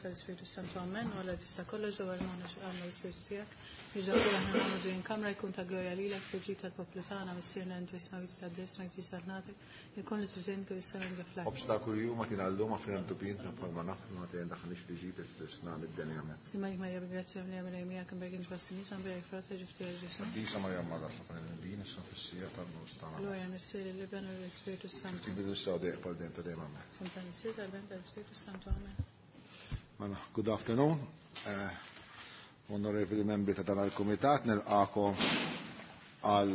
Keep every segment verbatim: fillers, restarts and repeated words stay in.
tal-Ispirtu Santu Amen, u Alla tista' kollox dwar magħna għandna l-Ispirtu tiegħek. Jiġa kull aħna nagħmlu din kamra jkun ta' glorja lilek tiġi tal-poplu tagħna missierna inti isma' ta' desma jti salnatek, jkun li tużin kif issa minn fl Obstakoli huma kien għallum ma fina ntubin ta' palma naf ma tgħin daħniex li ġib isna mid-denja amen. Simajk Marja bil-grazzja mlija minn miegħek imbegħin tbassini san bejk frata ġifti għal Ġesu. Disa Marja Mada sa din issa fis-sija tal-nus tagħna. Glorja missier l-Iben u l-Ispirtu Santu. Tibidu sew dejjem bħal dejjem ta' dejjem amen. Santa Missier tal-Ben tal-Ispirtu Santu Amen. Mela, good afternoon. Uh, onorevoli membri ta' dan il-Kumitat, nilqakom għal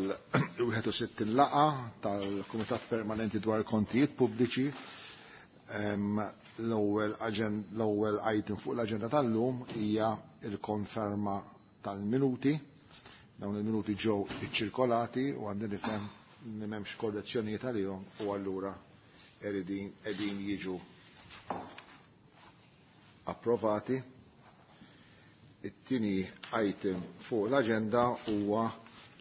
wieħed u sittin laqa tal-Kumitat Permanenti dwar Kontijiet Pubbliċi. L-ewwel l-ewwel item fuq l-aġenda tal-lum hija l-konferma tal-minuti. Dawn il-minuti ġew iċċirkolati u għandi nifhem li m'hemmx korrezzjonijiet għalihom u allura qegħdin jiġu approvati. It-tieni item fuq l-aġenda huwa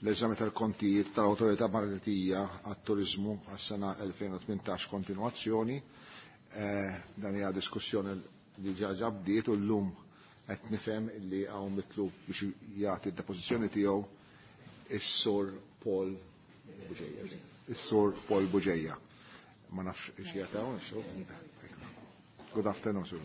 l-eżami tal-kontijiet tal-Awtorità Maltija għat-Turiżmu għas-sena elfejn u tmintax kontinwazzjoni. Eh, dan hija diskussjoni li ġa bdiet u llum qed nifhem li hawn mitlub biex jagħti d-depożizzjoni tiegħu is-Sur Paul Bugeja. Is-Sur Paul Bugeja. Ma nafx ix jagħtaw, Good afternoon, Sir.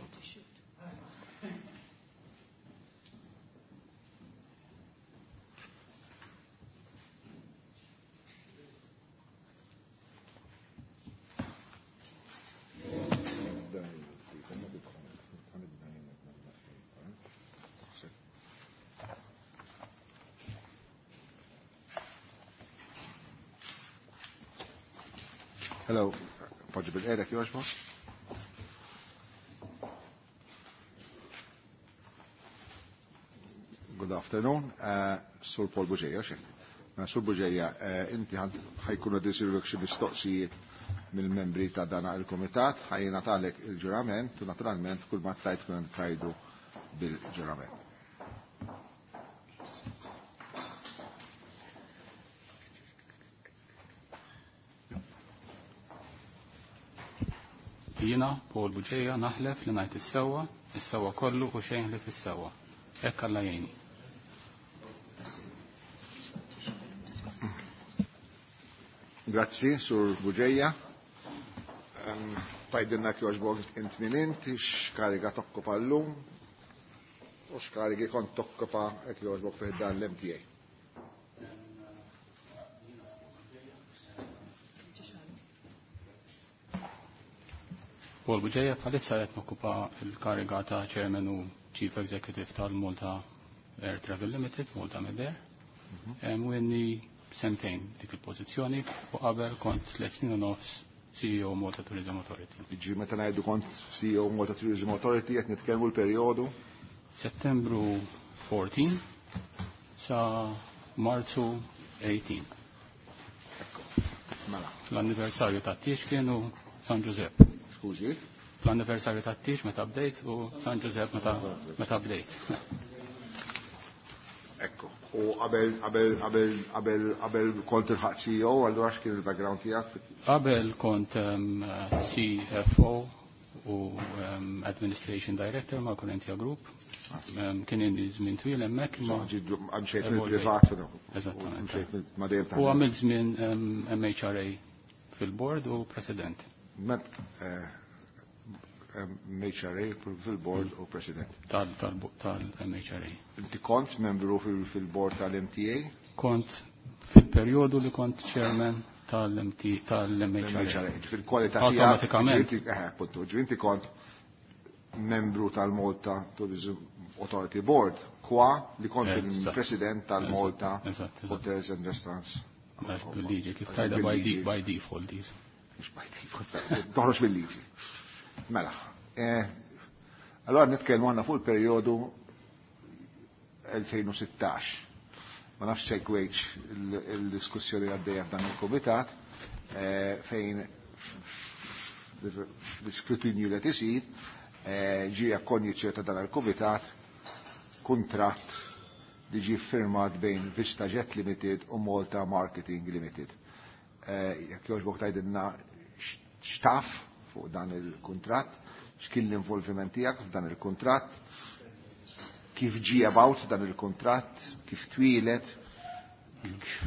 Hello, poġġi bil-qerek joġbo? Good afternoon, uh, Sur Paul Bugeja, xek. Sur Bugeja, uh, inti ħajkunu disirluk xi mistoqsijiet mill-membri ta' dana il-komitat, ħajjina talek il-ġurament u naturalment kull ma tajt kun tajdu bil-ġurament. Jiena, Paul Bugeja, naħlef li ngħid is-sewwa, is-sewwa kollu u xejn li fis-sewwa. Hekk Alla jgħinni. Grazzi, Sur Bugeja. Tajdilna kjoġbok int min int, x'kariga tokkopa llum u x'karigi kont tokkopa hekk jogħġbok fih dan l-M T A. Paul Bugeja bħalissa qed nokkupa l-kariga ta' Chairman u Chief Executive tal-Malta Air Travel Limited, Malta Medair. U inni sentejn dik il-pożizzjoni u qabel kont tliet snin u nofs C E O Malta Tourism Authority. Ġi meta ngħidu kont C E O Malta Tourism Authority qed nitkellmu l-perjodu? Settembru fourteen sa Marzu eighteen. Ekku, mela. L-anniversarju tat-tiex kienu San Giuseppe. Skużi? L-anniversarju tat-tiex meta bdejt u San Giuseppe meta, meta bdejt. Ekku, u qabel, qabel, qabel, qabel, qabel kont il-ħaq C E O, allura x'kien il-background tiegħek? Qabel kont, um, C F O u, um, Administration Director ma' Corinthia Group. Um, kien inni żmien twil hemmhekk imma Ġi, għamxejt Evolvejt. mill-privat, no? Eżattament. Għamxejt mill-, ma' dejjem U għamilt żmien, um, M H R A fil-board u president. Met, eh, M H R A fil-board u president. Tal-, tal-, tal-M H R A. Inti kont membru fil-, fil-board tal-M T A? Kont fil-perjodu li kont chairman tal-M T, tal-M H R A. M H R A, fil-kwalità tiegħek, Automatikament. ġifieri inti, eh, appunto, ġifieri inti kont membru tal-Malta Tourism Authority Board, kwa li kont Eżatt. il-president tal-Malta Eżatt, eżatt. Hotels and Restaurants. Għax bil-liġi, kif tajda by Bil-liġi. de-, by default, diż. Mhux by default, toħroġ bil-liġi. Mela, eh, allora nitkellmu għandna fuq il-perjodu elfejn u sittax. Ma nafx segwejtx il-, il-diskussjoni għaddejja f'dan il-kumitat, eh, fejn l-iskrutinju li qed isir, eh, ġie akkonjiċċju ta' dan il-kumitat kuntratt li ġie ffirmat bejn Vista Jet Limited u Malta Marketing Limited. Eh, jekk jogħġbok tgħidilna x'taf fuq dan il-kuntratt, X'kien l-involviment tiegħek f'dan il-kuntratt, kif ġie about dan il-kuntratt, kif twieled,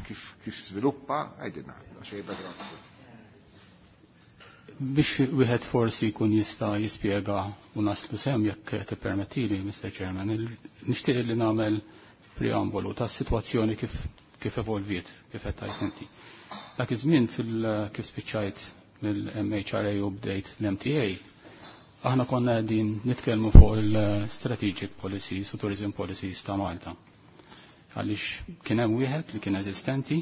kif kif sviluppa, għidilna, xejn background. Biex wieħed forsi jkun jista' jispjega u naslu sem jekk tippermettili, Mister Chairman, nixtieq li nagħmel preambolu tas-sitwazzjoni kif kif evolviet, kif qed tgħid inti. Dak iż-żmien fil kif spiċċajt mill-M H R A u bdejt l-M T A, aħna konna qegħdin nitkellmu fuq il-strategic policies u tourism policies ta' Malta. Għaliex kien hemm wieħed li kien eżistenti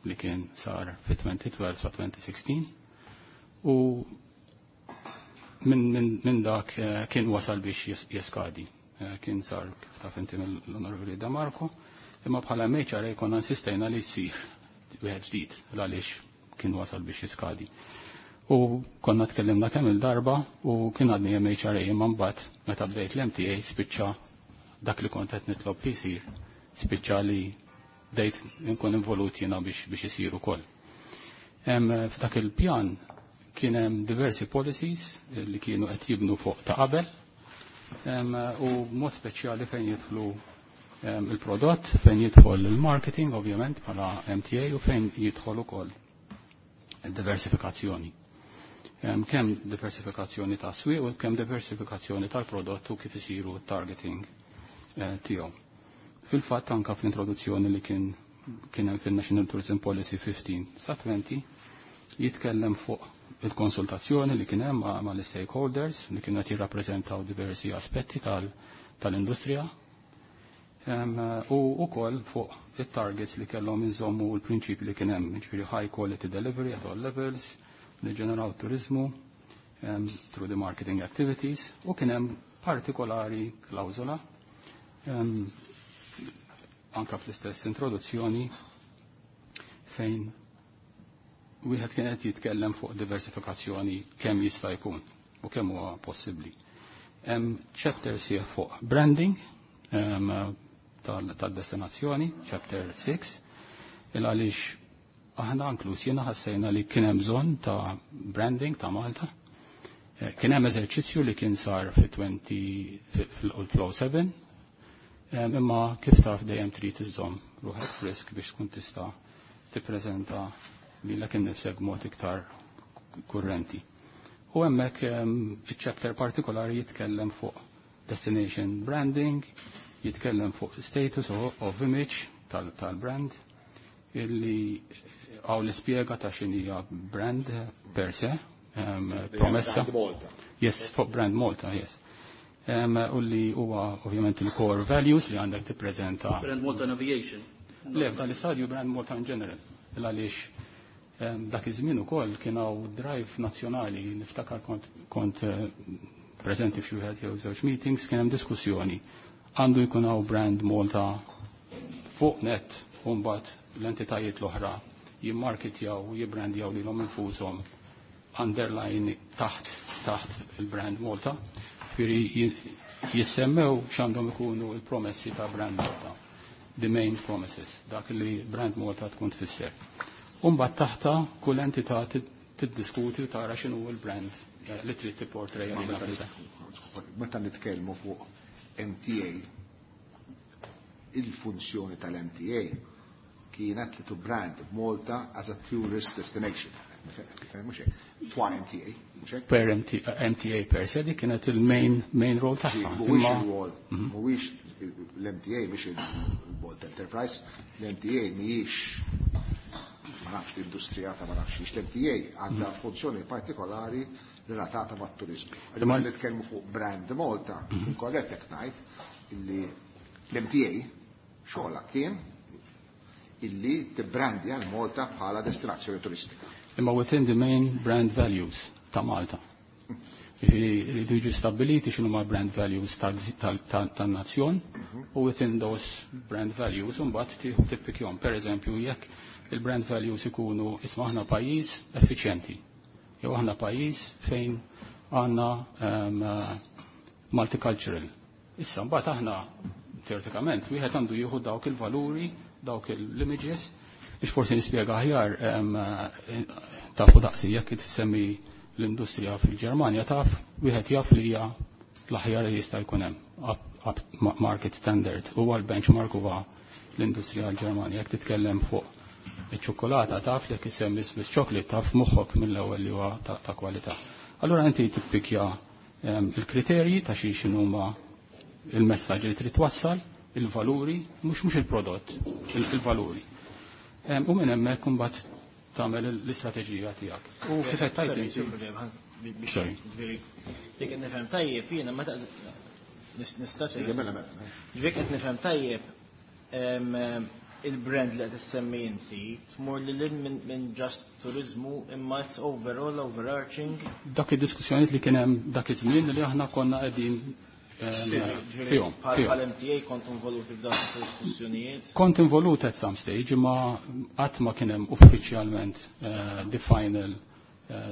li kien sar fi twenty twelve sa twenty sixteen u minn min, min dak, eh, kien wasal biex jes-, jeskadi. Eh, kien sar kif taf inti mill-Onorevoli Da Marco, imma bħala M H R A konna insistejna li jsir wieħed ġdid għaliex kien wasal biex jiskadi. U konna tkellimna kemm il-darba u kien għadni M H R A imma mbagħad meta bdejt l-M T A spiċċa dak li kont qed nitlob li jsir, spiċċa li bdejt nkun involut jiena biex, biex isir ukoll. Hemm f'dak il-pjan kien hemm diversi policies li kienu qed jibnu fuq ta' qabel, em, u mod speċjali fejn jidħlu, em, il-prodott, fejn jidħol il-marketing ovvjament bħala M T A u fejn jidħol ukoll diversifikazzjoni. Em, kemm diversifikazzjoni ta' swieq u kemm diversifikazzjoni tal-prodott u kif isiru targeting, eh, tiegħu. Fil-fatt anka fl-introduzzjoni li kien, kien hemm fil-National Tourism Policy fifteen sa twenty jitkellem fuq il-konsultazzjoni li kien hemm ma', ma' l-stakeholders li kienu qed jirrappreżentaw diversi aspetti tal-, tal-industrija. Em, u wkoll fuq it-targets li kellhom inżommu l-prinċipi li kien hemm, jiġifieri high quality delivery at all levels, li ġeneraw turizmu, em, through the marketing activities, u kien hemm partikolari klawżola, em, anka fl-istess introduzzjoni fejn wieħed kien qed jitkellem fuq diversifikazzjoni kemm jista' jkun u kemm huwa possibbli. Hemm chapter sieħ fuq branding, em, tal-, tad-destinazzjoni, chapter six, il għaliex aħna inkluż jiena ħassejna li kien hemm bżonn ta' branding ta' Malta. Eh, kien hemm eżerċizzju li kien sar fi twenty, fi, fil-Flow seven, em, imma kif taf dejjem trid iżżomm ruħek frisk biex tkun tista' tippreżenta lilek innifsek b'mod iktar kurrenti. U hemmhekk, em, iċ-chapter partikolari jitkellem fuq destination branding, jitkellem fuq status of, of image tal-, tal-brand, illi għaw l-ispjega ta' xinija brand per se, em, promessa. Brand Malta. Yes, fuq brand Malta, yes. Em, u li huwa ovvjament il-core values li għandek tippreżenta. Brand Malta Navigation. Le, f'dan l-istadju Brand Malta in general. Għaliex, em, dak iż-żmien ukoll kien hawn drive nazzjonali, niftakar kont, kont, eh, preżenti f'xi wieħed jew żewġ meetings, kien hemm diskussjoni. Għandu jkun hawn Brand Malta fuq net u mbagħad l-entitajiet l-oħra jimmarketjaw u jibbrandjaw lilhom infushom underline taħt, taħt il-Brand Malta. Ġifieri ji-, jissemmew x'għandhom ikunu l-promessi ta' Brand Malta, the main promises, dak li Brand Malta tkun tfisser. U mbagħad taħta kull entità tid-, tiddiskuti u tara x'inhu l-brand, eh, li trid tipportreja Ma lilha meta nfisha. Meta nitkellmu fuq M T A, il-funzjoni tal-M T A kienet li to brand Malta as a tourist destination. Mhux hekk. Twa M T A, mhux hekk? Per M T, M T A per se, dik kienet il-main, main role tagħha. Mhuwiex Imma il-role, Mhm. mhuwiex l-M T A mhix il-Malta Enterprise, l-M T A mhijiex ma nafx l-industrija ta' ma nafx xiex, l-M T A għandha Mhm. funzjoni partikolari relatata mat-turizmu. Imma Għalli nitkellmu fuq Brand Malta, Mhm. korrett jekk ngħid illi l-M T A xogħolha kien illi tibbrandi għal Malta bħala destinazzjoni turistika. Imma within the main brand values ta' Malta. Jiġifieri jridu jiġu stabbiliti x'inhu ma' brand values tal-, tal-, tan-nazzjon u within those brand values imbagħad tieħu tippikjhom. Per eżempju, jekk il-brand values ikunu isma' aħna pajjiż effiċjenti, jew aħna pajjiż fejn għandna, ehm, multicultural. Issa mbagħad aħna teoretikament wieħed għandu jieħu dawk il-valuri, dawk l-images, biex forsi nispjega aħjar, ehm, tafu daqsi jekk tissemmi l-industrija fil-Ġermanja taf, wieħed jaf li hija l-aħjar li jista' jkun hemm up market standard huwa l-benchmark huwa l-industrija l-Ġermanja. Jekk titkellem fuq iċ-ċokolata taf li jekk issemmi Swiss chocolate taf moħħok mill-ewwel li huwa ta' kwalità. Allura inti tippikja il-kriterji ta' xi x'inhuma il-messaġġ li trid twassal, il-valuri, mhux mhux il-prodott, il-valuri. U minn hemmhekk imbagħad tagħmel l-istrateġija tiegħek. U kif qed tajt Sorry. Dik qed nifhem tajjeb jiena meta nista' Ġifieri qed nifhem tajjeb il-brand li qed issemmi inti tmur lil minn just turizmu imma it's overall overarching. Dak id-diskussjonijiet li kien hemm dak iż-żmien li aħna konna qegħdin fihom. Bħal M T A kont involuti f'dak id-diskussjonijiet? Kont involut at some stage, imma qatt ma kien hemm uffiċjalment the final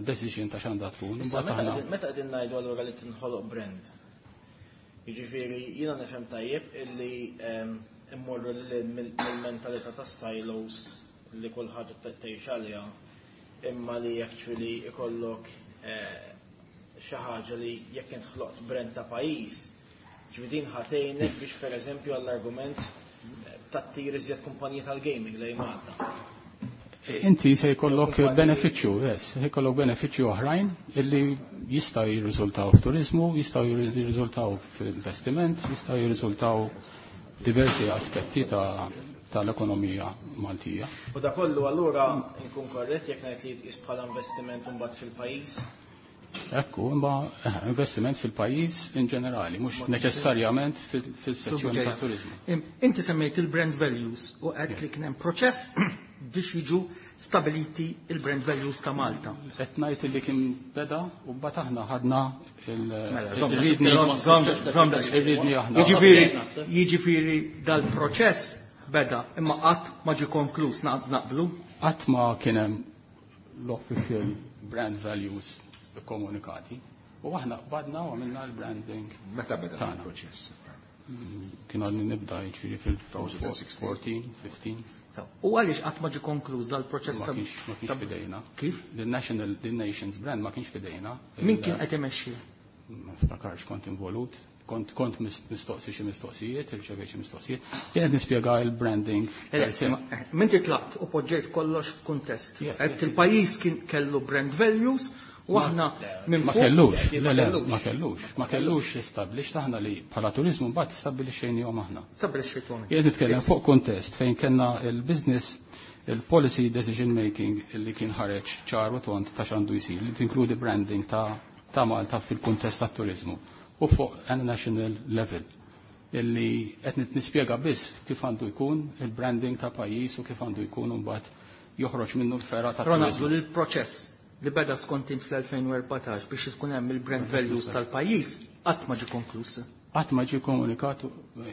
decision ta' x'għandha tkun. Meta qegħdin ngħidu allura li tinħoloq brand? Jiġifieri jiena nifhem tajjeb illi immorru mill-mentalità ta' silos li kull ħaġa tgħix għaliha, imma li actually ikollok xi ħaġa li jekk int ħloqt brand ta' pajjiż, ġifieri din ħa tgħinek biex pereżempju għall-argument tattir iżjed kumpaniji tal-gaming lejn Malta. Inti se jkollok benefiċċju, yes, se jkollok benefiċċju oħrajn illi jistgħu jirriżultaw f'turiżmu, jistgħu jirriżultaw f'investiment, jistgħu jirriżultaw diversi aspetti ta' tal-ekonomija Maltija. U da kollu allura nkun korrett jekk ngħid li jitqies bħala investiment imbagħad fil-pajjiż? Ekku, imma investiment fil-pajjiż in ġenerali, mhux neċessarjament fil-sezzjoni ta' turizmu. Inti semmejt il-brand values u għedt li kien hemm proċess biex jiġu stabiliti il-brand values ta' Malta. Qed ngħid li kien beda u mbagħad aħna ħadna il-ridni aħna. Jiġifieri jiġifieri dal-proċess beda imma qatt ma ġie konkluż, naqblu? Qatt ma kien hemm l-official brand values komunikati. U aħna qbadna u għamilna l-branding. Meta beda il-proċess? Kien għadni nibda, jiġifieri fil-elfejn u erbatax, ħmistax. U għaliex qatt ma ġie konkluż dal-proċess? Ma kienx fidejna. Kif? The National, the Nations brand ma kienx fidejna. Min kien qed imexxi? Ma niftakarx kont involut. Kont kont mistoqsi xi mistoqsijiet, irċevejt xi mistoqsijiet. Jien qed nispjega il-branding. Min tlaqt u poġġejt kollox f'kuntest. Qed il-pajjiż kien kellu brand values u aħna minn Ma kellux, le le, ma kellux, ma kellux established, aħna li bħala turizmu mbagħad stabbilixxejnihom aħna. Stabbilixxejthom. Jien nitkellem fuq kuntest fejn kellna il-business il-policy decision making li kien ħareġ ċar u tont ta' x'għandu jsir, li tinkludi branding ta' ta' Malta fil-kuntest tat-turizmu u fuq a national level, illi qed nispjega biss kif għandu jkun il-branding ta' pajjiż u kif għandu jkun mbagħad joħroġ minnu l-fergħa ta' turizmu. Il-proċess li beda skont int fl-elfejn u erbatax biex ikun hemm il-brand values tal-pajjiż qatt ma ġie konkluż. Qatt ma ġie komunikat,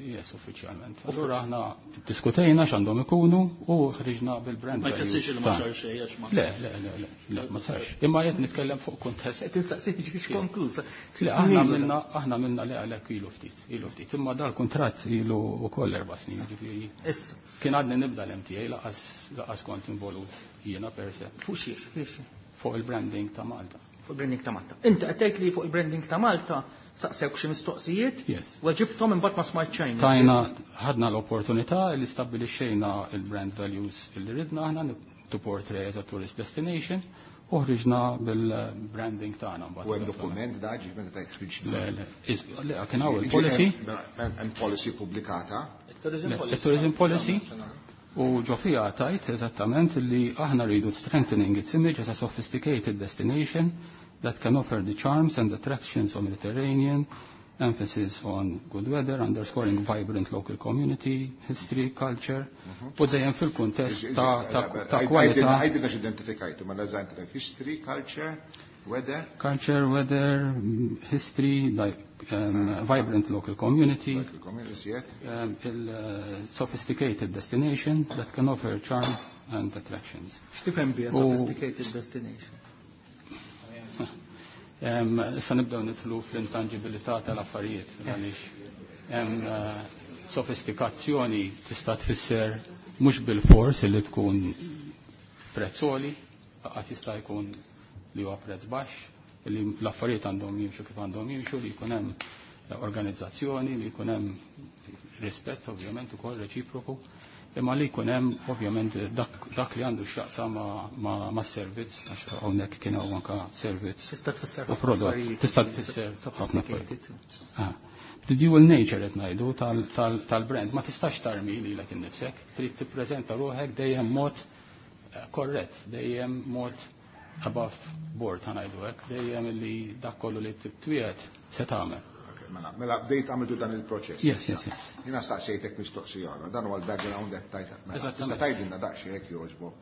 yes, uffiċjalment. Allura aħna diskutejna x'għandhom ikunu u ħriġna bil-brand Ma jfissirx li ma sar xejn għax ma. Le, le, le, le, le, ma sarx. Imma qed nitkellem fuq kuntest. Qed insaqsik ġiex konkluż. Le, aħna għamilna aħna għamilna le għalhekk ilu ftit, ilu ftit. Imma dal-kuntratt ilu wkoll erba' snin, ġifieri. Issa. Kien għadni nibda l-M T A, laqas laqas kont involut jiena per se. Fuq xiex, fiex? Fuq il-branding ta' Malta. Fuq il-branding ta' Malta. Inti qed tgħid li fuq il-branding ta' Malta saqsewk xi mistoqsijiet? Yes. Weġibthom, imbagħad ma smajt xejn. Tajna, ħadna l-opportunità li stabbilixxejna il-brand values li ridna aħna to portray as a tourist destination u ħriġna bil-branding tagħna. U hemm dokument da ġi meta tajt ħriġna? Le, le, le, kien hawn il-policy. Hemm policy pubblikata? Il-tourism policy. U ġo fiha tajt eżattament li aħna rridu strengthening its image as a sophisticated destination that can offer the charms and attractions of Mediterranean, emphasis on good weather, underscoring vibrant local community, history, culture, u dejjem fil-kuntest ta' ta' kwalità. Għajdilna x'identifikajtu, ma l history, culture, weather? Culture, weather, history, like um, vibrant local community, local community, yes. um, il, uh, sophisticated destination that can offer charm and attractions. X'tifhem biha sophisticated destination? Issa nibdew nidħlu fl-intangibilità tal-affarijiet, għaliex hemm uh, sofistikazzjoni tista' tfisser mhux bil-fors li tkun prezz għoli, qatt jista' jkun li huwa prezz baxx. Li l-affarijiet għandhom jimxu kif għandhom jimxu, li jkun hemm organizzazzjoni, li jkun hemm rispett ovvjament ukoll reċiproku, imma li jkun hemm ovvjament dak, dak li għandu x'jaqsam ma', ma, ma servizz, għax hawnhekk kien hawn anke servizz Tista' tfisser u prodott. Tista' tfisser ħafna affarijiet. Ah. The dual nature qed ngħidu tal-brand ma tistax tarmi lilek innifsek, trid tippreżenta ruħek dejjem mod korrett, dejjem mod above board ħa ngħidu hekk, dejjem li dak kollu li twiegħed se tagħmel. Mela, mela bdejt għamiltu dan il-proċess. Yes, yes, yes. Jiena staqsejtek mistoqsija, dan huwa l-background qed tajt. Mela, tista' tgħidilna daqsxejn jekk jogħġbok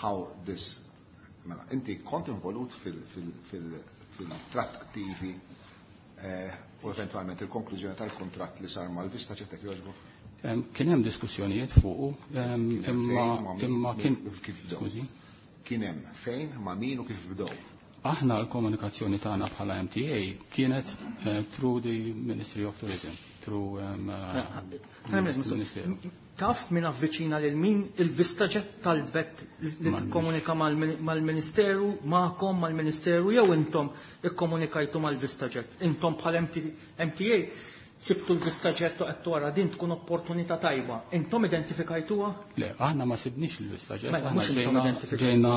how this mela, inti kont involut fil-trattattivi u eventualment il-konklużjoni tal-kontratt li sar mal-VistaJet jekk jogħġbok? Kien hemm diskussjonijiet fuqu, imma imma kien kif bdew. Kien hemm fejn, ma' min u kif bdew. Aħna l-komunikazzjoni tagħna bħala M T A kienet through the Ministry of Tourism, through Ministeru. Taf min avviċina lil min il-VistaJet talbet li tikkomunika mal-Ministeru, magħkom mal-Ministeru jew intom ikkomunikajtu mal-VistaJet. Intom bħala M T A sibtu l-VistaJet u qed wara din tkun opportunità tajba. Intom identifikajtuha? Le, aħna ma sibniex il-VistaJet. Mela, aħna mhux intom ġejna identifikajtu. ġejna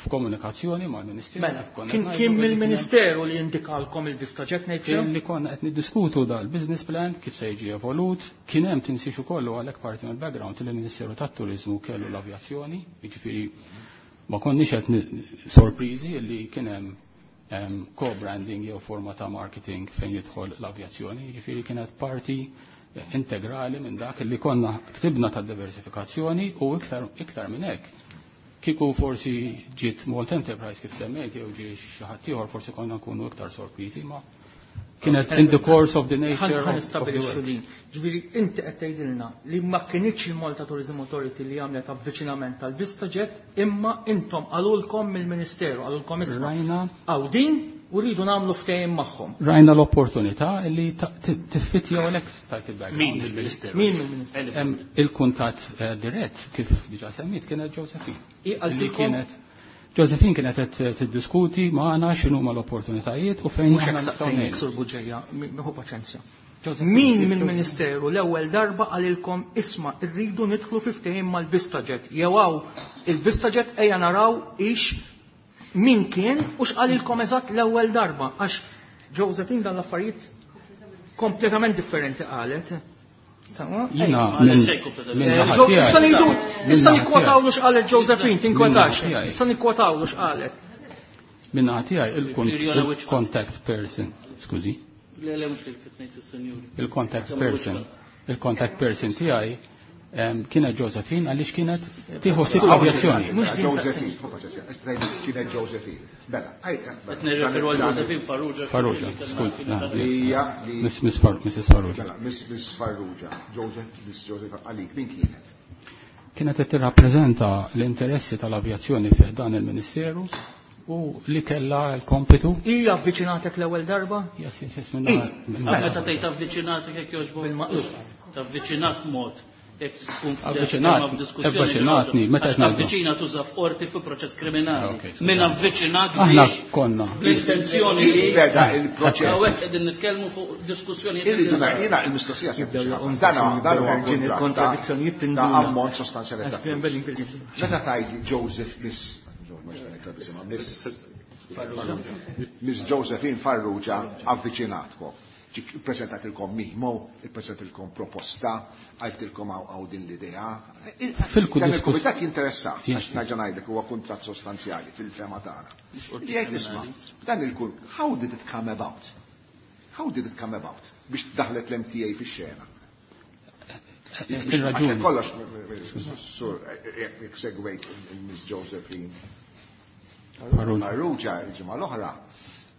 f'komunikazzjoni mal-Ministeru. Mela, kif konna kien ngħidu kien li kien mill-Ministeru li indikalkom il-VistaJet ngħid sew? Kien li konna qed niddiskutu dal-business plan kif se jiġi evolut, kien hemm tinsiex ukoll għalhekk parti mill-background li l-Ministeru tat-Turiżmu kellu l-avjazzjoni, jiġifieri ma konniex qed sorpriżi li kien hemm co-branding jew forma ta' marketing fejn jidħol l-avjazzjoni, jiġifieri kienet parti integrali minn dak li konna ktibna ta' diversifikazzjoni u iktar, iktar minn hekk. Kieku forsi ġiet Malta Enterprise kif semmejt jew ġie xi ħadd ieħor forsi konna nkunu iktar sorpriżi, ma kienet in the course of the nature Ħan of, of the nistabilixxu work. din. Ġifieri inti qed tgħidilna li ma kinitx il-Malta Tourism Authority li għamlet avviċinament tal-VistaJet, imma intom qalulkom mill-Ministeru, qalulkom isma' Rajna hawn din u rridu nagħmlu ftehim magħhom. Rajna l-opportunità li tiffittja għalhekk stajt il-background. Min mill-Ministeru? Min mill-Ministeru? Hemm il-kuntatt dirett kif diġà semmit kienet Josephine. I Li għaltilkom kienet Josephine kienet qed tiddiskuti magħna x'inhuma l-opportunitajiet u fejn Mhux aħna hekk nistgħu saqsejnik, ngħinu. Sur Buġeja, miħu paċenzja. Josephine, Min Josephine. mill-Ministeru l-ewwel darba qalilkom isma' rridu nidħlu fi ftehim mal-VistaJet. Jew hawn il-VistaJet ejja naraw ix min kien u x'qalilkom eżatt l-ewwel darba għax Josephine dan l-affarijiet kompletament differenti qalet. Sawa? Jiena Għalet minn xejn kompletament. minn Eh, naħa Jo- tiegħi. Issa ngħidu, Minn issa naħa nikkwotawlu tiegħi. x'qalet Josephine, tinkwetax. Minn naħa tiegħi. Issa nikkwotawlu x'qalet. Minn naħa tiegħi il-kont- Irjona Wichman. il-contact person, skużi. Le, le, mhux li kif ngħid is-senjuri. Il-contact Insomma, person. Wichman. Il-contact person tiegħi em, kienet Josephine għaliex kienet tieħu sitt avjazzjoni. Mhux din Josephine, hu paċenzja, qed tgħid kienet Josephine. Bella, ej, Qed nirreferu għal Josephine Farrugia. Farrugia, skuż, ah, Li hija li Miss Miss Far- Missus Farrugia. Mela, Miss Miss Farrugia, Joseph, Miss Joseph għalik min kienet? Kienet qed tirrappreżenta l-interessi tal-avjazzjoni fih dan il-Ministeru u li kellha l-kompitu. Hija avviċinatek l-ewwel darba? Yes, yes, yes, minn naħa- minn naħa- Meta tgħid avviċinatek jekk jogħġbok. Bil-maqlub. Tavviċinat mod. Jekk tkun Avviċinat, f'diskussjoni avviċinatni, ġewwa. meta Għax qed ngħidu. tavviċina tuża f'qorti fi proċess kriminali. Ah, ok, skużani. Min avviċinat Aħna biex konna. bl-intenzjoni li Beda il-proċess. Hawnhekk qegħdin nitkellmu fuq diskussjoni Irridu ngħid, jiena il-mistoqsija sempliċi ħafna. Dan huwa- dan huwa Ġin il-kontradizzjonijiet ta' tinduna. ammont sostanzjali ta' flus. Meta tgħid Joseph Miss Miss Miss Josephine Farrugia avviċinatkom. Ġik ippreżentatilkom memo, ippreżentatilkom proposta, għaltilkom hawn hawn din l-idea. Fil-ku Dan diskus- il-kumitat jinteressa, Yes. għax nerġa' ngħidlek huwa kuntratt sostanzjali fil-fema tagħna. Li jgħid isma', dan il-kun, how did it come about? How did it come about? Biex daħlet l-M T A fix-xena. Il-raġuni. Kollox, sur, jekk segwejt il-Miss Josephine Farrugia. Farrugia il-ġimgħa l-oħra,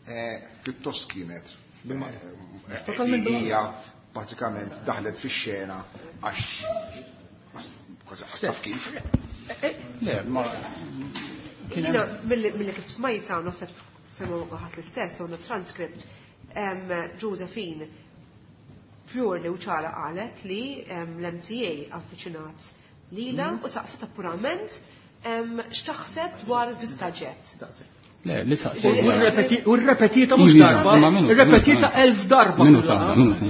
eh, pjuttost kienet, eh, Totalment hija pratikament daħlet fix-xena għax kważi taf kif. Le, ma kien hemm Jiena, milli milli kif smajta, naħseb semgħu ħadd l-istess, on the transcript, em, Josephine purely u ċara qalet li, em, l-M T A avviċinat lila u saqsitha purament, em, x'taħseb dwar VistaJet. Le, li saqsejt. U rrepetita mhux darba, irrepetita elf darba. Minuta, minuta.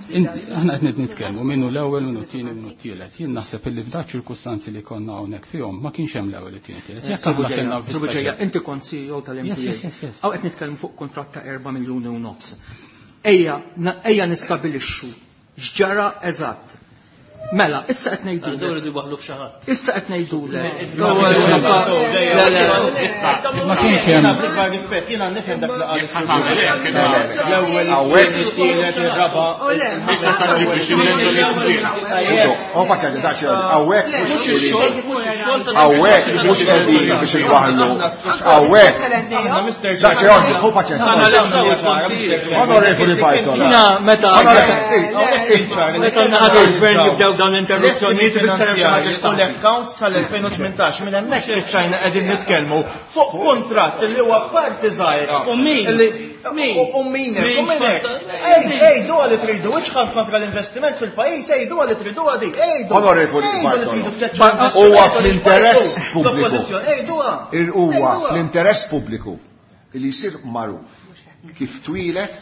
Aħna qed nitkellmu minnu l-ewwel, minnu t-tieni, minnu t-tielet. Jien naħseb illi f'dak ċirkustanzi li konna hawnhekk fihom ma kienx hemm l-ewwel, it-tieni, tielet. Jekk aħna kellna Sur inti kont C E O tal-M T A. Hawn qed nitkellmu fuq kuntratt ta' erba' miljuni u nofs. Ejja, ejja nistabilixxu x'ġara eżatt. Mela, issa qed ngħidulek. Irridu jwaħħlu f'xi ħadd. Issa qed ngħidulek. Ma kienx hemm. Rispett, jiena nifhem dak li qal l-ewwel, it-tielet, ir-raba'. Oh, paċċa, dak hawnhekk mhux hawnhekk mhux qegħdin biex inwaħħlu. Hawnhekk. Dak xi għandi, hu paċċa. Onorevoli Bartola. Jiena meta meta naħadu l-gvern jibdew dawn l-interruzzjonijiet ifisser hemm xi ħaġa x'tagħmel. L-account sal-elfejn u tmintax minn hemmhekk spiċċajna qegħdin nitkellmu fuq kuntratt li huwa parti żgħira. U min? U min hekk, u min hekk. Ej, ejdu li tridu, iċħal kontra l-investiment fil-pajjiż, ejdu li tridu għadi, ejdu. Onorevoli Bartolo, huwa fl-interess pubbliku. Huwa fl-interess pubbliku li jsir magħruf kif twilet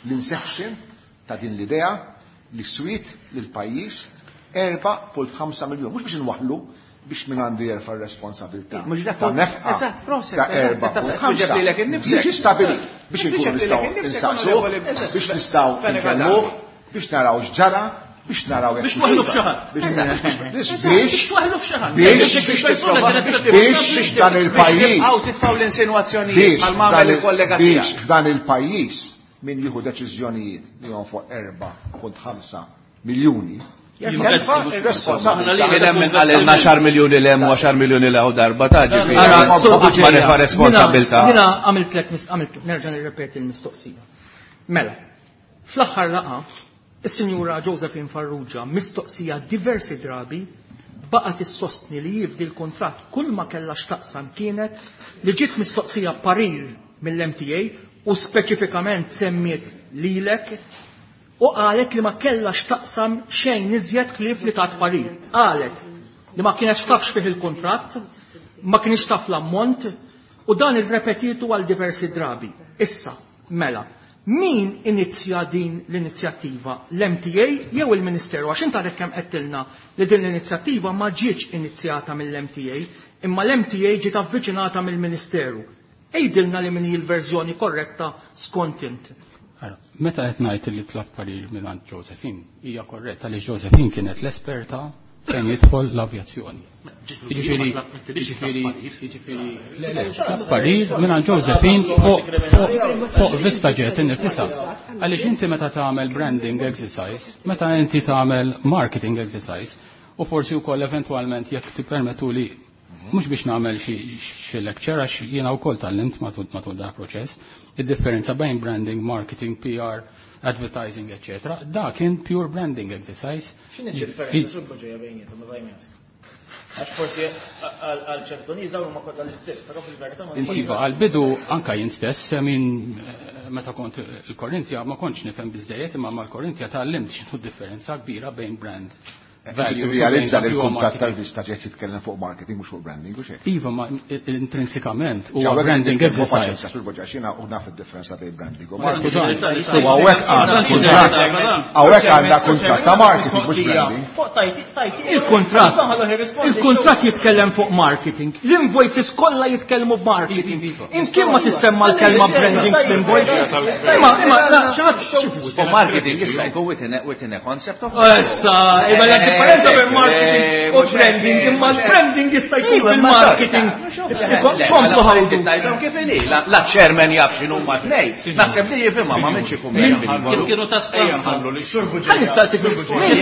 l-inception ta' din l-idea li swiet lil pajjiż erba' punt ħamsa miljun. Mhux biex inwaħħlu, biex min għandu jerfa' r-responsabilità. Ta' nefqa ta' erba' punt ħamsa. Biex jistabilit, biex inkunu nistgħu insaqsuh, biex nistgħu nkellmuh, biex naraw x'ġara, biex naraw biex twaħħlu f'xi ħadd. Biex twaħħlu f'xi ħadd. Biex dan il-pajjiż. Għaw titfgħu l-insinwazzjonijiet għal ma' il-kollega tiegħek. Biex dan il-pajjiż min jieħu deċiżjonijiet li fuq erba' punt ħamsa miljuni. Kien hemm min qalilna għaxar miljuni l hemm u għaxar miljuni l darba ta' ġifieri. Ma nefa' responsabilità. Jiena għamiltlek għamilt nerġa' nirrepeti l-mistoqsija. Mela, fl-aħħar laqgħa is-Sinjura Josephine Farrugia mistoqsija diversi drabi baqgħet issostni li jifdi l-kuntratt kull ma kellha x'taqsam kienet li ġiet mistoqsija parir mill-M T A u speċifikament semmiet lilek u qalet li ma kellha x'taqsam xejn iżjed ħlief li tat parir. Qalet li ma kienx tafx fih il-kuntratt, ma kienx taf l-ammont u dan irrepetitu għal diversi drabi. Issa, mela, min inizja din l-inizjattiva? L-M T A jew il-Ministeru? Għax inta għadek kemm qedtilna li din l-inizjattiva ma ġietx inizjata mill-M T A, imma l-M T A ġiet avviċinata mill-Ministeru. Ejdilna li min hi l-verżjoni korretta skont int. Ara, meta qed ngħid li tlab parir mingħand Josephine, hija korretta li Josephine kienet l-esperta fejn jidħol l-avjazzjoni. Jiġifieri, jiġifieri, jiġifieri, le, le, tlab parir mingħand Josephine fuq, fuq, fuq VistaJet innifisha. Għaliex inti meta tagħmel branding exercise, meta inti tagħmel marketing exercise, u forsi wkoll eventwalment jekk tippermettuli mhux biex nagħmel xi lecture għax jiena wkoll tgħallimt matul, matul dak proċess, id-differenza bejn branding, marketing, P R, advertising, eccetera. Da kien pure branding exercise. X'inhi d-differenza sul ġejja bejnietom, ma bejnietom? Għax forsi għal ċertu nies dawn huma kollha l-istess, però fil-verità ma Iva, għal-bidu anka jien stess, min meta kont il-Korinthia ma kontx nifhem biżejjed, imma mal-Korinthia tgħallimt x'inhu d-differenza kbira bejn brand value. Realizza li l-kuntratt tal-VistaJet jitkellem fuq marketing mhux fuq branding, u xejn. Iva, ma intrinsikament huwa Ġawek branding nitkellmu fuq exercise. paċenza, Sur Boġa, xina u naf id-differenza bejn branding u Ma marketing. skużani. U hawnhekk għandna kuntratt, hawnhekk għandna kuntratt ta' marketing mhux branding. Fuq tajti, tajti. Il-kuntratt. Nisma' ħallu jirrispondi. Il-kuntratt jitkellem fuq marketing. L-invoices kollha jitkellmu b'marketing. Iva, iva. Imkien ma tissemma l-kelma branding fl-invoices. Imma, imma, la, xi ħadd xi fuq. Fuq marketing jista' jkun within a, within a concept of Issa, imma la differenza bejn marketing u branding, imma l-branding jista' jkun fil-marketing. Komplu ħawdu. Ngħidhom kif inhi, la chairman jaf x'inhu ma tnej. Naħseb li jifhimha ma minx ikun Kif kienu ta' Skanska? Ħalli nistaqsi min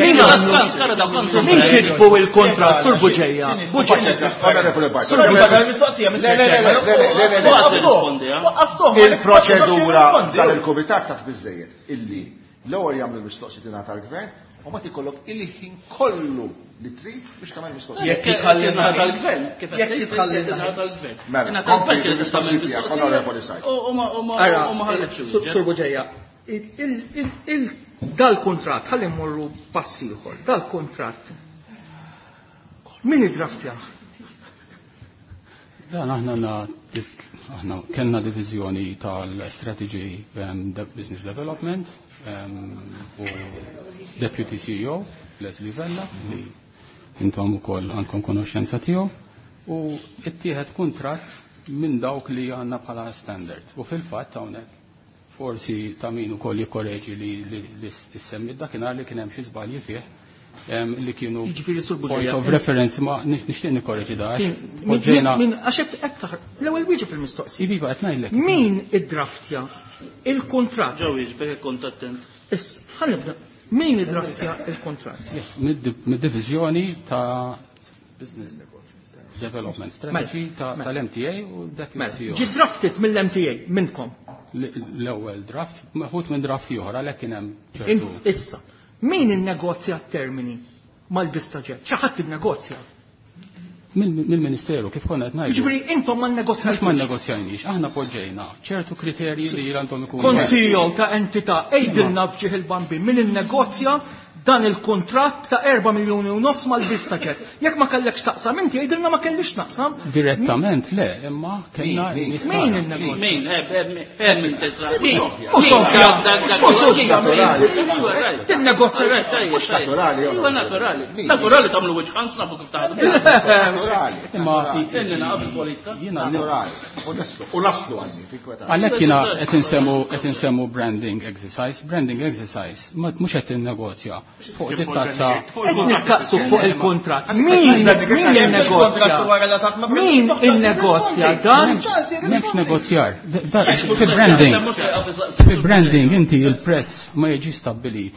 min Ta' għamlu? Skanska da konsu. Min kitbu il-kontrat Sur Buġeja? Buġeja. Onorevoli Bartolo. Sur Buġeja, mistoqsija, Le, le, le, le, le, le, le, le. Kważi rispondi, eh? Waqqaftuh. Il-proċedura tal-kumitat taf biżejjed illi l-ewwel jagħmlu l-mistoqsijiet tingħata l-gvern u ma tikollok il-ħin kollu li trid biex tagħmel mistoqsija. Jekk jitħallilna tal-gvern, kif qed Jekk tgħid, jitħallilna. ingħata l-gvern. Mela, Ingħata l-gvern kompli kienet tista' tagħmel bil-mistoqsija tiegħek, mistoqsija. Onorevoli Said. U ma u ma Ara, u ma ħalletx Sur iwieġeb. Sur Buġeja, il-, il-, il-, il-, dal-kuntratt, ħalli mmorru pass ieħor, dal-kuntratt. Min iddraftjah? Dan aħna għandna aħna kellna diviżjoni tal-Strategy um, Business Development um, u Deputy C E O Leslie Vella li intom ukoll għandkom konoxxenza tiegħu u ttieħed kuntratt minn dawk li għandna bħala standard. U fil-fatt hawnhekk forsi ta' min ukoll jikkoreġi li li ssemmi dakinhar li kien hemm xi żbalji fih li kienu point of reference ma nixtieq nikkoreġi da. Min għax hekk taħ l-ewwel wieġeb il-mistoqsija. Iva qed ngħidlek. Min iddraftja il-kuntratt? Ġew jiġbek kont attent. Issa ħa nibda. Min iddraftja il-kuntratt? Yes, mid-diviżjoni ta' Business Development Strategy tal-M T A u dak il-C E O. Ġi drafted mill-M T A minnkom. L-ewwel draft, meħud minn draft ieħor għalhekk kien hemm ċertu. Issa, min innegozja t-termini mal-VistaJet? Xi ħadd innegozja? Mill-Ministeru, kif konna qed ngħidu. Jiġifieri intom ma nnegozjajniex. Mhux ma nnegozjajniex, aħna poġġejna ċertu kriterji li għandhom ikunu. Kont C E O ta' entità, għidilna f'ġieħ il-Bambin, min innegozja dan il-kuntratt ta' erba' miljuni u nofs mal-VistaJet. Jekk ma kellekx taqsam, inti għidilna ma kellix naqsam. Direttament le, imma kellna Min? nies Min tagħna. innegozja? Min? Eh, eh, eh, min tesa? Min? Mhux ovvja. Mhux ovvja. Naturali. Tinnegozja. Mhux naturali, Iva naturali. Min? Naturali tagħmlu wiċċ ħans nafu kif taħdmu. Naturali. Imma Inni naqaf il-politika. Jiena Naturali. U naslu, u naslu għandi, tinkweta. Għalhekk jiena qed insemmu, qed insemmu branding exercise, branding exercise, ma mhux qed tinnegozja fuq dit-tazza. Qed nistaqsu fuq il-kuntratt. Min min innegozja? Min innegozja dan? M'hemmx negozjar. Fi branding, fi branding inti il-prezz ma jiġi stabbilit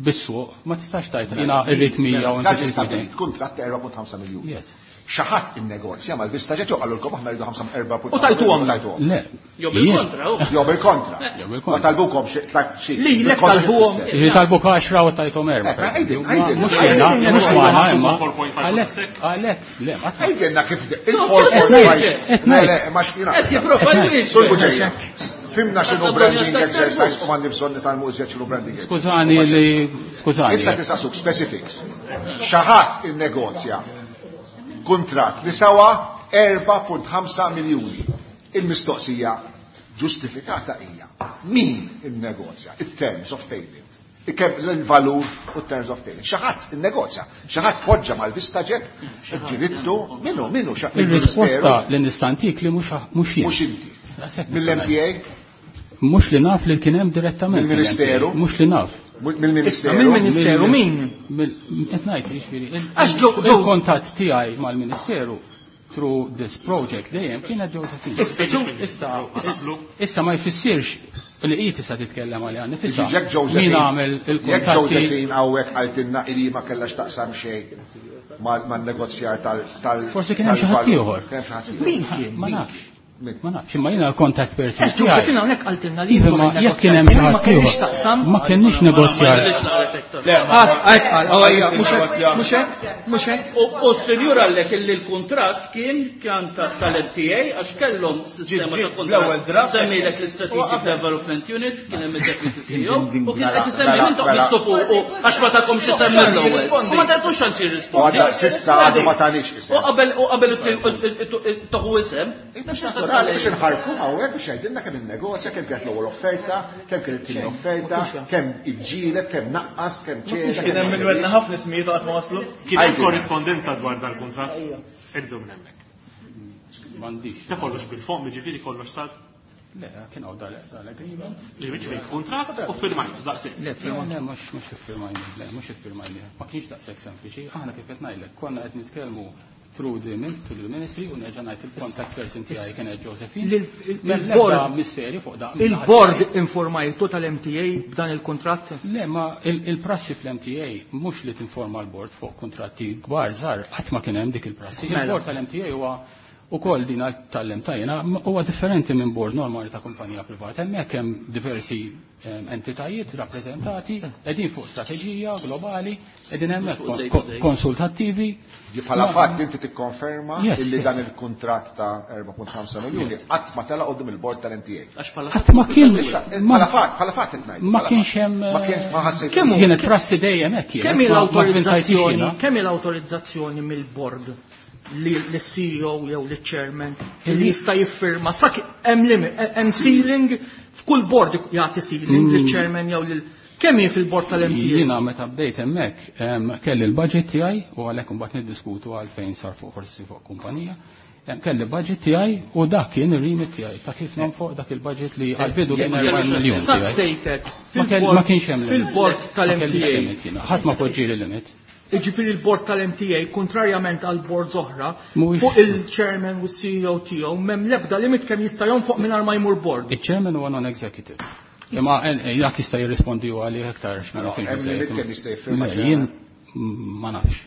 bis-suq, ma tistax tajt jiena irrid mija u Dak inti trid stabbilit, mitejn. kuntratt erba' punt ħamsa miljun. Yes. Xi ħadd innegozja mal-VistaJet jew qalulkom aħna rridu ħamsa erba' punt U tajtuhom. tajtuhom. Le. Jew bil-kontra, u. Jew bil-kontra. Jew bil-kontra. Ma talbukom xi ta' xi. Li, lek Bil-kontra talbuhom. xi Jiġi talbuk għaxra u tajthom erba'. Eh, ma għidin, għidin. Mhux jiena, mhux magħna imma. Four point five Għalhekk, sek. għalhekk, le, ma taf. Għidilna kif de- il-four point five. Qed Le, ngħid. le, ma x'kien Qed jipprova jwieġeb. Sur Buġeja, fimna x'inhu branding exercise u m'għandi bżonn nitgħallmu iżjed x'inhu branding exercise. Skużani li, skużani. Issa tisaqsuk specifics. Xi ħadd innegozja kuntratt li sawa erba' punt ħamsa miljuni. Il-mistoqsija ġustifikata hija min innegozja it-terms of payment, kemm l-valur u terms of payment. Xi ħadd innegozja, xi ħadd poġġa mal-VistaJet, ġirittu minnu, minnu, xa- Il-risposta li nistantik li mhux mhux jien. Mhux inti. Daqshekk Mill-M T A? Mhux li naf li kien hemm direttament Mill-Ministeru? mill-M T A. Mhux li naf. Mill-Ministeru? Mill-Ministeru min? Mill-, qed ngħid jiġifieri, il- Għax ġo-, ġo- il-kuntatt tiegħi mal-Ministeru through this project dejjem kienet Josephine. Issa, ġo- Issa, issa ma jfissirx li hi tista' titkellem għaliha nifisha. Jekk Josephine, Min għamel jekk il-kuntatti Josephine hawnhekk qaltilna li ma kellax taqsam xejn mal-, man-negozjar tal-, tal-, Forsi kien hemm xi ħadd tal-valur. ieħor. Kien hemm xi ħadd ieħor. Min kien? Ma nafx. Min? Ma nafx, imma jiena l-contact person Għax Josephine hawnhekk qaltilna li Iva, intom ma jekk kien hemm xi ma ħadd kellix ieħor. taqsam. Ma kenniex negozjar. Le, ma- Ah, għajt qal, oh, ejja, mhux hekk, mhux hekk, mhux hekk. U s-senjur għallek illi l-kuntratt kien kien ta' tal-M T A għax kellhom sistema ta' Ġi- ġi, kuntratt. l-ewwel draft. Semmilek l-Strategic Development Unit, kien hemm id-Deputy C E O, u kien Mela, qed isemmi mela, intom mela. jittu fuq u għax ma tagħkomx isemmi l-ewwel. U ma tagħtux xans jirrispondi. U għadda sissa għadu ma tanix isem. U qabel u qabel toħu isem. Biex naturali biex inħarku hawnhekk biex jgħidilna kemm innegozja, kemm kienet l-ewwel offerta, kemm kienet it-tieni offerta, kemm iġġieled, kemm naqqas, kemm ċeda. Kien hemm minn wedna ħafna ismijiet qatt ma waslu. Kien hemm Għajdilna. korrispondenza dwar dal-kuntratt. Ibdu minn hemmhekk. M'għandix. Ta' kollox bil-fomm, jiġifieri kollox sar. Le, kien hawn dal-, dal-agreement. Li jiġifieri kuntratt u firmajt, daqshekk. Le, firma, le, mhux, mhux iffirmajni, le, mhux iffirmajni. Ma kienx daqshekk sempliċi. Aħna kif qed ngħidlek, konna qed nitkellmu through the min-, to the ministry u nerġa' ngħid il-contact person tiegħi kienet Josephine. Lil-, il-, M'hemm il-board- l-ebda misteri fuq da. Il-board informajtu tal-M T A b'dan il-kuntratt? Le, ma il-, il-prassi fl-M T A mhux li tinforma l-board fuq kuntratti kbar żgħar, qatt ma kien hemm dik il-prassi. Mela. Il-board tal-M T A huwa ukoll din tal-M T A jiena, huwa differenti minn board normali ta' kumpanija privata. Hemmhekk hemm diversi, ehm, entitajiet rappreżentati, qegħdin fuq strateġija globali, qegħdin hemmhekk Mhux fuq day kon-, to day. konsultattivi. Bħala Ma- fatt inti tikkonferma Yes, illi yes. dan il-kuntratt ta' erba' punt ħamsa miljuni qatt ma tela' quddiem il-board tal-M T A. Għax bħala Qatt ma kien Issa, ma bħala fatt, bħala fatt qed ngħid, ma bħala kienx fatt. hemm, Ma kienx, ma ħassejt. Kemm hu- Kienet prassi dejjem hekk kienet, Kemm hi ma- ma l-awtorizzazzjoni, vvintajtix jiena. kemm hi l-awtorizzazzjoni mill-board L-C E O jew l-chairman li jista' jiffirma sa hemm limit, hemm ceiling, f'kull board jagħti ceiling lill-chairman jew lil kemm jien fil-board tal-M T A. Jiena meta bdejt hemmhekk em, kelli l-budget tiegħi u għalhekk imbagħad niddiskutu għalfejn sar fuq forsi fuq kumpanija. Em, Kelli budget tiegħi u dak kien ir-remit tiegħi ta' kif nonfoq dak il-budget li għal-bidu kien erbgħin miljun Sa tiegħi. sejtet Ma kell- ma kienx hemm limit. fil-board Ma kellix tal-M T A. limit jiena. Ħadd ma poġġieli limit. Iġifieri il-board tal-M T A, kontrarjament għal boards oħra, Mhuwiex- fuq il-chairman u C E O tiegħu m'hemm l-ebda limit kemm jista' jonfoq mingħajr ma jmur board. Il-chairman huwa non-executive. Imma eh, eh, dak jista' jirrispondi u għalih aktar x'ma No, nafx hemm biżejjed. limit kemm jista' jiffirma Le, chairman? jien mm, ma nafx.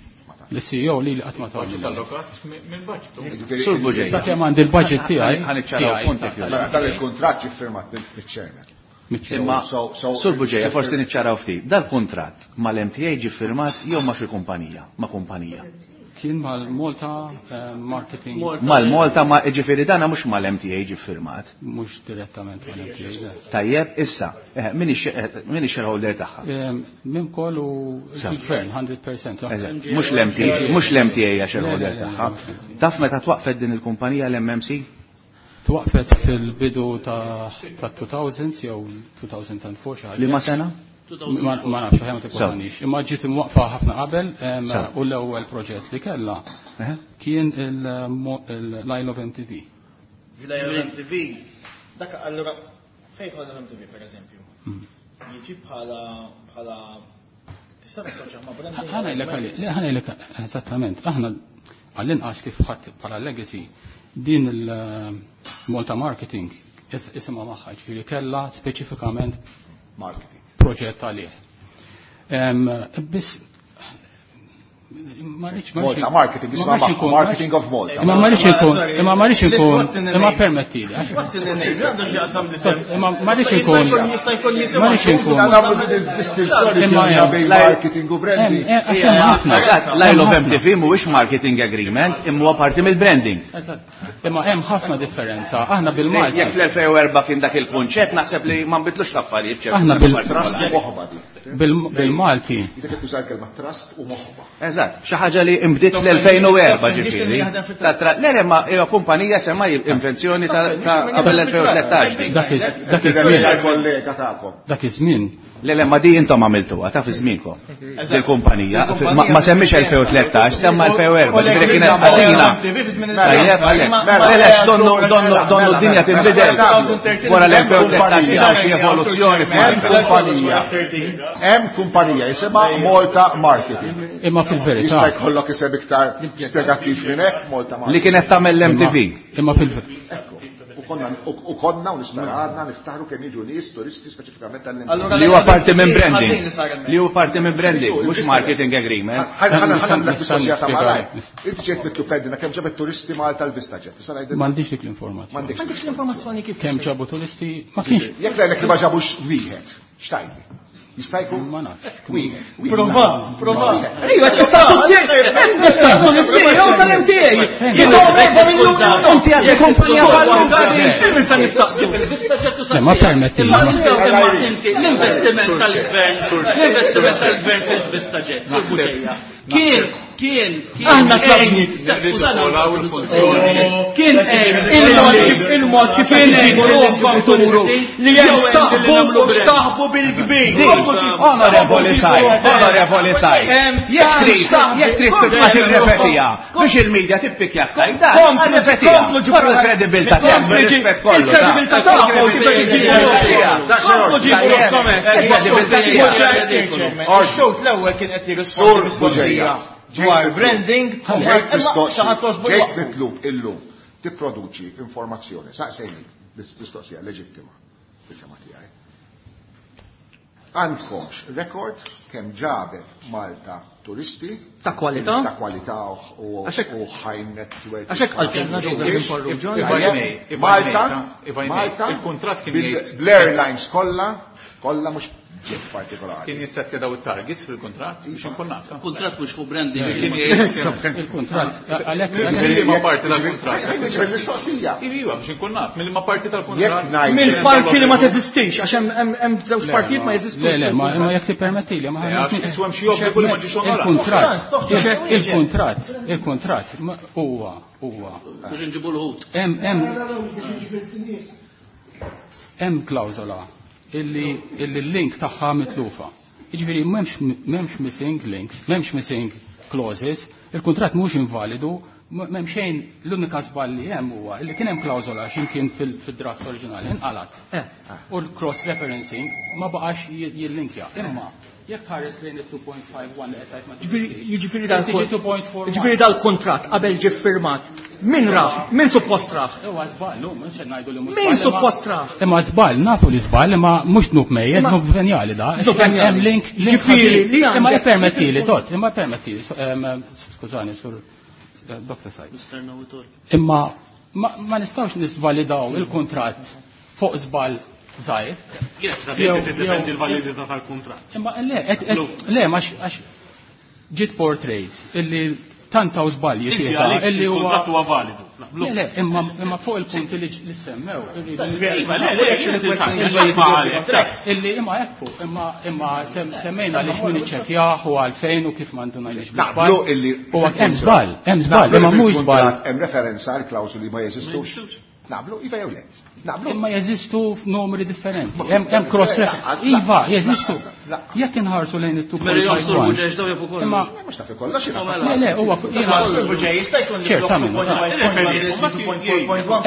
L-C E O li li qatt ma tagħmel. Budget allokat minn budget. Jiġifieri- Sur Bugeja. Sakemm għandi il-budget tiegħi. Ħa niċċaraw tiegħi, punti ta' kif. Mela, dan il-kuntratt ġie firmat mill-chairman. mill-chairman. Imma, So- so- Sur Bugeja, forsi niċċaraw ftit. Dal-kuntratt mal-M T A ġi firmat jew ma xi kumpanija? Ma kumpanija. Kien mal-Malta eh, Marketing. Mal-Malta, ma ġifieri dana mhux mal-M T A ġi firmat. Mhux direttament mal-M T A. Le. Tajjeb, issa, eh, min ix- eh, min ix-shareholder tagħha? Em, Minn kollu Sa. il-gvern, mija fil-mija. Eżatt, Mhux l-M T A, mhux l-M T A hija shareholder Le, le, le, tagħha. Taf meta twaqfet din il-kumpanija l-M M C? Twaqfet fil-bidu ta' ta' elfejn jew elfejn u erbgħa xi ħaġa. Liema sena? Ma ma nafx, ħajja ma tikkontanix. Imma ġiet imwaqfa ħafna qabel em, Sew. u l-ewwel proġett li kellha Eh? kien il-Isle of M T V. L M T V, dak allura fejn ħadna l-M T V per eżempju? Mm. Jiġi bħala bħala tista' tassoċja ma' branding. Ħa ngħidlek għalli, le ħa ngħidlek eżattament, aħna għall-inqas kif ħadd bħala legacy din il-Malta Marketing is- isimha magħha, ġifieri kellha speċifikament Marketing. proġett għalih. Em, Biss ma rridx ma rridx- Malta Marketing, ma isma' rridx magħha, inkun- Marketing of Malta. Imma ma rridx ikun, imma ma rridx ikun, What's in the imma name? permettili. għax- What's in the name? Għandu x'jaqsam l-isem. Imma ma rridx ikun, Jista' jkun jisimha. ma rridx ikun. Nagħmlu din il-distinzjoni Imma ġenna hemm- bejn marketing u branding. Hemm- għax hemm ħafna. Eżatt, l-Isle of Hemm ħafna. M T V mhuwiex marketing agreement, imma huwa parti mill-branding. Eżatt. Imma hemm ħafna differenza. Aħna bil-Malti. Jekk fl-elfejn u erbgħa kien dak il-kunċett, naħseb li ma nbidlux l-affarijiet f'ċertu Aħna sens bil- Trust partikolari. u moħba di. bil- Bil-Malti. Jisek qed tuża l-kelma trust u moħba. Eżatt, xi ħaġa li imbdiet fl-elfejn u erbgħa ġifieri. Ta' tra- Le, le, ma hija kumpanija semma invenzjoni ta' ta' qabel l-elfejn u tlettax. Dak iż- dak iż-żmien. Kollega tagħkom. Dak iż-żmien. Le, le, ma di intom għamiltuha, ta' fi żmienkom. Dil-kumpanija, ma ma semmix elfejn u tlettax, semma elfejn u erbgħa, ġifieri kienet ħażina. Tajjeb, għalhekk. Le, le, donnu, donnu, donnu d-dinja tinbidel. Wara l-elfejn u tlettax kien hawn xi evoluzzjoni Hemm f'Malta. kumpanija. Hemm kumpanija jisimha Malta Marketing. Imma fil-verità. Jista' jkollok isem iktar spjegattiv minn hekk, Malta Li Marketing. kienet tagħmel l-M T V. Imma fil Ekku. U konna u konna u nispera għadna niftaħru kemm jiġu nies turisti speċifikament tal-M T V. Li huwa parti minn branding. Li huwa parti minn branding, mhux marketing agreement. Ħa nagħmlek mistoqsija ta' malaj. Nista' Inti ġejt mitlub tgħidilna kemm ġabet turisti Malta l-VistaJet. Tista' ngħidilna? M'għandix dik l-informazzjoni. M'għandekx. M'għandekx l-informazzjoni kif. Kemm ġabu turisti ma kienx. Jekk ngħidlek li ma ġabux wieħed, x'tgħidli? Jista' jkun? Ma nafx. Wieħed. Prova, prova. Ejwa, tistaqsu lis-C E O tal-M T A. Jidhom erba' miljuni u Inti għandek kumpanija falluta di. Il-min sa nistaqsu? Le, ma permetti. Imma imma inti l-investiment tal-gvern, l-investiment tal-gvern fil-VistaJet, Sur Bugeja. Kien, kien, kien. Aħna tlabni. Kien għejn, Il-mod kif il-mod kif inġibu ruħkom turu li hemm staħbu u staħbu bil-kbir. Onorevoli Saj, onorevoli Saj. Jekk trid, jekk trid tibqa' tirrepetiha biex il-medja tippikjak tajda, rrepetiha. Barra l-kredibilità tiegħek, bir-rispett kollu. Il-kredibilità tagħkom Komplu ġibu ruħkom hekk. Il-kredibilità tiegħek. Xut l-ewwel kien qed jirrispondi mistoqsija dwar branding, Ġejt mistoqsi, xi ġejt mitlub illum tipproduċi informazzjoni, saqsejni, mistoqsija leġittima fil-fehma tiegħi. Għandkomx rekord kemm ġabet Malta turisti Ta' kwalità? Ta' kwalità u Għaxek- u high net worth. Għaxek għaltenna Joseph Farrugia. If I may, if I may, Malta, if I may, Malta, il-kuntratt kien bil- jgħid- bl-airlines kollha, kollha mhux jet partikolari. Kien jissettja daw it-targets fil-kuntratt biex inkun naf. Kuntratt mhux fuq branding. Il-kuntratt għalhekk Mill-liema parti tal-kuntratt. Mistoqsija. Iva, biex inkun naf, mill-liema parti tal-kuntratt. Mill-parti li ma teżistix, għax hemm żewġ partijiet ma jeżistux. Le, le, ma jekk tippermettili, ma għax iswem xi obbligu li ma ġiex onorat. Il-kuntratt, il-kuntratt, il-kuntratt huwa huwa. Biex inġibu l-ħut. Hemm hemm hemm klawżola illi l-link tagħha mitlufa. Jiġifieri m'hemmx m'hemmx missing links, m'hemmx missing clauses, il-kuntratt mhux invalidu, m'hemm xejn l-unika żball li hemm huwa illi kien hemm klawżola x'imkien fil-draft oriġinali inqalat. U l-cross referencing ma baqax jillinkja. Imma jekk tħares lejn it-two point five one li qed tgħid ma Jiġifieri jiġifieri dal-kuntratt qabel ġie ffirmat, min rah? Min suppost rah? Huwa żball, mhux qed ngħidu li mhux Min suppost rah? Imma żball, nafu li żball, imma mhux dnub mejjed, dnub venjali da. Hemm link, link li imma ippermettili, tot, imma permettili, skużani, sur Doctor Said. Imma ma nistgħux nisvalidaw il-kuntratt fuq żball żgħir. Jien tiddefendi l-validità tal-kuntratt. Imma le, le, ma għax ġiet portrayed illi tant hawn żbalji fiha illi huwa il-kuntratt huwa validu. Le, le, imma imma fuq il-punti li semmew. Iva, le, le, illi imma hekk imma imma semmejna li x'min iċċekkjah u għalfejn u kif m'għanduna Naqblu illi huwa hemm żball, hemm żball, imma mhux żball. Hemm referenza għal klawsuli ma jeżistux. Naqblu, iva jew le. Naqblu. Imma jeżistu f'numri differenti. Hemm cross reference. Iva, jeżistu. Jekk inħarsu lejn it-two point five one. Imma mhux taf kollox. Le, le, huwa jista' jkun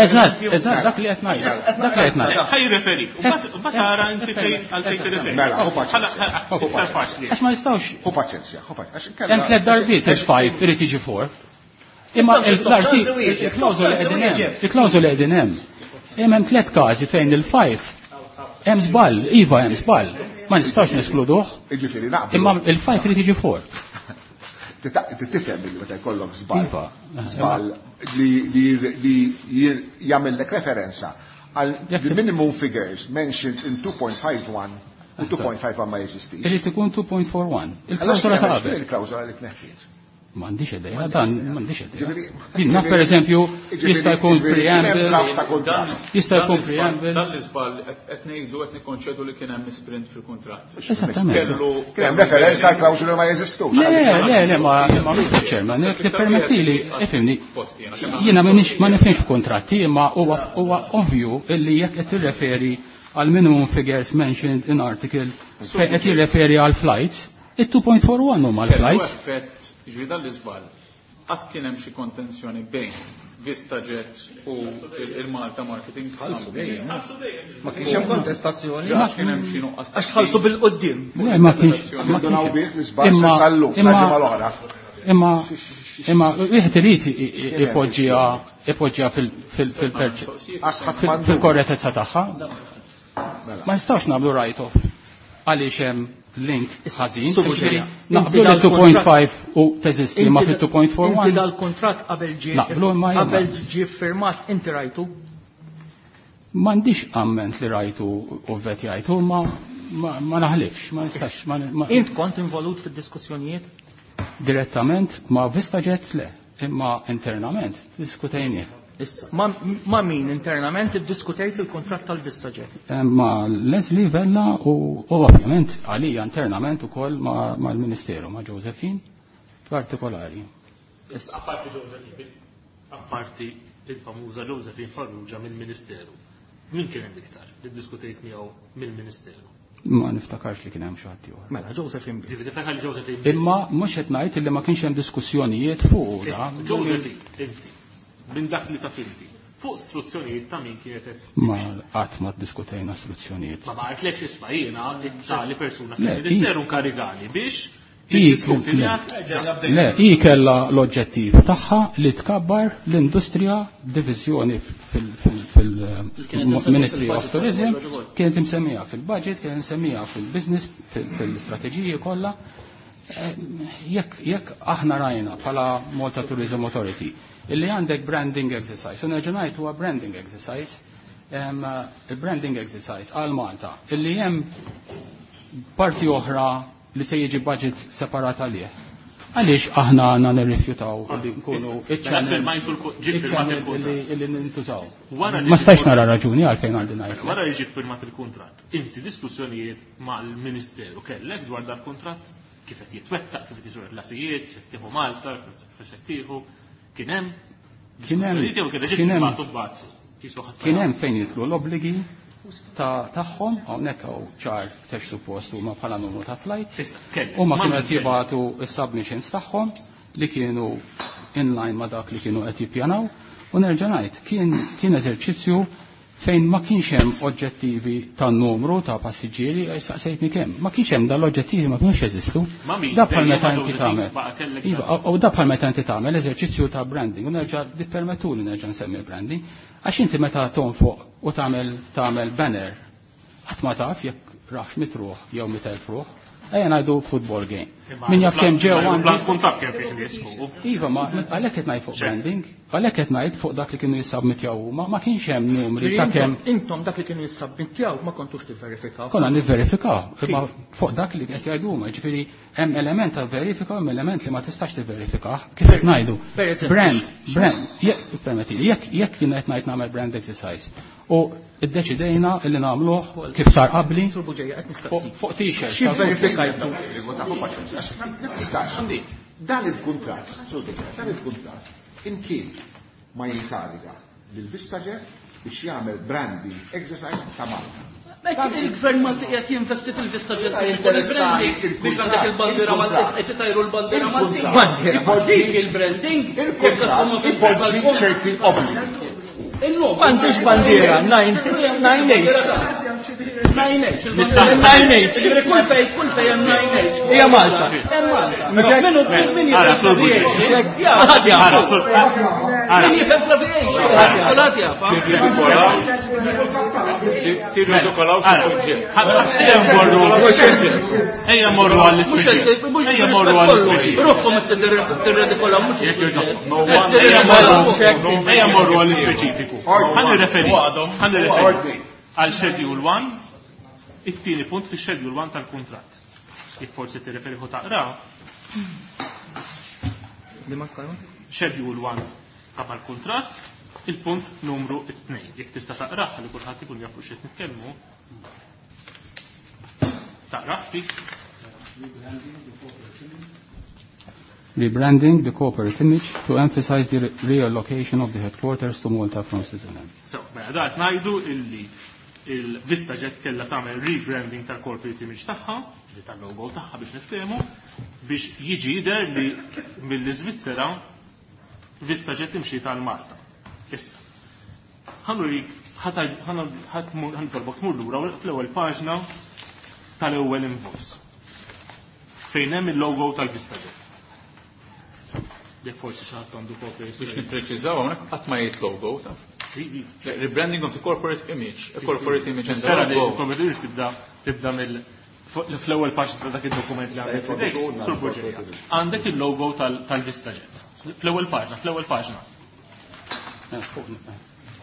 Eżatt, eżatt, dak li qed ngħid. Dak li qed ngħid. Ħaj referi. U mbagħad tara inti fejn għalfejn tirreferi. Mela, hu paċenzja. Għax ma nistgħux. Hu paċenzja, hu paċenzja. Hemm tliet darbiet il-five irid jiġi four. Imma il-klawżola qegħdin hemm, il-klawżola qegħdin hemm. Hemm hemm tliet każi fejn il-five hemm żball, iva hemm żball. Ma nistax neskluduh. Jiġifieri naqblu. Imma il-five irid jiġi four. Tifhem li meta jkollok żball. Żball li jagħmellek referenza għal the minimum figures mentioned in two point five one u two point five one ma jeżistix. Irid ikun two point four one. Il-klawżola ta' qabel. Il-klawżola li tneħħiet. M'għandix idea, dan m'għandix idea. Jien naf pereżempju jista' jkun preamble. Jista' jkun preamble. Dan l-iżball qed ngħidu qed nikkonċedu li kien hemm misprint fil-kuntratt. Esattament. Kien hemm referenza għal klawżoli ma jeżistux. Le, le, le, ma ma Mister Chairman, jekk tippermettili, ifhimni. Jiena m'iniex ma nifhimx f'kuntratti, imma huwa huwa ovvju illi jekk qed tirreferi għal minimum figures mentioned in article fejn qed jirreferi għal flights, it-two point four one huma l-flights. Ġifieri dan l-iżball, qatt kien hemm xi kontenzjoni bejn VistaJet u il-Malta Marketing Company. Ma kienx hemm kontestazzjoni. Għax kien hemm xi nuqqas. Għax tħallsu bil-qudiem. Le, ma kienx. Indunaw bih l-iżball se sallu, ġimgħa l-oħra. Imma imma wieħed irid ipoġġiha ipoġġiha fil-korrettezza tagħha. Ma nistgħux nagħmlu write-off għaliex hemm link ħażin. Naqblu li two point five u teżisti ma fit two point four one. Inti dal-kuntratt qabel ġie qabel ġie firmat inti rajtu? M'għandix amment li rajtu u vetjajtu, ma ma naħlifx, ma nistax. Int kont involut fid-diskussjonijiet? Direttament ma' VistaJet le, imma internament diskutejnieh. Issa, ma' min internament iddiskutejt il-kuntratt tal-VistaJet? Ma' Leslie Vella u ovvjament għalija internament ukoll mal-Ministeru, ma' Josephine partikolari. Apparti Josephine, apparti il-famuża Josephine Farrugia mill-Ministeru. Min kien hemm iktar li ddiskutejt miegħu mill-Ministeru? Ma niftakarx li kien hemm xi ħadd ieħor. Mela Josephine biss. Ġifieri tiftakar li Josephine biss. Imma mhux qed ngħid illi ma kienx hemm diskussjonijiet fuq da. Josephine, inti, minn dak li taf inti, fuq istruzzjonijiet ta' min kienet qed Ma qatt ma ddiskutejna istruzzjonijiet. Ma baqgħetlekx isma' jiena tali persuna fil-Ministeru nkarigani biex Hi Le, hi kellha l-oġġettiv tagħha li tkabbar l-industrija diviżjoni fil-Ministry of Tourism, kienet imsemmija fil-budget, kienet imsemmija fil-business, fil-istrateġiji kollha. Jekk, jekk aħna rajna bħala Malta Tourism Authority illi għandek branding exercise, u nerġa' ngħid huwa branding exercise, il-branding exercise għal Malta, illi hemm parti oħra li se jiġi budget separat għalih. Għaliex aħna għandna nirrifjutaw li nkunu iċ-channel li nintużaw. Ma stajx nara raġuni għalfejn għandi ngħid. Wara li ġie firmat il-kuntratt, inti diskussjonijiet mal-Ministeru kellek dwar dal-kuntratt kif qed jitwettaq, kif qed jiżur il-klasijiet, se tieħu Malta, se tieħu, kien hemm Kien hemm kien hemm fejn jidħlu l-obbligi tagħhom hawnhekk hawn ċar tex suppost huma bħala numru ta' flights. Huma kienu qed jibgħatu s-submissions tagħhom li kienu in line ma' dak li kienu qed jippjanaw u nerġa' ngħid kien kien eżerċizzju fejn ma kienx hemm oġġettivi ta' numru ta' passiġġieri saqsejtni kemm. Ma kienx hemm dal-oġġettivi ma kienux jeżistu. Da bħal meta inti tagħmel. Iva, u da bħal meta inti tagħmel eżerċizzju ta' branding u nerġa' tippermettuli nerġa' nsemmi branding għax inti meta tonfoq u tagħmel tagħmel banner qatt ma taf jekk raħx mitruħ jew mit elf ruħ. Ejja ngħidu football game. Min jaf kemm ġew għandi. Tkun taf kemm fih nies fuq. Iva, ma għalhekk qed ngħid fuq branding, għalhekk qed ngħid fuq dak li kienu jissabmittjaw huma, ma kienx hemm numri ta' kemm. Intom dak li kienu jissabmittjaw ma kontux tivverifikaw. Konna nivverifikaw, imma fuq dak li qed jgħidu huma, jiġifieri hemm element ta' verifika u hemm element li ma tistax tivverifikah. Kif qed ngħidu? Brand, brand, jekk permettili, jekk jekk jien qed ngħid nagħmel brand exercise u iddeċidejna illi nagħmluh kif sar qabli fuq t-shirt. Xi verifikajtu? Dan il-kuntratt, dan il-kuntratt imkien ma jinkariga lil VistaJet biex jagħmel branding exercise ta' Malta. Il-gvern Malti qiegħed jinvesti fil-VistaJet biex ikun il-branding biex għandek il-bandiera Malti qed itajru l-bandiera Malti. Dik il-branding ipoġġi ċerti obbligi. M'għandix bandiera, nine H. nine H. nine H. Kull fej, kull fej hemm nine H. Hija Malta. Hemm Malta. Min hu min jifhem fl-aviation? Min jifhem fl-aviation? Kulħadd jaf. Tirridikolaw xi suġġett. Ejja mmorru. Ejja mmorru għall-ispeċifiku. Ejja mmorru għall-ispeċifiku. Ruħkom tirridikolaw mhux is-suġġett. Ejja mmorru għall-ispeċifiku. Ħa nirreferi, ħa nirreferi għal Schedule one, it-tieni punt fi Schedule one tal-kuntratt. Jekk forsi tirreferi hu taqra. Schedule one ta' mal-kuntratt, il-punt numru tnejn. Jekk tista' taqrah li kulħadd ikun jaf fuq x'qed nitkellmu. Taqrah ftit. Rebranding the corporate image to emphasize the reallocation of the headquarters to Malta from Switzerland. So, mela da qed ngħidu illi il-VistaJet kellha tagħmel rebranding tal-corporate image tagħha, li tal-logo tagħha biex niftehmu, biex jiġi jidher li mill-Iżvizzera VistaJet imxi tal-Malta. Issa, ħa nurik, ħa nitolbok tmur lura fl-ewwel paġna tal-ewwel invoice fejn hemm il-logo tal-VistaJet. Jekk forsi xi ħadd għandu kopja jista' Biex nippreċiżaw hawnhekk qatt ma jgħid logo ta'. Rebranding of the corporate image, a corporate image and the Nispera li logo. l-corporate image tibda tibda mill fl-ewwel paġna ta' dak id-dokument li għandek f'idejk, Sur Bugeja. Għandek il-logo tal-VistaJet. Fl-ewwel paġna, fl-ewwel paġna.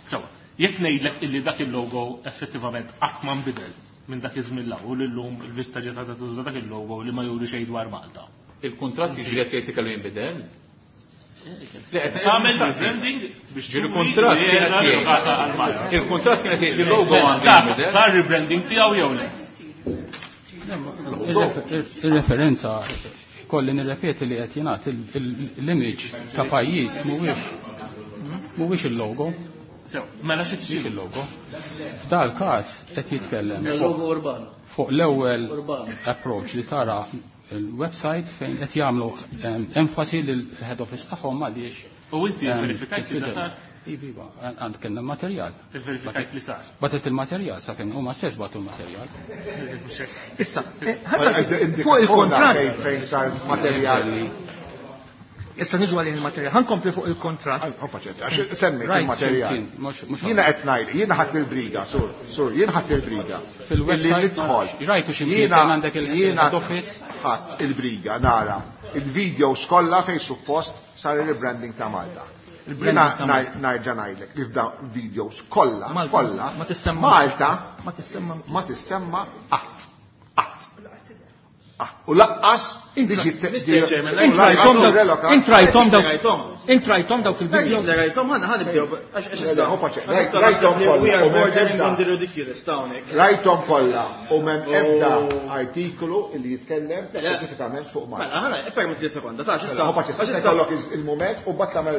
Sewa, jekk ngħidlek illi dak il-logo effettivament qatt ma nbidel minn dak iż-żmien l u llum il-VistaJet għadha tuża dak il-logo li ma juri xejn dwar Malta. Il-kuntratt jiġri qed jgħid kellu jinbidel? Tagħmel rebranding biex Ġieli kuntratt turi kienet li jgħid. għadha għal Malta. Il-kuntratt kienet jgħid il-logo għandu jinbidel. Sar rebranding tiegħu jew le? Il-referenza kolli nirrepeti li qed jingħad l-image ta' pajjiż mhuwiex mhuwiex il-logo. Sew, mela xi Mhuwiex il-logo. F'dal każ qed jitkellem Il-logo urbano. fuq l-ewwel Urbano. approach li tara il-website fejn qed jagħmlu enfasi lil head office tagħhom għaliex. U inti verifikajt li sar? Iva, iva, għand kellna materjal. Verifikajt li sar. Batet il-materjal, sa fejn huma stess batu l-materjal. Issa, fuq il-kontratt. Fejn sar materjal. Issa niġu għalih il-materjal. Ħa nkompli fuq il-kontratt. Għax semmi il-materjal. Jiena qed ngħid, jiena ħadd il-briga, sur, sur, jien ħadd il-briga. Fil-website nidħol. Rajtu xi Jiena għandek jiena il-head office. ħadd il-briga nara il-videos kollha fejn suppost sar il-rebranding ta' Malta. Jiena nerġa' ngħidlek li f'da videos kollha, kollha, Ma tissemma. Malta Ma tissemma. ma tissemma qatt. Qatt. U laqqas Intrajtom dawk intrajtom dawk il-videos. Rajtom ħana ħana nibdew. Rajtom kollha. Rajtom kollha u m'hemm ebda artikolu li jitkellem speċifikament fuq Malta. Mela ħana ippermetti li sekonda, ta' x'issa. Għax ikollok il-mument u mbagħad tagħmel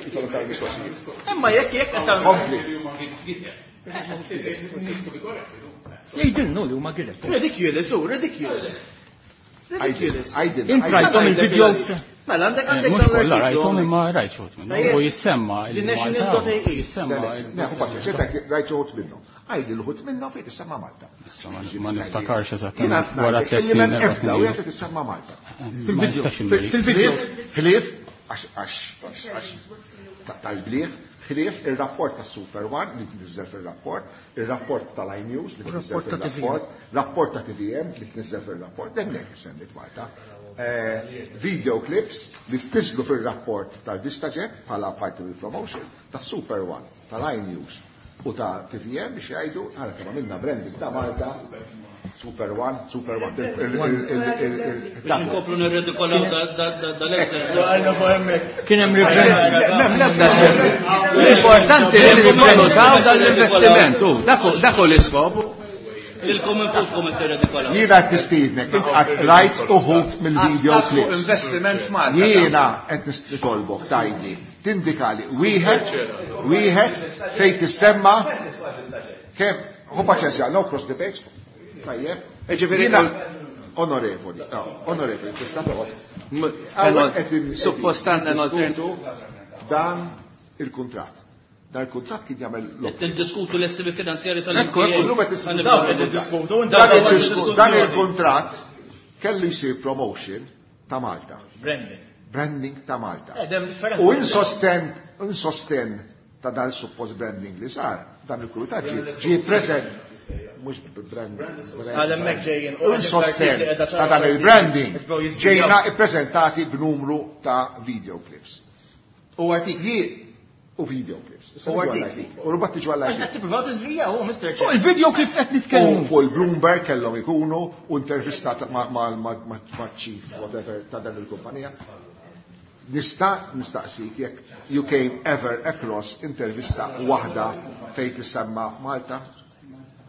ikollok mistoqsijiet. Imma jekk jekk qed Kompli. Jgħidilnu li huma giret. Ridiculous, hu ridiculous. Ridiculous. Intrajtom il-videos. Mela għandek għandek Mhux kollha rajthom imma rajt xi wħud minnhom. U jissemma il-National.ae. Jissemma Rajt xi wħud minnhom. Għajdi l-ħut minnhom fejn tissemma Malta. Ma niftakarx eżattament wara tliet snin. Ebda u jgħid tissemma Malta. Fil-video. Fil-video. Ħlief għax għax għax tal-bliħ, ħlief il-rapport ta' Super One li tniżżel fil-rapport, il-rapport tal-iNews li tniżżel fil-rapport, rapport ta' T V M li tniżżel fil-rapport, hemmhekk semmit Malta. Video clips li tniżżlu fil-rapport tal-VistaJet bħala parti mill-promotion ta' Super One, tal-iNews u ta' T V M biex jgħidu għara kemm għamilna branding ta' Malta, Super One, Super One. Biex nkomplu nirridikolaw dal-exercise. Kien hemm rebranding. L-importanti li nivvalutaw dal-investiment. Dak hu l-iskop. Lilkom infuskom qed tirridikolaw. Jiena qed nistiednek, int qatt rajt uħud mill-video clips. Investiment f'Malta. Jiena qed nitolbok tgħidli, tindikali wieħed, wieħed fejn tissemma kemm hu paċenzja, no cross the page. Tajjeb. Ġifieri onorevoli, no, onorevoli, tista' toqgħod. Suppost għandna niddiskutu dan il-kuntratt. Dan il-kuntratt kien jagħmel l-obbligu. Niddiskutu l-estimi finanzjari tal-M T A. Dan il-kuntratt kellu jsir promotion ta' Malta. Branding. Branding ta' Malta. U insosten, insosten ta' dan suppost branding li sar, dan il-kuntratt ġie preżent mhux branding. Għal hemmhekk ġejjin. Insosten ta' dan il-branding ġejna ippreżentati b'numru ta' video clips. U artikli. U video clips. U artikli. U rbat tiġu għall Qed tippruvaw tiżvija hu, Mister Fuq il-video clips qed nitkellmu. U fuq il-Bloomberg kellhom ikunu u intervistat ma' chief whatever ta' dan il-kumpanija. Nista' nistaqsik jekk you came ever across intervista waħda fejn tissemma Malta?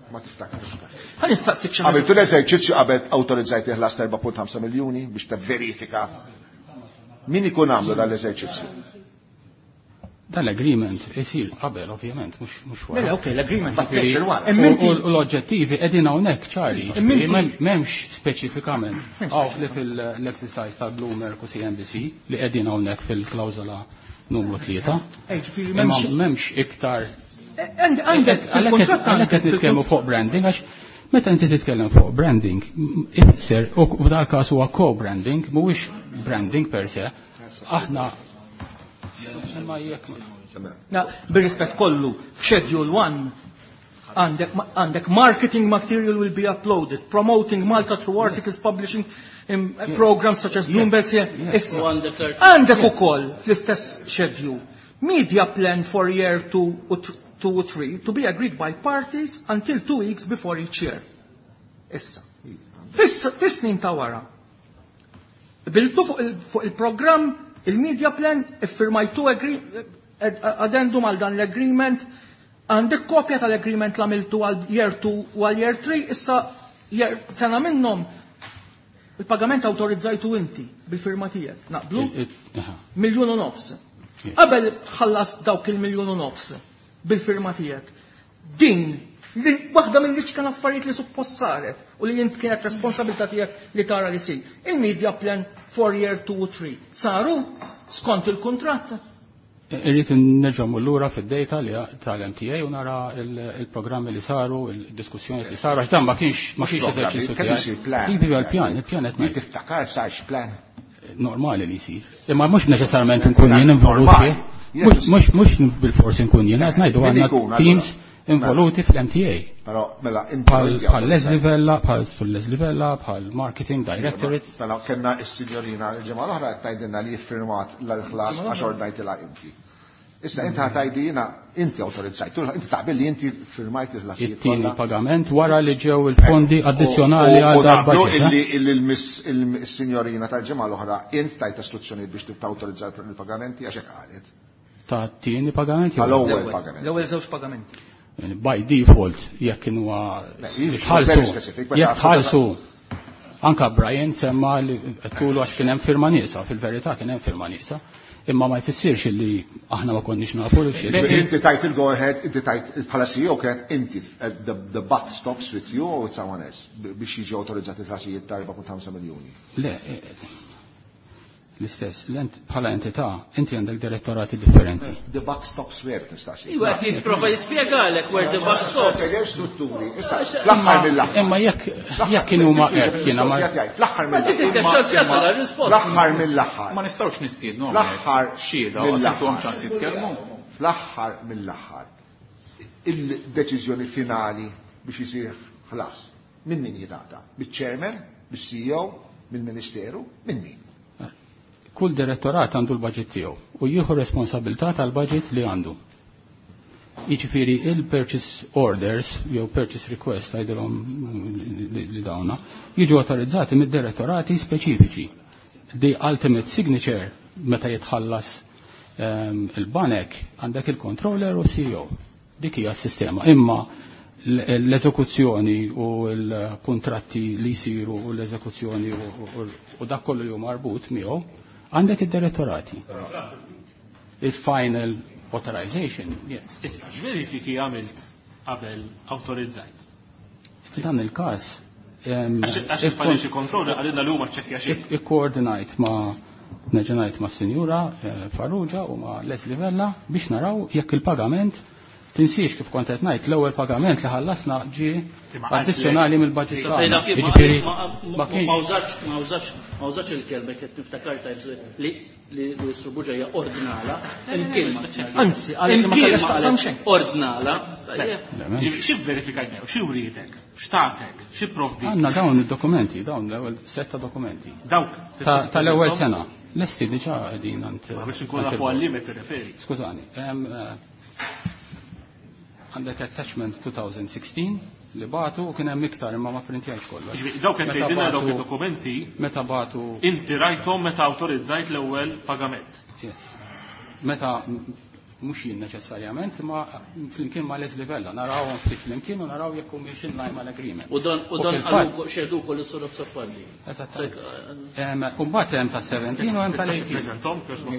Ma tiftakarx. Ħa nistaqsik xi ħaġa. Għamiltu l-eżerċizzju qabel awtorizzajt iħlas erba' punt ħamsa miljuni biex tivverifika min ikun għamlu dan l-eżerċizzju. Dan l-agreement isir qabel, ovvjament, mhux mhux wara. Le, ok, l-agreement Ma kienx il-wara. U l-oġġettivi qegħdin hawnhekk ċari, m'hemmx speċifikament hawn li fil-exercise ta' Bloomberg u C N B C li qegħdin hawnhekk fil-klawżola numru tlieta. Imma m'hemmx iktar. Għandek fil-kuntratt għalhekk qed nitkellmu fuq branding għax meta inti titkellem fuq branding, ifisser u f'dal każ huwa co-branding, mhuwiex branding per se. Aħna imma jekk Na, bir-rispett kollu, f'Schedule one għandek, għandek marketing material will be uploaded, promoting Malta through articles publishing in programs such as Bloomberg. Issa, għandek ukoll fl-istess schedule media plan for year two or three to be agreed by parties until two weeks before each year. Issa. Fis-snin ta' wara. Biltu fuq il-programm, il-media plan, iffirmajtu addendum għal dan l-agreement, għandek kopja tal-agreement l għamiltu għal year two u għal year three, issa sena minnhom il-pagament awtorizzajtu inti bil-firma tiegħek. Naqblu? Miljun u nofs. Qabel tħallas dawk il-miljun u nofs bil-firma tiegħek. Din li waħda mill-iċken affarijiet li suppost saret u li int kienet responsabilità tiegħek li tara li sir. Il-media plan for year two u three saru skont il-kuntratt. Irrid nerġa' mmur lura fid-data li tal-M T A u nara il-programmi li saru, il-diskussjoni li saru, għax dan ma kienx ma kienx eżerċizzju tiegħi. Iva l-pjan, il-pjan qed ngħid. Tiftakar sarx plan? Normali li jsir. Imma mhux neċessarjament nkun jien involut fih. Mhux mhux bil-forsi nkun jien qed ngħidu għandna teams involuti fl-M T A. Però mela bħal Leslie Vella, bħal Sur Leslie Vella, bħal Marketing Directorate. Mela kellna s-signorina l-ġimgħa l-oħra qed tgħidilna li jiffirmat l-ħlas għax ordnajtilha inti. Issa inti ħatajdi jiena inti awtorizzajt, inti taqbel li inti firmajt il-ħlasijiet. It-tieni pagament wara li ġew il-fondi addizzjonali għal dal-budget. Illi il-sinjorina tal-ġimgħa l-oħra int tajt istruzzjonijiet biex tawtorizza il-pagamenti għax hekk qalet. Ta' tieni pagament? Tal-ewwel pagament. L-ewwel żewġ pagamenti. By default, jekk kienu tħallsu, jekk tħallsu, anka Brian semma li tulu għax kien hemm firma nieqsa, fil-verità kien hemm firma nieqsa, imma ma jfissirx li aħna ma konniex nafu li xi. Inti tajt il-go ahead, inti tajt bħala C E O kienet inti the buck stops with you or with someone else biex jiġi awtorizzati l-ħlasijiet ta' erba' punt ħamsa miljuni. Le, l-istess, bħala entità, inti għandek direttorati differenti. The buck stops where, nistaqsi. Iwa, qed jipprova jispjegalek where the buck stops. Ġew strutturi, issa, fl-aħħar mill-aħħar. Imma jekk, jekk kienu huma hekk, jiena ma- Fl-aħħar Ma mill-aħħar. trid ċans jasal għar-risposta. Fl-aħħar mill-aħħar. Ma nistgħux nistiednu Fl-aħħar xhieda, mill-aħħar. għax ċans jitkellmu. Fl-aħħar mill-aħħar. Il-deċiżjoni finali biex isir ħlas. Min min jingħata? Biċ-chairman, bis-C E O, mill-Ministeru, min min? Kull direttorat għandu l-budget tiegħu u jieħu responsabilità tal-budget li għandu. Jiġifieri il-purchase orders jew purchase request għajdilhom li dawna jiġu autorizzati mid-direttorati speċifiċi. The ultimate signature meta jitħallas, ehm, il-banek għandek il-controller u C E O. Dik hija s-sistema. Imma l-eżekuzzjoni u l-kontratti li jsiru u l-eżekuzzjoni u, u, u dak kollu li hu marbut miegħu għandek id-direttorati. Il-final authorization, yes. Issa, x'verifiki għamilt qabel autorizzajt? F'dan il-każ, ehm, Għax għax il-financial controller għalina li huma ċekkja xejn. Ik-, ikkoordinajt ma' neġenajt ma' Sinjura, eh, Farrugia u ma' Leslie Vella biex naraw jekk il-pagament tinsiex kif kont qed ngħid l-ewwel pagament li ħallasna ġie Imma għalt addizzjonali li- mill-budget Sa tagħna. fejna kif ma- Jiġifieri, ma- ma ma kienx ma użax, ma użax, ma użax il-kelma qed niftakar tajb li li li Sur Buġeja ordnala, imkien ma Anzi, għalek ma Imkien kellhax ma taqsam qalet xejn. Ordnala. Ġifieri, xi verifikajt jew, xi wrietek, x'tatek, xi provdi? Għandna dawn id-dokumenti, dawn l-ewwel setta dokumenti. Dawk Ta-, tal-ewwel sena. Lesti diġà qegħdin għand Ma biex inkun nafu għal limit tirreferi. Skużani, hemm, eh, għandek attachment two thousand sixteen li batu u kien hemm iktar imma ma printjajx kollox. Ġifieri, dawk qed Meta tgħidilna dawk batu id-dokumenti meta batu inti rajthom meta awtorizzajt l-ewwel pagament. Yes. Meta mhux jien neċessarjament, ma flimkien ma' Leslie Vella, narawhom ftit flimkien u naraw jekk humiex in line mal-agreement. U dan, u U dan fil-fatt qalu xehdu wkoll is-Sur Azzopardi. Eżatt. Em, u mbagħad hemm ta' seventeen u hemm tal-eighteen. Tippreżenthom, kjożbok.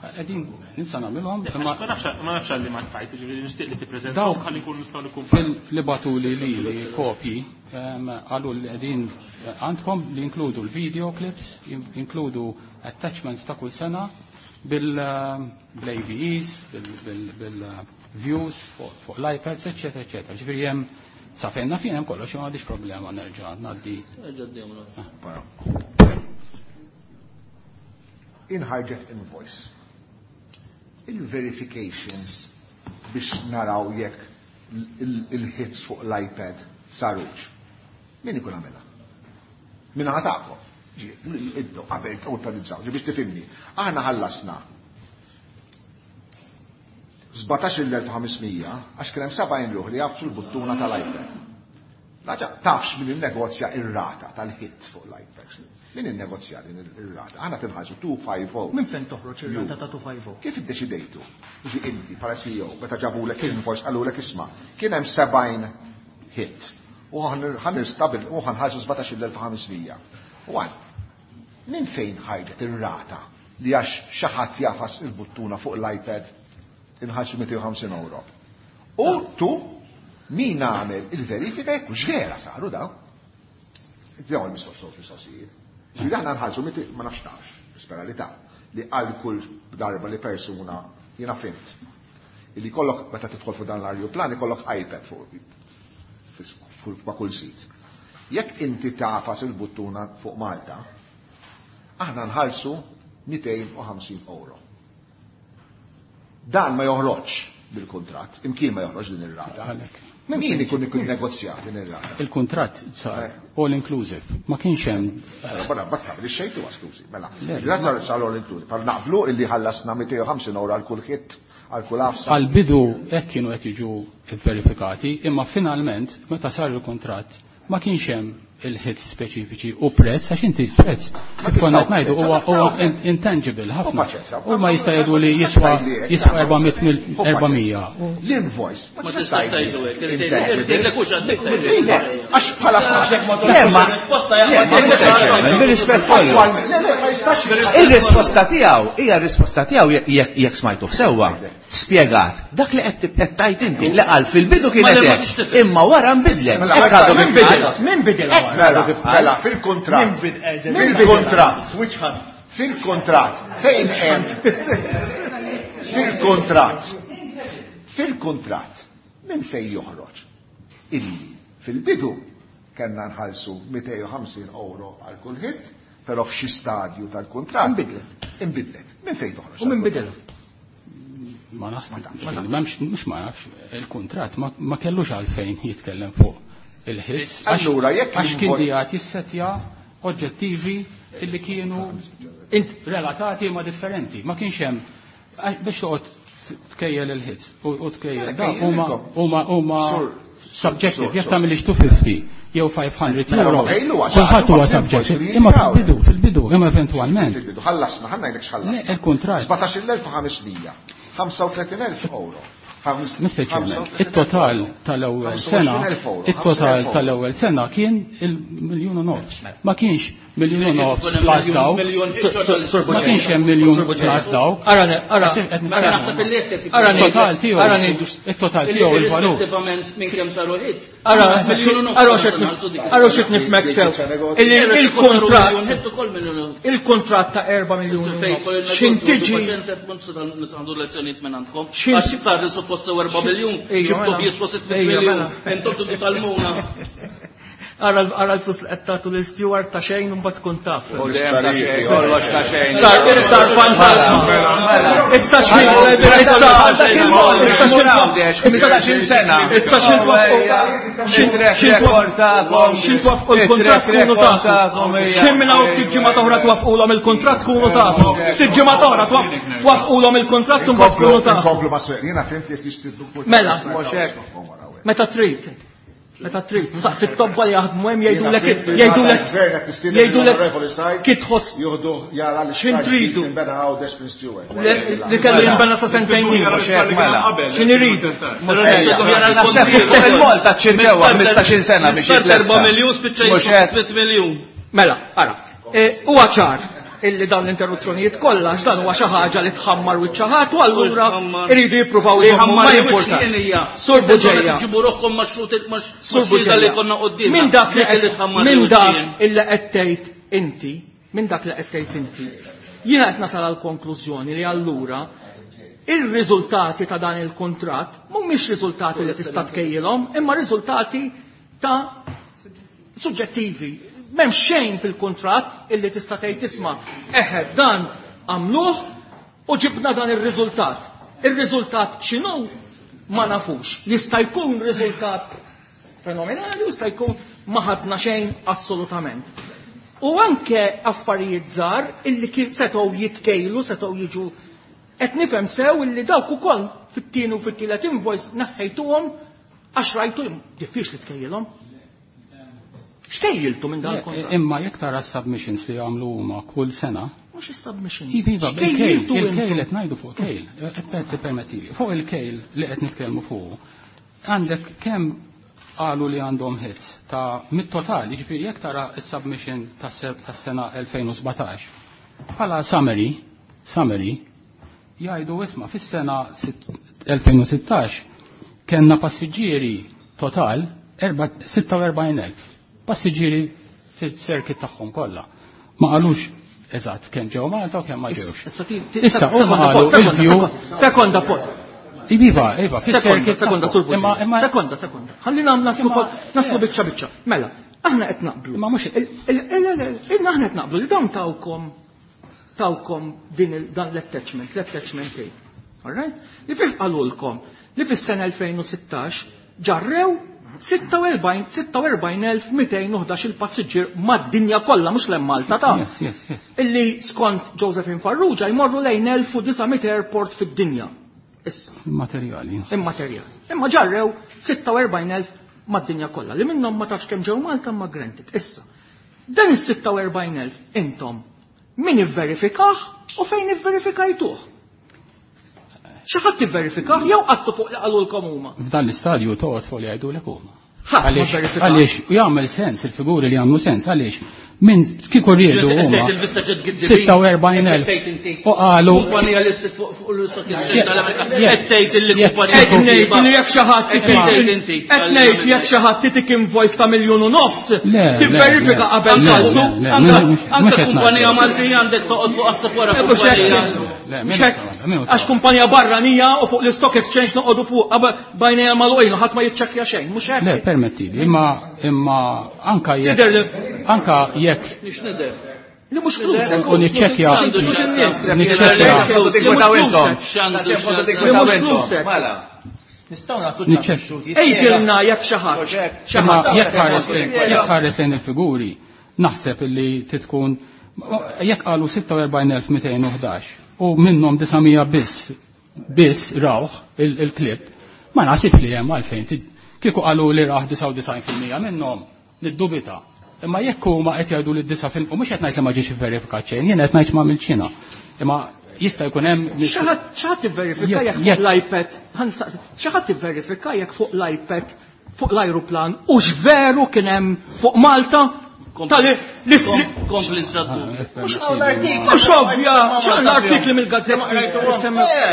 Qegħdin ninsa nagħmilhom, Le, imma ma nafx, ma nafx għalli ma tajt, ġifieri nixtieq li tippreżentahom Dawk ħalli nkunu nistgħu nikkumparaw. fil-, fil batu li li li kopji, em, qalu li qegħdin għandkom li inkludu l-video clips, inkludu attachments ta' kull sena bil-A V Es, bil-views fuq l-iPads, eccetera, eccetera. Ġifieri hemm sa fejn naf jien hemm kollox, ma għandix problema nerġa' ngħaddi. Nerġa' dejjem Inħarġet invoice. Il-verifications biex naraw jekk il-hits fuq l-iPad sarux. Min ikun għamilha? Min ħatakom? Ġi, iddu, qabel awtorizzaw, ġi biex tifhimni. Aħna ħallasna sbatax-il elf u ħamismija għax kien hemm sebgħin ruħ li jafsu l-buttuna tal-iPad. Laġa tafx min innegozja ir-rata tal-hit fuq l-iPad. Min innegozja din ir-rata? Aħna tinħaġu two five oh. Min fejn toħroġ ir-rata ta' two five oh? Kif iddeċidejtu? Ġi inti bħala C E O, meta ġabulek invoice qalulek isma', kien hemm sebgħin hit. U ħanirstabil u ħanħarġu sbatax-il elf u ħamismija. U għan, min fejn ħarġet ir-rata li għax xi ħadd jafas il-buttuna fuq l-iPad inħarġu mitejn u ħamsin euro? U tu, min għamel il-verifika jekk hux vera saru daw? Dawn il-mistoqsijiet, mistoqsijiet. Ġifieri aħna nħallsu miti ma nafx tafx, nispera li taf, li għal kull darba li persuna jiena fimt. Illi kollok meta tidħol fuq dan l-ajruplan ikollok iPad fuq fuq ma' kull sit. Jekk inti tafas il-buttuna fuq Malta, aħna nħallsu mitejn u ħamsin euro. Dan ma joħroġ bil-kuntratt, imkien ma joħroġ din ir-rata. Għalhekk. Min ikun ikun negozjat din ir-rata? Il-kuntratt sar Eh. all inclusive, ma kienx hemm. Mela, barra, mbagħad sar li xejtu, skużi, mela. Le, Il-kuntratt sar, sar all inclusive. Par naqblu illi ħallasna mitejn u ħamsin euro għal kull hit għal kull għafsa. Għal-bidu hekk kienu qed jiġu verifikati, imma finalment meta sar il-kuntratt ma kienx hemm il-hits speċifiċi u prezz, għax inti prezz kif konna qed ngħidu huwa huwa intangible ħafna. U ma jista' jgħidu li jiswa jiswa erba' mija. L-invoice. Ma tistax tgħidu hekk, irtejlek hux għandek. Għax bħala risposta Bir-rispett kollu. Ir-risposta tiegħu hija r-risposta tiegħu jekk smajtu sewwa. Spjegat dak li qed tgħid inti li qal fil-bidu kienet hekk, imma wara nbidlet. Min bidel? Min bidel? Mela, mela, fil-kuntratt. Fil-kuntratt. Fil-kuntratt. Fejn hemm? Fil-kuntratt. Fil-kuntratt. Min fejn joħroġ? Illi fil-bidu kellna nħallsu mitejn u ħamsin euro għal kull hit, però f'xi stadju tal-kuntratt. Inbidlet. Inbidlet. Min fejn toħroġ? U min bidel? Ma nafx, mhux ma nafx, il-kuntratt ma kellux għalfejn jitkellem fuq il-ħis. Allura jekk għax kien dijat jissetja oġġettivi illi kienu relatati ma differenti. Ma kienx hemm biex toqgħod tkejjel il-ħis u tkejjel da huma huma huma subjective. Jekk tagħmilx two fifty jew five hundred euro. Kulħadd huwa subjective. Imma fil-bidu, fil-bidu, imma eventwalment. Fil-bidu, ħallasna, ħanna ngħidlek x'ħallasna. Il-kuntratt. sbatax-il elf u ħames mija, ħamsa u tletin elf euro. Mister Chairman, it-total tal-ewwel sena, it-total tal-ewwel sena kien il-miljun u nofs. Ma kienx miljun u nofs plus daw. Ma kienx hemm miljun plus daw. Ara, ara, ara, it-total tiegħu, it-total tiegħu il-valur. Irrispettivament minn kemm saru hits. Ara, ara x'qed nifhmek sew. Il-kuntratt il-kuntratt ta' erba' miljun. X'in tiġi għandu lezzjonijiet minn għandkom. Għax sar suppost sew erba' miljun, ġibtu jiswa sitt miljun. Intom tridu talmuna. Ara l-flus li qed tagħtu lil Stewart ta' xejn u mbagħad tkun taf. Kollox ta' xejn. Sar fantasma. Issa xejn. Issa xejn sena. Issa xejn. Xejn il-kuntratt kunu tafu. Xejn minn hawn ftit ġimgħa oħra twaffqulhom il-kuntratt kunu tafu. Ftit ġimgħa oħra twaffqulhom il-kuntratt u mbagħad kunu tafu. Inkomplu ma' swieq. Jiena fhimt li jistidnu. Mela. Meta trid. Meta trid, saqsi t-tobba li jaħdmu hemm jgħidulek jgħidulek jgħidulek kif tħoss jieħdu jara li x'in tridu jinbena Għawdex minn Stewart. Li kellu jinbena sa sentejn ilu. X'in iridu? Il-Malta ċirkewha ħmistax-il sena biex jitlesta. Erba' miljun spiċċa sitt miljun. Mela, ara. Huwa ċar illi dawn l-interruzzjonijiet kollha għax dan huwa xi ħaġa li tħammar wiċċ ħadd u allura iridu jippruvaw jżommu ma jimpurtax. Sur Buġeja. Ġibu ruħkom ma' Sur xhieda li konna quddiem. Min dak li min dak illi qed tgħid inti, min dak li qed tgħid inti. Jiena qed nasal għal konklużjoni li allura ir-riżultati ta' dan il-kuntratt mhumiex riżultati li tista' tkejjilhom, imma riżultati ta' suġġettivi. M'hemm xejn fil-kuntratt illi tista' tgħid tisma' eħe dan għamluh u ġibna dan ir-riżultat. Ir-riżultat x'inhu ma nafux. Jista' jkun riżultat fenomenali u jista' jkun ma ħadna xejn assolutament. U anke affarijiet żgħar illi kien setgħu jitkejlu, setgħu jiġu qed nifhem sew illi dawk ukoll fit-tieni u fit-tielet invoice naħħejtuhom għax rajtu diffiċli tkejjilhom. X'kejjiltu minn dan il-kontratt? Imma jekk tara s-submissions li jagħmlu huma kull sena. Mhux is-submissions. Iva, il-kejl, il-kejl qed ngħidu fuq kejl, permettili. Fuq il-kejl li qed nitkellmu fuq, għandek kemm qalu li għandhom hits ta' mit-total, jiġifieri jekk tara s-submission tas-sena elfejn u sbatax, bħala summary, summary, jgħidu isma' fis-sena elfejn u sittax kellna passiġġieri total sitta u erbgħin elf. Passiġġieri fis-circuit tagħhom kollha. Ma qalux eżatt kemm ġew Malta u kemm ma ġewx. Issa huma qalu il-view. Sekonda punt. Iva, iva, Sekonda, sekonda, sur Imma, imma Sekonda, sekonda. Ħalli naslu naslu biċċa biċċa. Mela, aħna qed naqblu. Imma mhux aħna qed naqblu li dawn tawkom tawkom din dan l-attachment, l-attachment A. All right? Li fih qalulkom li fis-sena elfejn u sittax ġarrew sitta u erbgħin, sitta u erbgħin elf mitejn u ħdax il-passiġġier mad-dinja kollha, mhux lejn Malta ta' Yes, yes, yes. Illi skont Josephine Farrugia jmorru lejn elf u disa' mitt airport fid-dinja. Issa. Immaterjali. Immaterjali. Imma ġarrew sitta u erbgħin elf mad-dinja kollha li minnhom ma tafx kemm ġew Malta ma granted. Issa. Dan is-sitta u erbgħin elf intom min ivverifikah u fejn ivverifikajtuh? Xi ħadd ivverifikah jew qattu fuq li qalulkom huma? F'dan l-istadju toqgħod fuq li jgħidulek huma. Ħadd ma verifikah. Għaliex jagħmel sens il-figuri li jagħmlu sens għaliex minn kieku riedu huma sitta u erbgħin elf u qalu kumpanija li ssir fuq l-Stock Exchange tal-Amerika qed tgħid illi kumpanija Qed ngħid li jekk xi ħadd qed ngħid jekk xi ħadd titik invoice ta' miljun u nofs tivverifika qabel tħallsu. Anke kumpanija Maltija għandek toqgħod fuq aħseb wara kumpanija. Għax kumpanija barranija u fuq l-Stock Exchange noqogħdu fuq bajnejha magħluqin u ħadd ma jiċċekkja xejn, mhux hekk. Le, permettili, imma imma anka jekk anka jekk li mhux flusek. U niċċekkja. Niċċekkja. Nistgħu nagħtu ċans. Ejdilna jekk xi ħadd. Imma jekk ħares lejn il-figuri, naħseb illi titkun jekk qalu sitta u erbgħin elf mitejn u ħdax u minnhom disa' mija biss biss rawh il-klib, ma naħsibx li hemm għalfejn. Kieku qalu li raħ disa' u disgħin fil-mija minnhom, niddubita. Imma jekk huma qed jgħidu li disa' fil-mija, u mhux qed ngħid li ma ġiex ivverifikat xejn, jien qed ngħid ma għamiltx jiena. Imma jista' jkun hemm Xi ħadd ivverifika jekk fuq l-iPad, xi ħadd ivverifika jekk fuq l-iPad, fuq l-ajruplan, u x'veru kien hemm fuq Malta? Kompli Mhux ovvja, l-artikli mill-gazzetta.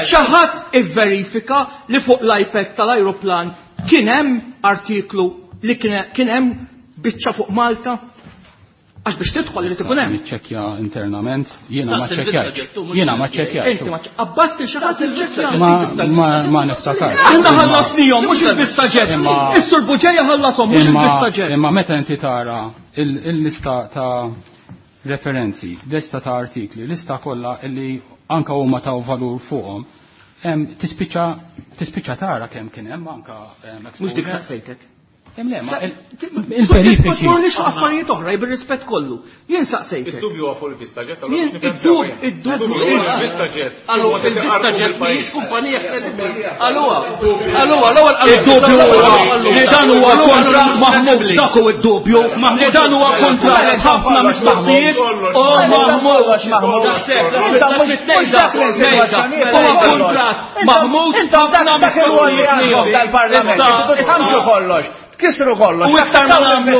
Xi ħadd ivverifika li fuq l-iPad tal-ajruplan kien hemm artiklu li kien hemm biċċa fuq Malta? Għax biex tidħol irid ikun hemm. Niċċekkja internament, jiena ma ċċekkjajtx. Jiena ma ċċekkjajtx. Inti ma abbatti xi ħadd iċċekkja. Ma niftakar. Aħna ħallasnihom mhux il-Vista Jet. Is-Sur Buġeja ħallashom mhux il-Vista Jet. Imma meta inti tara il-lista ta' referenzi, lista ta' artikli, lista kollha illi anka huma taw valur fuqhom, tispiċċa tispiċċa tara kemm kien hemm anka Mhux dik saqsejtek. Le, ma il-verifiċi. Ma nix affarijiet oħra, bir-rispett kollu. Jien saqsejtek. Id-dubju huwa fuq il-Vista Jet, allura biex nifhem sew. Id-dubju huwa il-Vista Jet. Allura il-Vista Jet mhijiex kumpanija kredibbli. Allura, allura l-ewwel id-dubju huwa li dan huwa kontratt maħmud, dak hu id-dubju, li dan huwa kontratt ħafna mistoqsijiet u maħmud. Mhux dak l-insinuazzjoni. Huwa kontratt maħmud ħafna mistoqsijiet tal-Parlament. Tħamġu kollox. Kisru kollox. U iktar ma nagħmlu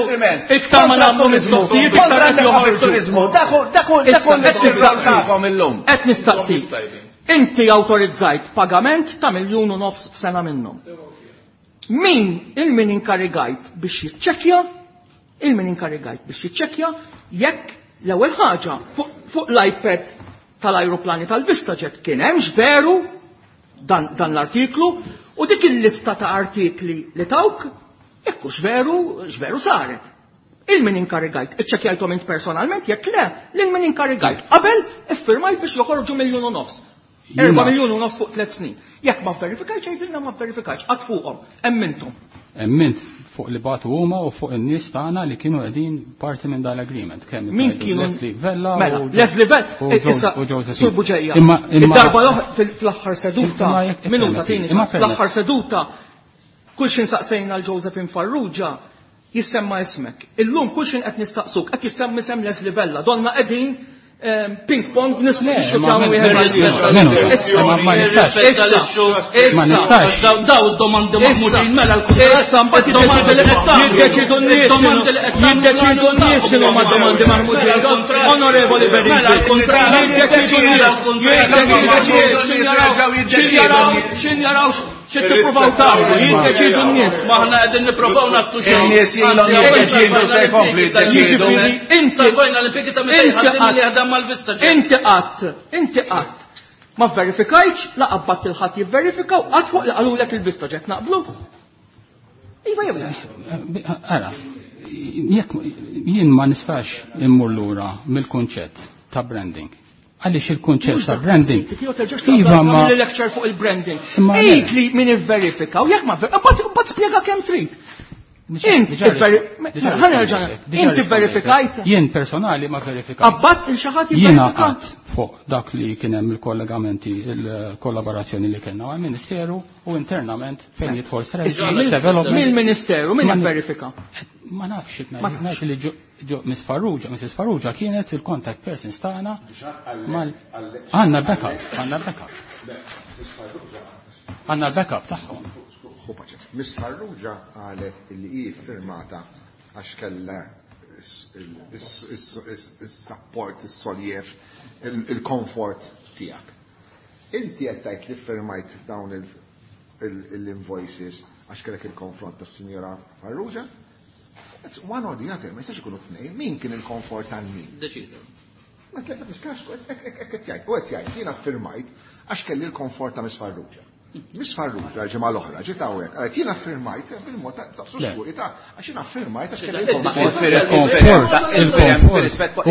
iktar ma nagħmlu mistoqsijiet iktar qed joħorġu. Daku daku daku tagħkom illum. Qed nistaqsi. Inti awtorizzajt pagament ta' miljun u nofs f'sena minnhom. Min il-min inkarigajt biex jiċċekkja, il-min inkarigajt biex jiċċekkja jekk l-ewwel ħaġa fuq l-iPad tal-ajruplani tal-VistaJet kien hemmx veru dan, dan l-artiklu u dik il-lista ta' artikli li tawk jekk hux veru, x'veru saret. Il-min inkarigajt, iċċekkjajthom int personalment, jekk le, lil min inkarigajt. Qabel iffirmajt biex joħorġu miljun u nofs. Erba' miljun u nofs fuq tliet snin. Jekk ma verifikajtx, jgħidilna ma verifikajtx, qatt fuqhom, hemm intom. Hemm int fuq li bagħtu huma u fuq in-nies tagħna li kienu qegħdin parti minn dal-agreement. Kemm Min kienu? Leslie Vella Mela, u Leslie Vella, u Jo- issa, u Josephine. Sur Buġeja. Imma, imma Id-darba l-oħra fl-aħħar seduta, Imma jekk minuta permetti, tieni, imma fl-aħħar seduta, kull xin saqsejna l-Josephine Farrugia, jissemma ismek. Illum kull xin qed nistaqsuk, qed jissemma isem Leslie Vella, donna qegħdin ping pong nismu Le, biex ma nifhmu men- wieħed men- għal ieħor. men- men- Issa, ma- ma nistax. issa, Ma nistax. Daw daw id-domandi maħmuġin mela l-kuntratt. Issa mbagħad Id-domandi li qed tagħmlu. jiddeċidu n-nies Id-domandi li qed tagħmlu. jiddeċidu n-nies x'inhu ma domandi maħmuġin. Onorevoli Berrini. Mela l-kuntratt. Jiddeċidu n-nies. Jiddeċidu n-nies. X'in jaraw x'in tippruvaw tagħmlu, jiddeċidu n-nies. Ma aħna qegħdin nippruvaw nagħtu xejn. In-nies ilhom jiddeċidu se jkomplu jiddeċidu. Jiġifieri inti Salvajna l-impjegi ta' meta Inti jħaddim qatt- li jaħdem mal-Vista Jet. Inti qatt, inti qatt. Ma verifikajtx, la qabbatt il-ħadd jivverifika u qatt fuq li qalulek il-Vista Jet naqblu. Iva jew le. Ara, jekk jien ma nistax immur lura mill-kunċett ta' branding. Għaliex il-kunċett ta' branding. Iva ma lecture fuq il-branding. Imma le. Għid li min ivverifika u jekk ma ver- mbagħad mbagħad spjega kemm trid. Int Diġà ivveri- diġà ħa nerġa' diġà inti verifikajt? Jien personali ma verifikajt. Abbatt il xi ħadd Jiena jivverifika? qatt fuq dak li kien hemm il-kollegamenti, il-kollaborazzjoni li kellna mal-Ministeru u internament fejn jidħol strategy development. Mill-Ministeru, min verifika? Ma nafx, ngħid li Miss Farrugia, Missus Farrugia kienet il-contact persons tagħna mal għandna backup, għandna backup. Għandna backup tagħhom. Miss Farrugia qalet li hi firmata għax kellha is-support, is-soljef, il-comfort tiegħek. Inti qed tgħid li firmajt dawn l-invoices għax kellek il-konfront tas-Sinjora Farrugia? It's one or the other, ma jistax ikunu tnejn, min kien il-komfort tal min? Deċidu. Ma tistax, hekk qed jgħid, u qed jgħid, jiena firmajt għax kelli l-komfort ta' Miss Farrugia. Miss Farrugia ġimgħa l-oħra ġiet hawnhekk, qalet jiena firmajt bil-mod ta' ta' għax jiena firmajt għax kelli l-komfort.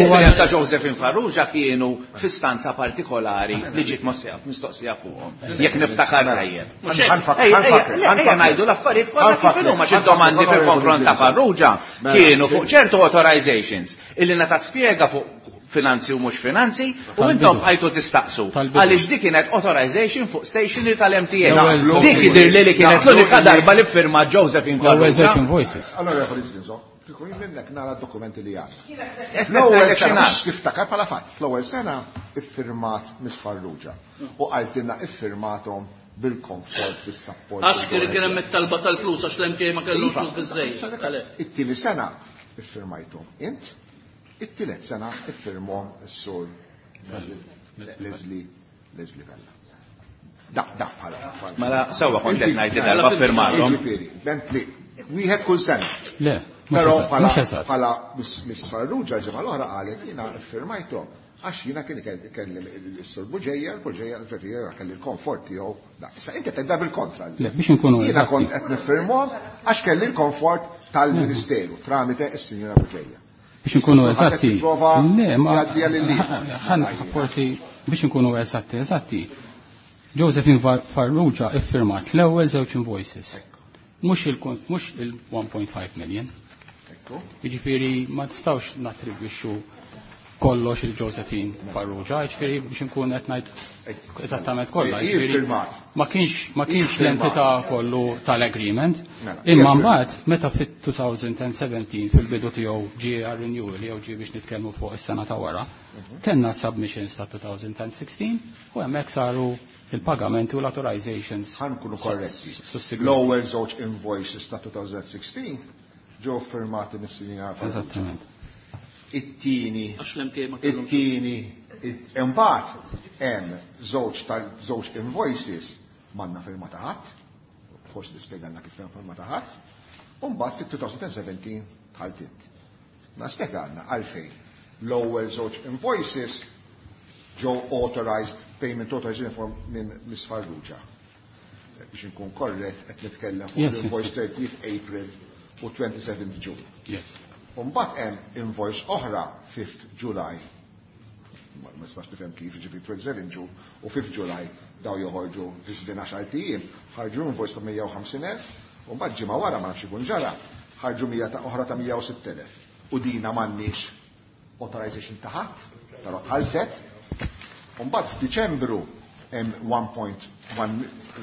Il-firem ta' Josephine Farrugia kienu f'istanza partikolari li ġiet mistoqsija fuqhom. Jekk niftakar tajjeb. Ejja ngħidu l-affarijiet kollha kif inhuma xi domandi fil-konfront ta' Farrugia kienu fuq ċertu authorizations illi ngħatat spjega fuq finanzi u mhux finanzi, u intom bqajtu tistaqsu. Għaliex dik kienet authorization fuq stationery tal-M T A. Dik jidher li li kienet l-unika darba li ffirma Josephine Farrugia. Allora, kieku jien minnek nara d-dokumenti li għandna. Fl-ewwel sena tiftakar bħala fatt, fl-ewwel sena iffirmat Miss Farrugia u qaltilna iffirmathom bil-komfort, bis-support. Għax kien hemm it-talba tal-flus għax l-M T A ma kellux flus biżżejjed. It-tieni sena iffirmajthom int. It-tielet sena iffirmhom is-sur Leslie Leslie Vella. Da, da bħala. Mela sewwa kont qed ngħid darba firmathom. Jiġifieri, Bentley, wieħed kull sena. Le, però bħala bħala Miss Farrugia ġimgħa l-oħra qalet jiena iffirmajthom għax jiena kien ikellem is-sur Buġeja, l-Buġeja l-Buġeja kelli l-komfort tiegħu. Issa inti tgħidha bil-kontra. Le, biex inkunu Jiena kont qed nifirmhom għax kelli l-komfort tal-Ministeru tramite s-Sinjora Buġeja. Biex nkunu eżatti, le, ma forsi biex nkunu eżatti, eżatti. Josephine Farrugia iffirmat l-ewwel żewġ invoices. Mhux il one point five million. Jiġifieri ma tistgħux nattribwixxu kollox il-Josephine Farrugia, jiġifieri biex nkun qed ngħid eżattament kollha. Ma kienx ma kienx l-entità kollu tal-agreement, imma mbagħad meta fit-two thousand seventeen fil-bidu tiegħu ġie għal renewal jew ġie biex nitkellmu fuq is-sena ta' wara, kellna submissions ta' two thousand sixteen u hemmhekk saru il-pagamenti u l-authorizations. Ħa nkunu korretti. L-ewwel żewġ invoices ta' two thousand sixteen ġew firmati mis-Sinjora Farrugia. Eżattament. It-tieni, it-tieni, imbagħad hemm żewġ tal-żewġ invoices m'għandna firma ta' ħadd, forsi tispjegalna kif hemm firma ta' ħadd, u mbagħad fit-two thousand seventeen dħalt int. Ma spjegalna għalfejn l-ewwel żewġ invoices ġew authorized, payment authorization form minn Miss Farrugia. Biex inkun korrett qed nitkellem fuq l-invoice thirtieth April u twenty-seventh June. Yes. Mbagħad hemm invoice oħra fifth July. Ma nistax nifhem kif, ġifieri twenty-seventh June u fifth July daw joħorġu fi żmien għaxar ijiem, ħarġu invoice ta' mija u ħamsin elf, u mbagħad ġimgħa wara ma nafx ikun ġara, ħarġu mija ta' oħra ta' mija u sitt elef. U dina m'għandniex authorization ta' ħadd, però tħallset. U mbagħad f'Diċembru hemm one point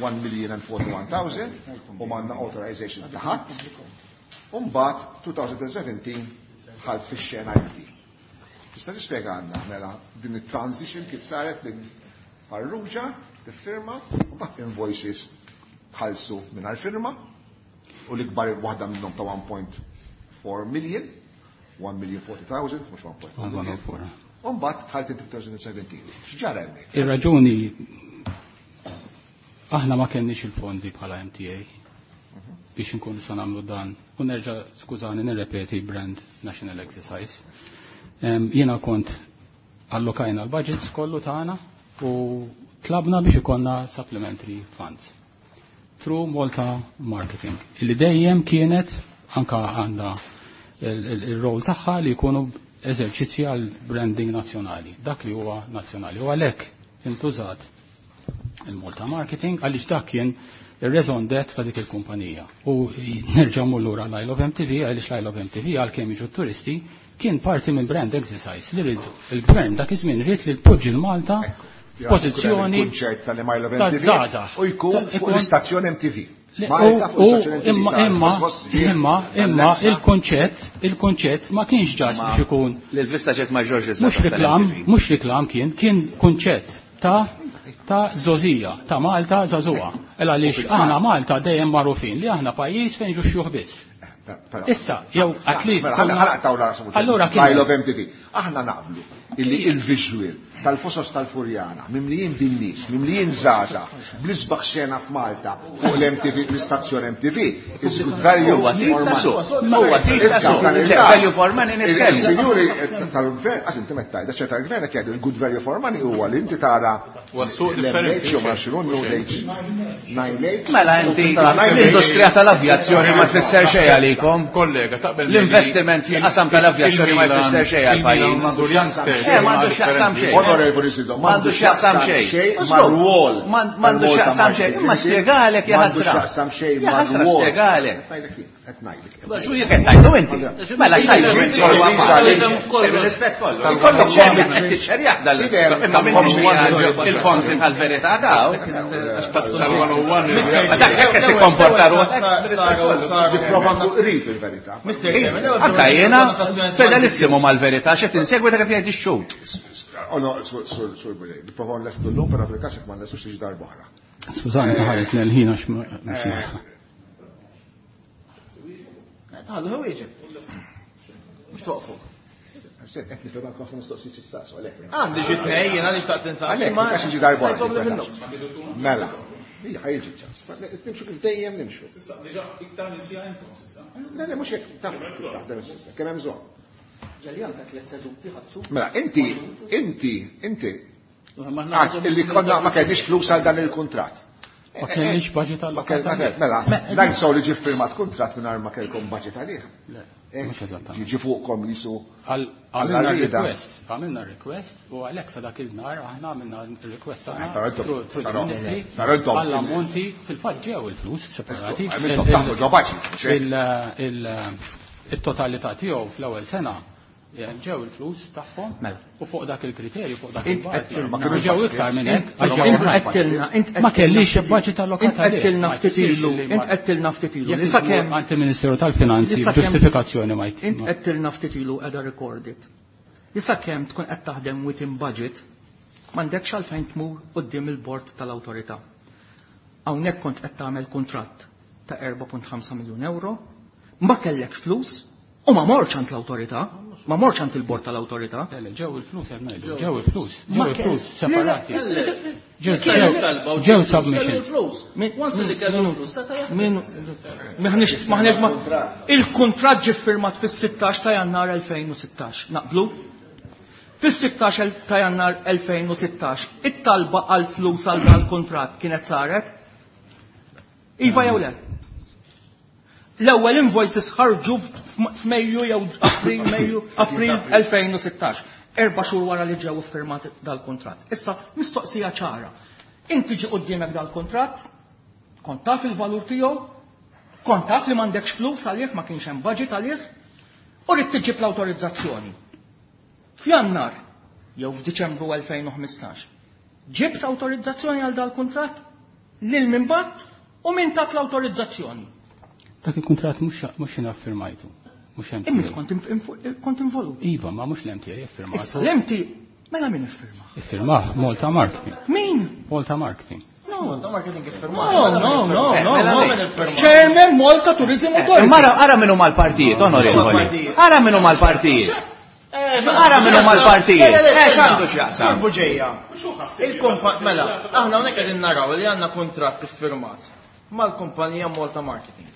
one million and forty-one thousand u m'għandna authorization ta' ħadd. Umbagħad two thousand seventeen ħalt fix-xena inti. Tista' tispjega għandna mela din it-transition kif saret minn Farrugia tiffirma u mbagħad invoices tħallsu mingħajr firma u l-ikbar waħda minnhom ta' one point four million, one million forty thousand, mhux one point four million. U mbagħad tħalt in two thousand seventeen. X'ġara hemmhekk? Ir-raġuni aħna ma kenniex il-fondi bħala M T A biex nkunu sa nagħmlu dan u nerġa' skużani nirrepeti brand national exercise. Jiena kont allokajna l-budgets kollu tagħna u tlabna biex ikollna supplementary funds through Malta Marketing illi dejjem kienet anka għandha il-rol tagħha li jkunu eżerċizzji għal branding nazzjonali, dak li huwa nazzjonali. U għalhekk intużat il-Malta Marketing għaliex dak kien Ir-raison d'être ta' dik il-kumpanija. U nerġa' mmur lura l-Isle of M T V, għaliex l-Isle of M T V, għalkemm jiġu turisti, kien parti minn brand exercise li rid il-gvern dak iż-żmien, ried li jpoġġi l-Malta f'pożizzjoni kunċert tal-Isle of ta' M T V żgħażagħ. U jkun fuq l-istazzjon M T V. Le- Malta fuq U l-istazzjon M T V. imma imma imma imma il-konċett il-konċett ma kienx ġas biex ikun L-VistaJet ma ġorġ. Mhux reklam, mhux reklam, kien kien kunċett ta' ta' żgħożija, ta' Malta żagħżugħa. Ela għaliex aħna Malta dejjem magħrufin li aħna pajjiż fejn ġu xjuħ biss. Issa, jew at least Allura Allura kien Isle of M T V. Aħna naqblu illi il-visual tal-Fosos tal-Furjana, mimlijin bin-nies, mimlijin żgħażagħ, bl-isbaħ xena f'Malta fuq l-M T V, l-istazzjon M T V, is good value Huwa tip for ta' money. suq. Huwa tip ta' Issa, suq. f'dan Le, il-każ, value for money nitkellmu. Il-sinjuri tal-gvern, għax inti meta tgħid, tal-gvern qed jgħidu il-good value for money huwa li inti tara Huwa suq l-M H differenti. jew ma xinu N H nine H. Mela inti l-industrija tal-avjazzjoni ma tfisser xejn għalikom. Kollega, taqbel L-investiment fil-qasam tal-avjazzjoni ma jfisser xejn għal-pajjiż. M'għandu l-youngsters. Eh, m'għandu x'jaqsam xejn. Onorevoli Sido, M'għandu x'jaqsam xejn. mar-rwol. M'għandu x'jaqsam xejn. Imma spjegalek, ja M'għandu ħasra. x'jaqsam xejn Ja ħasra, mar-rwol. spjegalek. Qed ngħidlek jien, qed ngħidlek. Xu jek qed tgħidu inti? Mela x'tgħidu inti? Rispett kollu. Ikollok ċerja qed tiċċerjah dal imma m'intix il-fonti tal-verità daw. Ma dak hekk qed tikkomporta ruħek. Tipprova nkun qrib il-verità. Anka jiena fedelissimu mal-verità, x'qed insegwi dak qed jgħid ix-xhud. Oh no, sur sur Buġej, nipprova nlestu llum, però fil-każ jekk ma nlestux tiġi darba oħra. Skużani, ħares l-ħin għax ma- mhux naf. Tħallu hu wieġeb. Mhux toqfu. Qed nifhem anke ħafna mistoqsijiet x'tistaqsu għalhekk. Għandi xi tnej jiena li xtaqt insaqsi. Għalhekk, ma kax jiġi darba Ngħidhom li oħra. fin-nofs. Mela. Ija, ħa jiġi ċans. Nimxu kif dejjem nimxu. Iktar minn siegħa intom s'issa. Le, le, mhux hekk taf kif taħdem is-sistema, kemm hemm bżonn. Ġeli anka tliet seduti ħadsu. Mela, inti, inti, inti, għad, illi konna ma kellniex flus għal dan il-kuntratt. Ma kellniex budget Ma kell, ma kell, mela, dan sew li ġi firmat kuntratt mingħajr ma kellkom budget għalih. Le, Eh, mhux eżattament. Ġi fuqkom jisu Għal- Għamilna għall-arrieda. request, għamilna request u għalhekk sa dak il-nar aħna għamilna request Eh, tagħna però intom- through through the però- ministry però intom- għall-ammonti. Fil-fatt ġew il-flus separati. Intom taħlu ġo budget, mhux hekk? Il- il- Il-totalità tiegħu fl-ewwel sena eh, ġew il-flus tagħhom Mela. u fuq dak il-kriterju, fuq dak Int il-bażi. qed Ma kinux Ġew budget. iktar minn hekk. Int għax ġew int oħrajn. għedtilna, int Ma kellix budget allokat Int għedtilna għalih. Ma ftit jfissirx ilu, li int ma- għedtilna ftit ilu. Jekk Li sakemm għand il-Ministeru tal-Finanzi Li sakemm- ġustifikazzjoni ma jt- Int ma- għedtilna ftit ilu qiegħda recorded. Li sakemm tkun qed taħdem within budget, m'għandekx għalfejn tmur quddiem il-bord tal-awtorità. Hawnhekk kont qed tagħmel kuntratt ta' erbgħa punt ħamsa miljun euro, ma kellekx flus u ma morx għand l-awtorità, ma morx għand il-bord tal-awtorità. Le, le, ġew il-flus, qed ngħidu, ġew il-flus, Ma ġew il-flus kell- separati. Le, le, le, Ġew Talba u ġew kellu submissions. l-flus. Once li kellu l-flus, seta' jaħdem. Min, maħniex, maħniex ma, il-kontrat ġie firmat fis-sittax ta' Jannar elfejn u sittax. Naqblu? Fis-sittax ta' Jannar elfejn u sittax, it-talba għal flus għal dal-kontrat kienet saret? Iva jew le? L-ewwel invoices ħarġu f'Mejju jew April, Mejju, April elfejn u sittax. Erba' xhur wara li ġew iffirmat dal-kontratt. Issa, mistoqsija ċara. Inti ġi quddiemek dal-kontratt, kont taf il-valur tiegħu, kont taf li m'għandekx flus għalih, ma kienx hemm budget għalih, u rrid tiġib l-awtorizzazzjoni. F'Jannar jew f'Diċembru elfejn u ħmistax, ġibt awtorizzazzjoni għal dal-kuntratt, lil min bgħatt u min tak l-awtorizzazzjoni? Dak il-kuntratt mhux mhux jiena ffirmajtu. Mhux M T A. Imma kont inf- kont involut. Iva, ma mhux l-M T A Issa iffirmatu. l-M T mela min iffirma? Iffirmah Malta Marketing. Min? Malta Marketing. No. Malta Marketing iffirmat. No, no, no, no, Mela no. min Chairman Malta Tourism Authority. Imma ara ara min huma l-partijiet, onorevoli. Ara min huma l-partijiet. Ara min huma l-partijiet. Eh, x'għandu x'jaqsam? Sur Buġeja. Il-kumpa, mela, aħna hawnhekk qegħdin naraw li għandna kuntratt iffirmat mal-kumpanija Malta Marketing.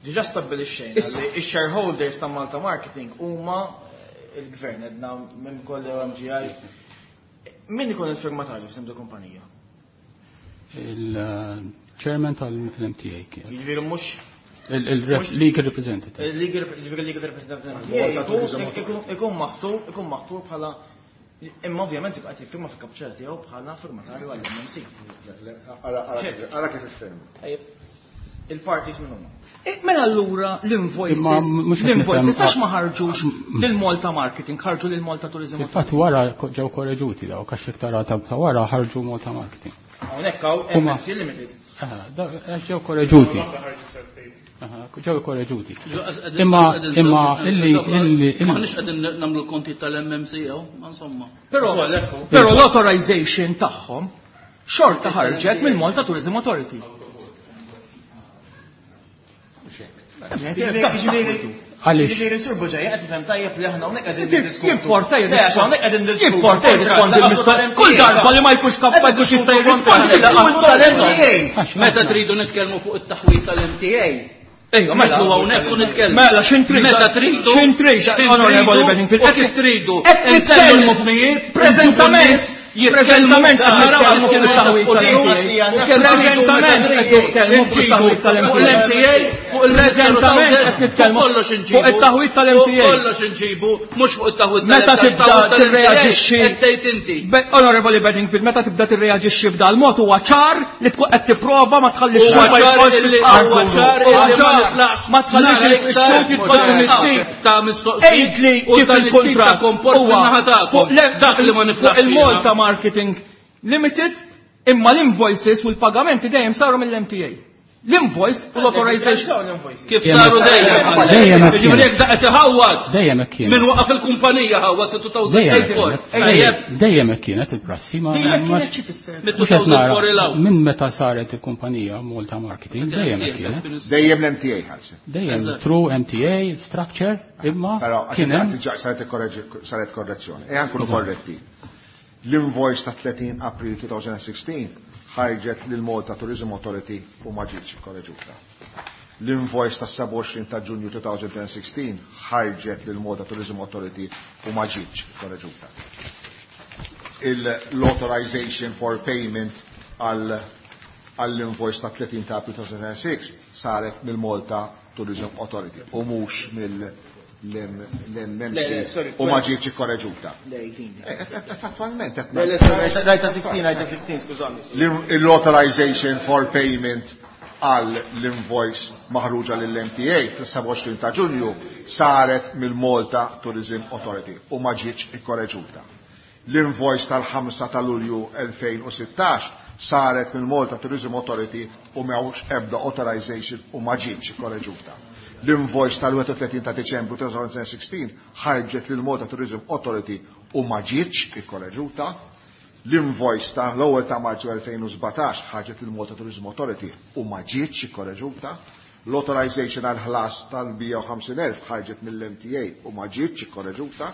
Diġà stabbilixxejna li x-shareholders ta' Malta Marketing huma il-gvern edna minn kolli M G I. Min ikun il-firmatarju f'isem kumpanija? Il-chairman tal-M T A kien. Jiġifieri mhux Il-legal representative. Il-legal, jiġifieri legal representative Malta Tourism ikun maħtur ikun maħtur bħala Imma ovvjament jibqa' jiffirma fil-kapuċċella tiegħu bħala firmatarju għall-M M C. Ara kif iffirma. Il-parties minn huma. Mela allura l-invoices, l-invoices għax ma ħarġux lil Malta Marketing, ħarġu lil Malta Tourism. Infatti wara ġew korreġuti daw, għax iktar ta' wara ħarġu Malta Marketing. Hawnhekk hawn M M C Limited. Ġew korreġuti. Ġew korreġuti. Imma imma illi illi Maħniex qegħdin nagħmlu konti tal-M M C jew, insomma. Però però l-authorization tagħhom xorta ħarġet mill Malta Tourism Authority. Għaliex? Ġifieri Sur Bugeja qed tifhem tajjeb li aħna hawnhekk qegħdin niddiskutu. Jimporta Le, għax hawnhekk qegħdin niddiskutu. Jimporta jirrispondi l-mistoqsijiet. Kull darba li ma jkunx kap ma jkunx jista' jirrispondi. Tal-M T A. Meta tridu nitkellmu fuq it-taħwit tal-M T A. Ejja, mela Ġu hawnhekk u nitkellmu. Mela x'intrid? Meta tridu. X'intrid? Onorevoli Bedingfield. U kif tridu. Qed nitkellmu preżentament. Preżentament qed nitkellmu fuq it-taħwit tal-M T A. Preżentament qed nitkellmu fuq it-taħwit tal-M T A. Fuq il-M T A. Preżentament qed nitkellmu kollox inġibu. Fuq it-taħwit tal-M T A. Kollox inġibu, mhux fuq it-taħwit. Meta tibda tirreaġixxi qed tgħid inti. Onorevoli Bedingfield, meta tibda tirreaġixxi f'dal mod huwa ċar li tkun qed tipprova ma tħallix Huwa ċar li huwa ċar li ma nitlaqx ma tħallix il-xhud jidħol tip ta' mistoqsijiet Għidli kif il-kuntratt huwa fuq dak li ma niflaħx il-Malta Marketing Limited, imma l-invoices u l-pagamenti dejjem saru mill-M T A. L-invoice u l-authorization. Kif saru dejjem? Dejjem hekk Ġifieri jekk daqqa tiħawwad. Dejjem hekk kienet. Min waqaf il-kumpanija ħawwad Dejjem two thousand four. Dejjem hekk kienet il-prassi ma Dejjem kienet xi fisser? Minn meta saret il-kumpanija Malta Marketing dejjem hekk kienet. Dejjem l-M T A ħalsi. Dejjem through M T A structure imma Però kien hemm saret korrezzjoni. E nkunu korretti. L-invoice ta' thirty April twenty sixteen ħarġet lil Malta Tourism Authority u ma ġietx korreġuta. L-invoice ta' sebgħa u għoxrin ta' Ġunju twenty sixteen ħarġet lil Malta Tourism Authority u ma ġietx korreġuta. L-authorization for payment għall-invoice ta' thirty ta' April two thousand six saret mill-Malta Tourism Authority u mhux mill l-M M C u ma ġietx korreġuta. Fattualment. Rajta sittax, rajta sittax, skużani. L-authorization for payment għal l-invoice maħruġa lill-M T A fis-sebgħa u għoxrin ta' Ġunju saret mill-Malta Tourism Authority u ma ġietx ikkorreġuta. L-invoice tal-ħamsa ta' Lulju elfejn u sittax saret mill-Malta Tourism Authority u m'hawnx ebda authorization u ma ġietx ikkorreġuta. L-invoice tal-31 ta' Deċembru twenty sixteen ħarġet lil Malta Tourism Authority u ma ġietx ikkorreġuta. L-invoice ta' l-ewwel ta' Marzu elfejn u sbatax ħarġet lil Malta Tourism Authority u ma ġietx ikkorreġuta. L-authorization għal ħlas tal-mija u ħamsin elf ħarġet mill-M T A u ma ġietx ikkorreġuta.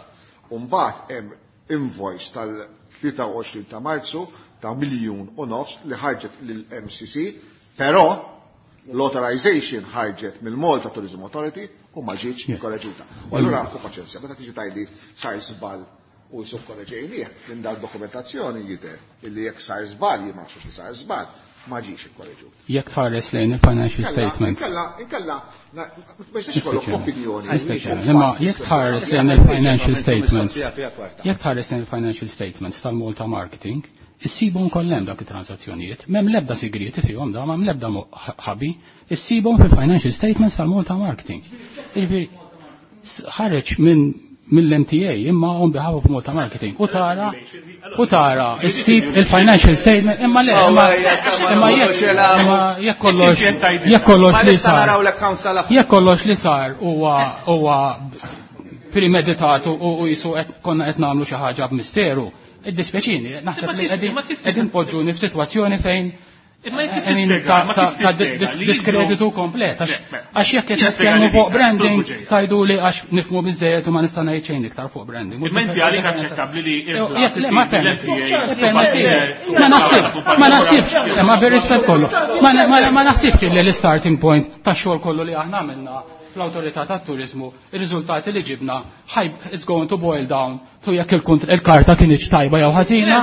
U mbagħad hemm invoice tal-tlieta u għoxrin ta' Marzu ta' miljun u nofs li ħarġet lill-M C C, però l-authorization ħarġet mill-Malta Tourism Authority u ma ġietx ikkorreġuta. U allura hu paċenzja, meta tiġi tgħidli sar żball u jisub korreġejnieh, minn dal-dokumentazzjoni jidher illi jekk sar żball, jien ma nafx li sar żball, ma ġiex ikkorreġut. Jekk tħares lejn il-financial statement. Inkella, inkella, ma jistax ikollok opinjoni. Imma jekk tħares lejn il-financial statements, jekk tħares lejn il-financial statements tal-Malta Marketing, issibhom kollha dak it-transazzjonijiet. M'hemm l-ebda sigrieti fihom da, m'hemm l-ebda ħabi, issibhom fil-financial statements tal-Malta Marketing. Jiġifieri ħareġ minn mill-M T A imma on behalf of Malta Marketing. U tara, u tara, issib il-financial statement, imma le, imma imma jekk imma jekk kollox jekk kollox li sar jekk kollox li sar huwa huwa premeditat u u jisu qed konna qed nagħmlu xi ħaġa b'misteru. Iddispjaċini, naħseb li qegħdin qegħdin poġġuni f'sitwazzjoni fejn Imma jekk I mean, tispjega, ta' ma ta' kif ta' tispjega dis- li diskreditu jidru- komplet. Għax Le, mela. għax jekk qed Jien nitkellmu spjega fuq li branding, Sur Bugeja. tajdu li għax nifhmu biżejjed u ma nista' ngħid xejn iktar fuq branding. Imma inti għalik aċċettabbli li Jekk le, ma permetti. l-M T A Permetti. Ma naħsibx, ma naħsibx, ma bir-rispett kollu. Ma ma- ma naħsibx li l-starting point tax-xogħol kollu li aħna għamilna fl-awtorità tat-turiżmu, ir-riżultati li ġibna it's going to boil down to jekk il-karta kienx tajba jew ħażina.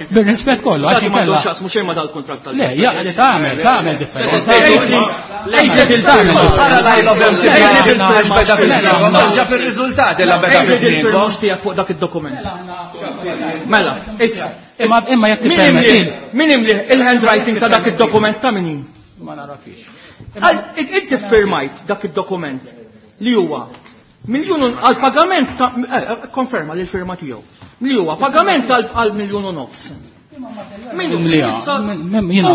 Bir-rispett kollu għax inkella. X'jaqsmu xejn ma dal-kuntratt tal. Le, li tagħmel, tagħmel differenza. Ġa fir-riżultati la beda fil-firmux tiegħek fuq dak id-dokument. Mela, issa. Imma jekk tippermetti. Min imli il-handwriting ta' dak id-dokument ta' min? Ma narafix. Inti firmajt dak id-dokument li huwa miljun għal pagament ta' konferma li l-firma tiegħu. Li huwa pagament għal miljun u nofs. U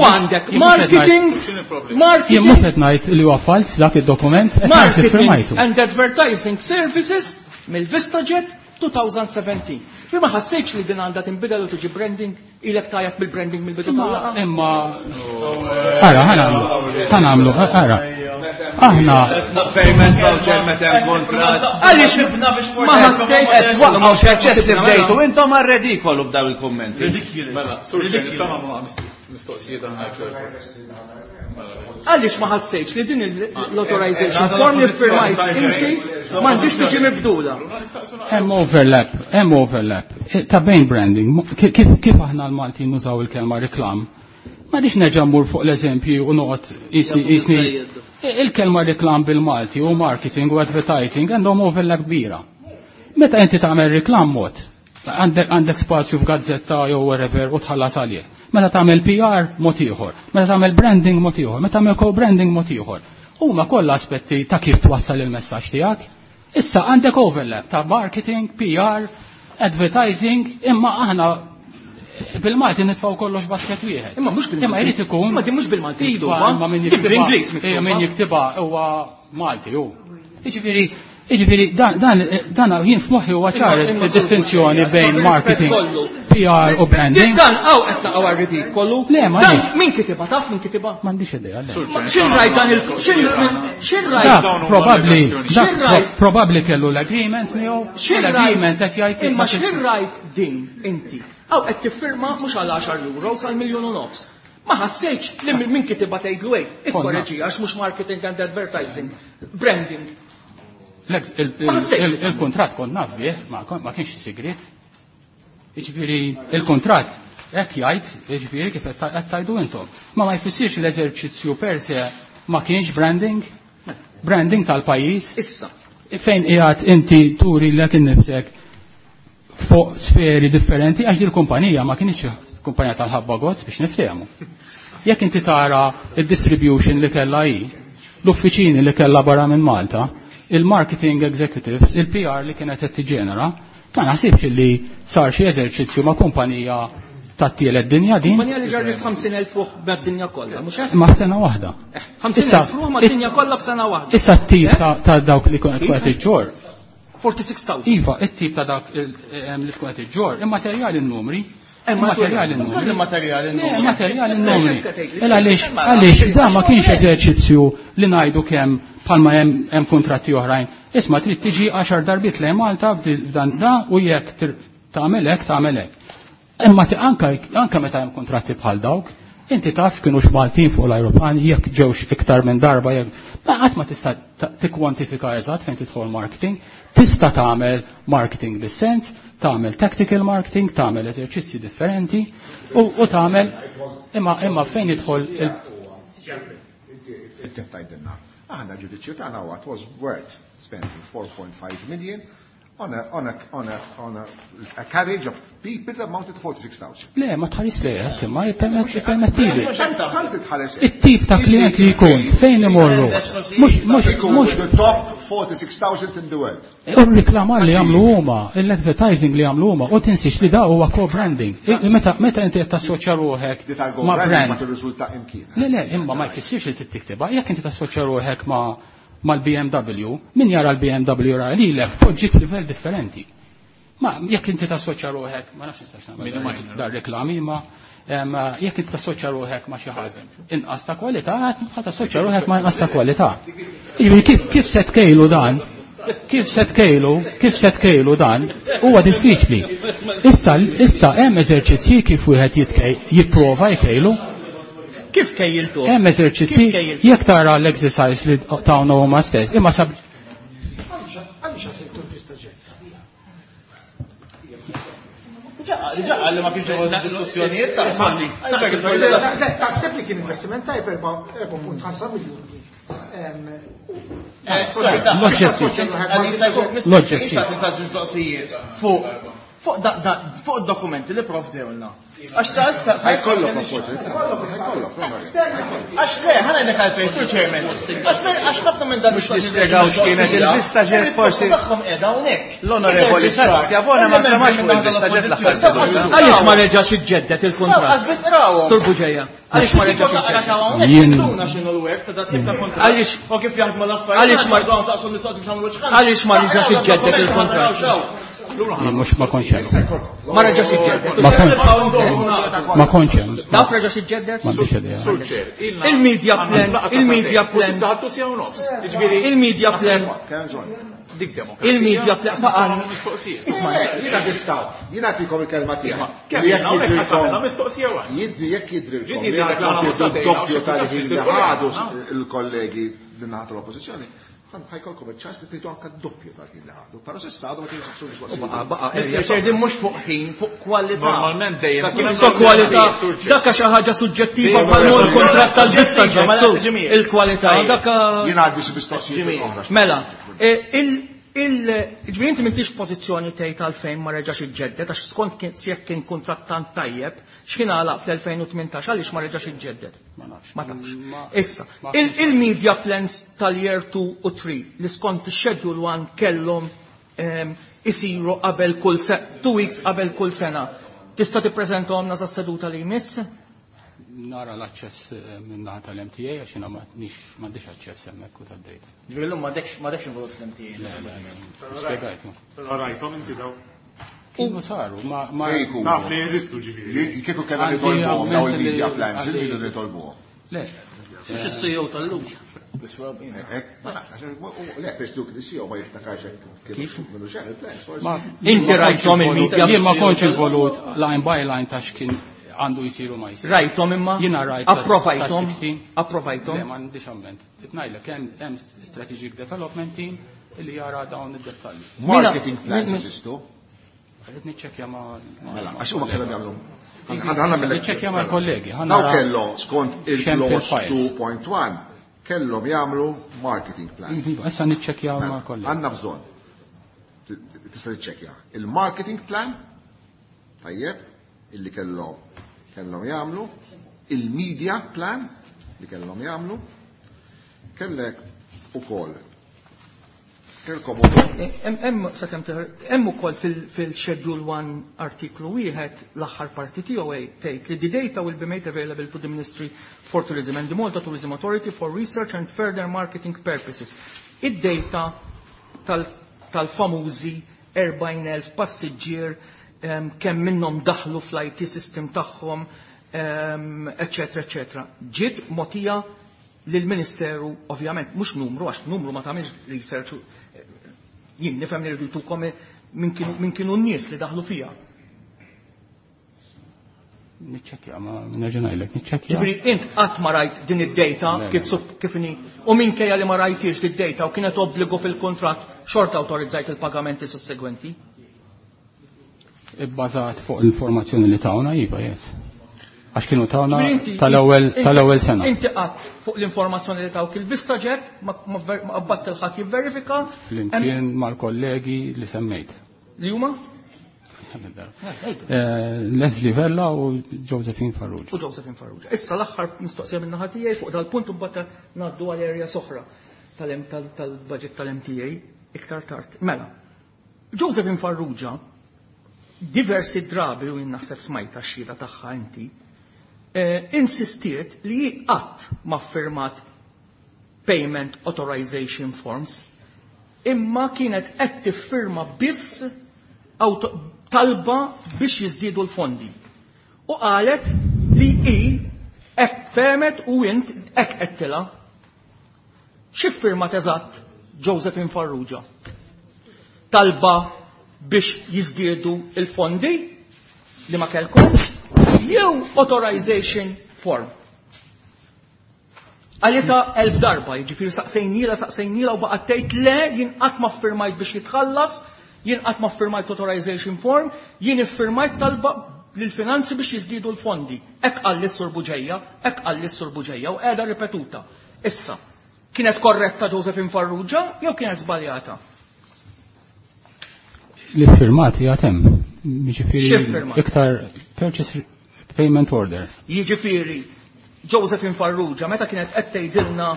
għandek marketing, marketing. Jien mhux qed ngħid li huwa falz dak id-dokument, marketing and advertising services mill-VistaJet twenty seventeen. Fi ma ħassejtx li din għandha tinbidel u tiġi branding, ilek tajjeb bil-branding mill-bidu tal-laqgħa. Imma ara ħanamlu, ħanamlu, ara. Aħna payment voucher meta hemm kuntratt. Għaliex ma ħassejtx qed waqgħu proċess li bdejtu intom għar-redikolu b'daw il-kummenti. Mela, sur mistoqsijiet aħna. Għaliex ma ħassejtx li din l-authorization form li firmajt inti m'għandix tiġi mibdula. Hemm overlap, hemm overlap. Ta' bejn branding, kif kif aħna l-Maltin nużaw il-kelma reklam, ma rridx nerġa' mmur fuq l-eżempji u noqgħod isni il-kelma reklam bil-Malti u marketing u advertising għandhom overlap kbira. Meta inti tagħmel reklam mod, għandek għandek spazju f'gazzetta jew wherever u tħallas għalih. Meta tagħmel P R mod ieħor, meta tagħmel branding mod ieħor, meta tagħmel co-branding mod ieħor. Huma kollha aspetti ta' kif twassal il-messaġġ tiegħek. Issa għandek overlap ta' marketing, P R, advertising, imma aħna bil-Malti nitfgħu kollox basket wieħed. Imma mhux bil-Malti. Imma jrid ikun. Imma din mhux bil-Malti miktuba. Imma min jiktibha. Min jiktibha huwa Malti hu. Jiġifieri Jiġifieri dan dan dan jien f'moħħi huwa ċar id-distinzjoni bejn marketing, P R u branding. Dan hawn qed naqgħu għar-ridikolu. Le, ma dan min kitibha taf min kitibha? M'għandix idea. X'in rajt dan il x'in rajt probabbli probabbli kellu l-agreement miegħu. L-agreement qed jgħid imma x'in rajt din inti. Hawn qed tiffirma mhux għal għaxar euro sal miljun u nofs. Ma ħassejtx li min kitibha tgħidlu hekk, ikkoreġi għax mhux marketing and advertising, branding. Il-kontrat kont naf bih, ma kienx sigrit. Jiġifieri il-kontrat hekk jgħid, jiġifieri kif qed tgħidu intom. Ma ma jfissirx l-eżerċizzju per se ma kienx branding, branding tal-pajjiż. Issa. Fejn qiegħed inti turi lek innifsek fuq sferi differenti għax dil-kumpanija ma kienx kumpanija tal-ħabba gozz biex niftehmu. Jekk inti tara id-distribution li kellha hi, l-uffiċini li kellha barra minn Malta, il-marketing executives, il-P R li kienet qed tiġenera, ma naħsibx li sar xi eżerċizzju ma' kumpanija tat-tielet dinja din. Kumpanija li ġarret ħamsin elf ruħ mad-dinja kollha, mhux hekk? Ma' sena waħda. ħamsin elf ruħ mad-dinja kollha f'sena waħda. Issa t-tip ta' dawk li kienet qed iġġor. forty-six thousand. Iva, it-tip ta' dak li tkun qed iġġor, immaterjali n-numri. Immaterjali n-numri. Immaterjali n-numri. Immaterjali n-numri. Għaliex għaliex da ma kienx eżerċizzju li ngħidu kemm bħalma hemm kuntratti oħrajn. Isma' trid tiġi għaxar darbiet lejn Malta f'dan da u jekk tagħmel hekk tagħmel hekk. Imma anka anka meta hemm kuntratti bħal dawk, inti taf kienux Maltin fuq l-ajruplan jekk ġewx iktar minn darba jekk ma qatt ma tista' tikkwantifika eżatt fejn tidħol marketing, tista' tagħmel marketing bis-sens, tagħmel tactical marketing, tagħmel eżerċizzji differenti u tagħmel imma imma fejn jidħol il Inti tgħidilna. Aħna ġudizzju tagħna huwa was worth spending four point five million on a on a on a on a, a carriage of people amounted to forty-six thousand. Le, ma tħares le hekk, imma jippermettili. It-tip ta' klient li jkun fejn imorru. Mhux mhux mhux the top forty-six thousand in the world. U r-reklamar li jagħmlu huma, l-advertising li jagħmlu huma, u tinsiex li da huwa co-branding. Meta meta inti qed tassoċja ruħek ma' brand. Ma tirriżulta imkien. Le, le, imma ma jfissirx li tittiktibha. Jekk inti tassoċja ruħek ma' mal-B M W, min jara l-B M W ra lilek poġġi f'livell differenti. Ma jekk inti tassoċja ruħek, ma nafx nistax nagħmel dar reklami, ma jekk inti tassoċja ruħek ma' xi ħadd inqas ta' kwalità, ħa tassoċja ruħek ma' inqas ta' kwalità. Jiġifieri kif kif se tkejlu dan? Kif se tkejlu, kif se tkejlu dan huwa diffiċli. Issa issa hemm eżerċizzji kif wieħed jitkej jipprova jkejlu. Kif kejjiltu? Hemm eżerċizzji jekk tara l-exercise li tawna huma stess, imma sab Diġà qal li ma kienx involut fid-diskussjonijiet ta' Taħseb li kien investiment tajb erba' punt ħamsa miljuni. L-oġġettiv. Mistoqsijiet fuq fuq id-dokumenti li provdewlna. Għax sa issa sa Ħajkollok opportunità. Ħajkollok. Għax le, ħa ngħidlek għalfejn, Sur Chairman. Għax ħafna minn dan Mhux nispjegaw x'kienet il-vista ġiet forsi. Tagħhom qiegħda hawnhekk. L-Onorevoli Schiavone ma semax fuq il-vista ġiet l-aħħar seduta. Għaliex ma reġax iġġedded il-kuntratt? Għax biss rawhom. Sur Buġeja, għaliex ma reġax iġġedded? Jien- x'inhu l-web ta' dat tip ta' kuntratt. Għaliex U kif jaħdmu l-affarijiet. Għaliex ma- saqsu mistoqsi biex nagħmlu ċħan. Għaliex ma reġax iġġedded il-kuntratt? Jien mhux ma kontx hemm. Ma reġax iġġedded. Ma kontx ma kontx hemm. Taf reġax iġġedded? M'għandix idea. Sur Chair, ilna Il-media plan, il-media plan. Issa ħadtu siegħa u nofs. Jiġifieri Il-media plan, dik demokrazija. il-media plan, faqan. Mistoqsija. Jiena tistgħu, jiena nagħtikom il-kelma tiegħek. Kemm Jekk jiena hawnhekk jidrilkom- għamilna mistoqsija waħda. Jidri jekk jidrilkom Ġiet li jidrilek għandkom l-għana tieħdu satejna, d-doppju u xi tal-ħin li kultant ħadu il-problema. il-kollegi min-naħa tal-oppożizzjoni, ħajkolkom iċ-ċans li tgħidu anke d-doppju tal-ħin li ħadu. Però s'issa għadu ma kienx saqsu mistoqsijiet. Baqa, baqa, Mister Chair, din mhux fuq ħin, fuq kwalità. Normalment dejjem. Ta' kif Fuq kwalità, dakka xi ħaġa suġġettiva bħal l-kontratt tal-vista ġettu. Il-kwalità, dakka. Jien għandi xi mistoqsijiet oħra. Mela, eh, il il ġifieri inti m'intix pożizzjoni tgħid għalfejn ma reġax iġġedded għax skont kien jekk kien kuntratt tant tajjeb, x'kien għalaq fl-elfejn u tmintax għaliex ma reġax iġġedded. Ma nafx. Ma tafx. Ma- Issa, ma- il- il-media plans tal-year two u three li skont schedule one kellhom ehm, isiru qabel kull se two weeks qabel kull sena. Tista' tippreżentahomna sa seduta li jmiss? Nara l-aċċess eh, minn naħa tal-M T A għax jiena m'għandix m'għandix aċċess hemmhekk u tad-data. Ġifieri llum m'għadekx m'għadekx involut fl-M T A. Spjegajtu. Però rajthom inti daw. Kienu saru, ma ma Se jkunu. Taf li jeżistu ġifieri. Li- Kieku kellna Għandi nitolbuhom daw ammenti li- il-media plans, għandi- irridu nitolbuhom. Le. Mhux is-C E O tal-lum. Hekk, ma nafx, le, per duk li C E O ma jiftakarx hekk kif minnu xejn il-plans, forsi. Ma Inti ma kontx rajthom involut- il-media- Jien ma kontx involut line by line ta' x'kien għandu jsiru ma jsir. Rajthom imma? Jiena rajt ta' Approvajthom? ta' sittax. Approvajthom? Le, m'għandix amment. Ngħidlek hemm hemm strategic development team li jara dawn id-dettalji. Marketing plans Min- jeżistu. Rrid niċċekkja ma' Mela, għax huma kellhom jagħmlu. Ħanna mill- Niċċekkja mal-kollegi. ħa Daw nara kellhom skont x'hemm il-clause fil-files. two point one kellhom jagħmlu marketing plan. Iva, issa niċċekkja mal-kollegi. Għandna bżonn. T- Tista' tiċċekkja. Il-marketing plan, tajjeb, illi kellhom kellhom jagħmlu, il-media plan li kellhom jagħmlu, kellek ukoll kellkom ukoll Hemm hemm sakemm teħer- hemm ukoll fil- fil-Schedule one artiklu wieħed l-aħħar parti tiegħu tgħid li the data will be made available to the Ministry for Tourism and the Malta Tourism Authority for research and further marketing purposes. Id-data tal- tal-famużi erbgħin elf passiġġier em, kemm minnhom daħlu fl-I T system tagħhom, em, eċetera, eċetera. Ġiet mogħtija lill-Ministeru, ovvjament, mhux numru, għax numru ma tagħmilx research, eh, jien nifhem li rridu jtukom min kienu min kienu n-nies li daħlu fiha. Niċċekkja, ma nerġa' ngħidlek, niċċekkja. Ġifieri int qatt ma rajt din id-data Le, kif le. sup- kif inhi u minkejja li ma rajtiex id-data u kienet obbligu fil-kontratt xorta awtorizzajt il-pagamenti sussegwenti. Ibbażat fuq l-informazzjoni li tawna, iva, yes. Għax kienu tawna Ġifieri inti- tal-ewwel inti- tal-ewwel sena. Inti qatt fuq l-informazzjoni li tawk il-VistaJet ma ma ver- ma qabbadt il-ħadd jivverifika Flimkien mal-kollegi li semmejt. Li huma? Eh, Leslie Vella u Josephine Farrugia. U Josephine Farrugia. Issa l-aħħar mistoqsija minn naħa tiegħi fuq dal-punt u mbagħad ngħaddu għal area oħra tal- tal- tal-budget tal-M T A iktar tard. Mela, Josephine Farrugia diversi drabi u jien naħseb smajta x-xhieda tagħha inti, eh, insistiet li hi qatt ma firmat payment authorization forms imma kienet qed tiffirma biss auto- talba biex jiżdiedu l-fondi. U qalet li hi hekk fehmet u int hekk għedtilha. Xi firmat eżatt Josephine Farrugia? Talba biex jiżdiedu il-fondi li ma kellkomx jew authorization form? Għalita elf darba, jiġifieri saqsejnila, saqsejnila u baqgħet tgħid le, jien qatt ma firmajt biex jitħallas. Jien qatt ma ffirmajt authorization form, jien iffirmajt talba lill-finanzi biex jiżdiedu l-fondi. Hekk qal lis-Sur Buġeja, hekk qal lis-Sur Buġeja u qiegħda ripetuta. Issa, kienet korretta Josephine Farrugia jew kienet żbaljata? Li firmati għatem, jiġifieri iktar purchase payment order. Jiġifieri Josephine Farrugia meta kienet qed tgħidilna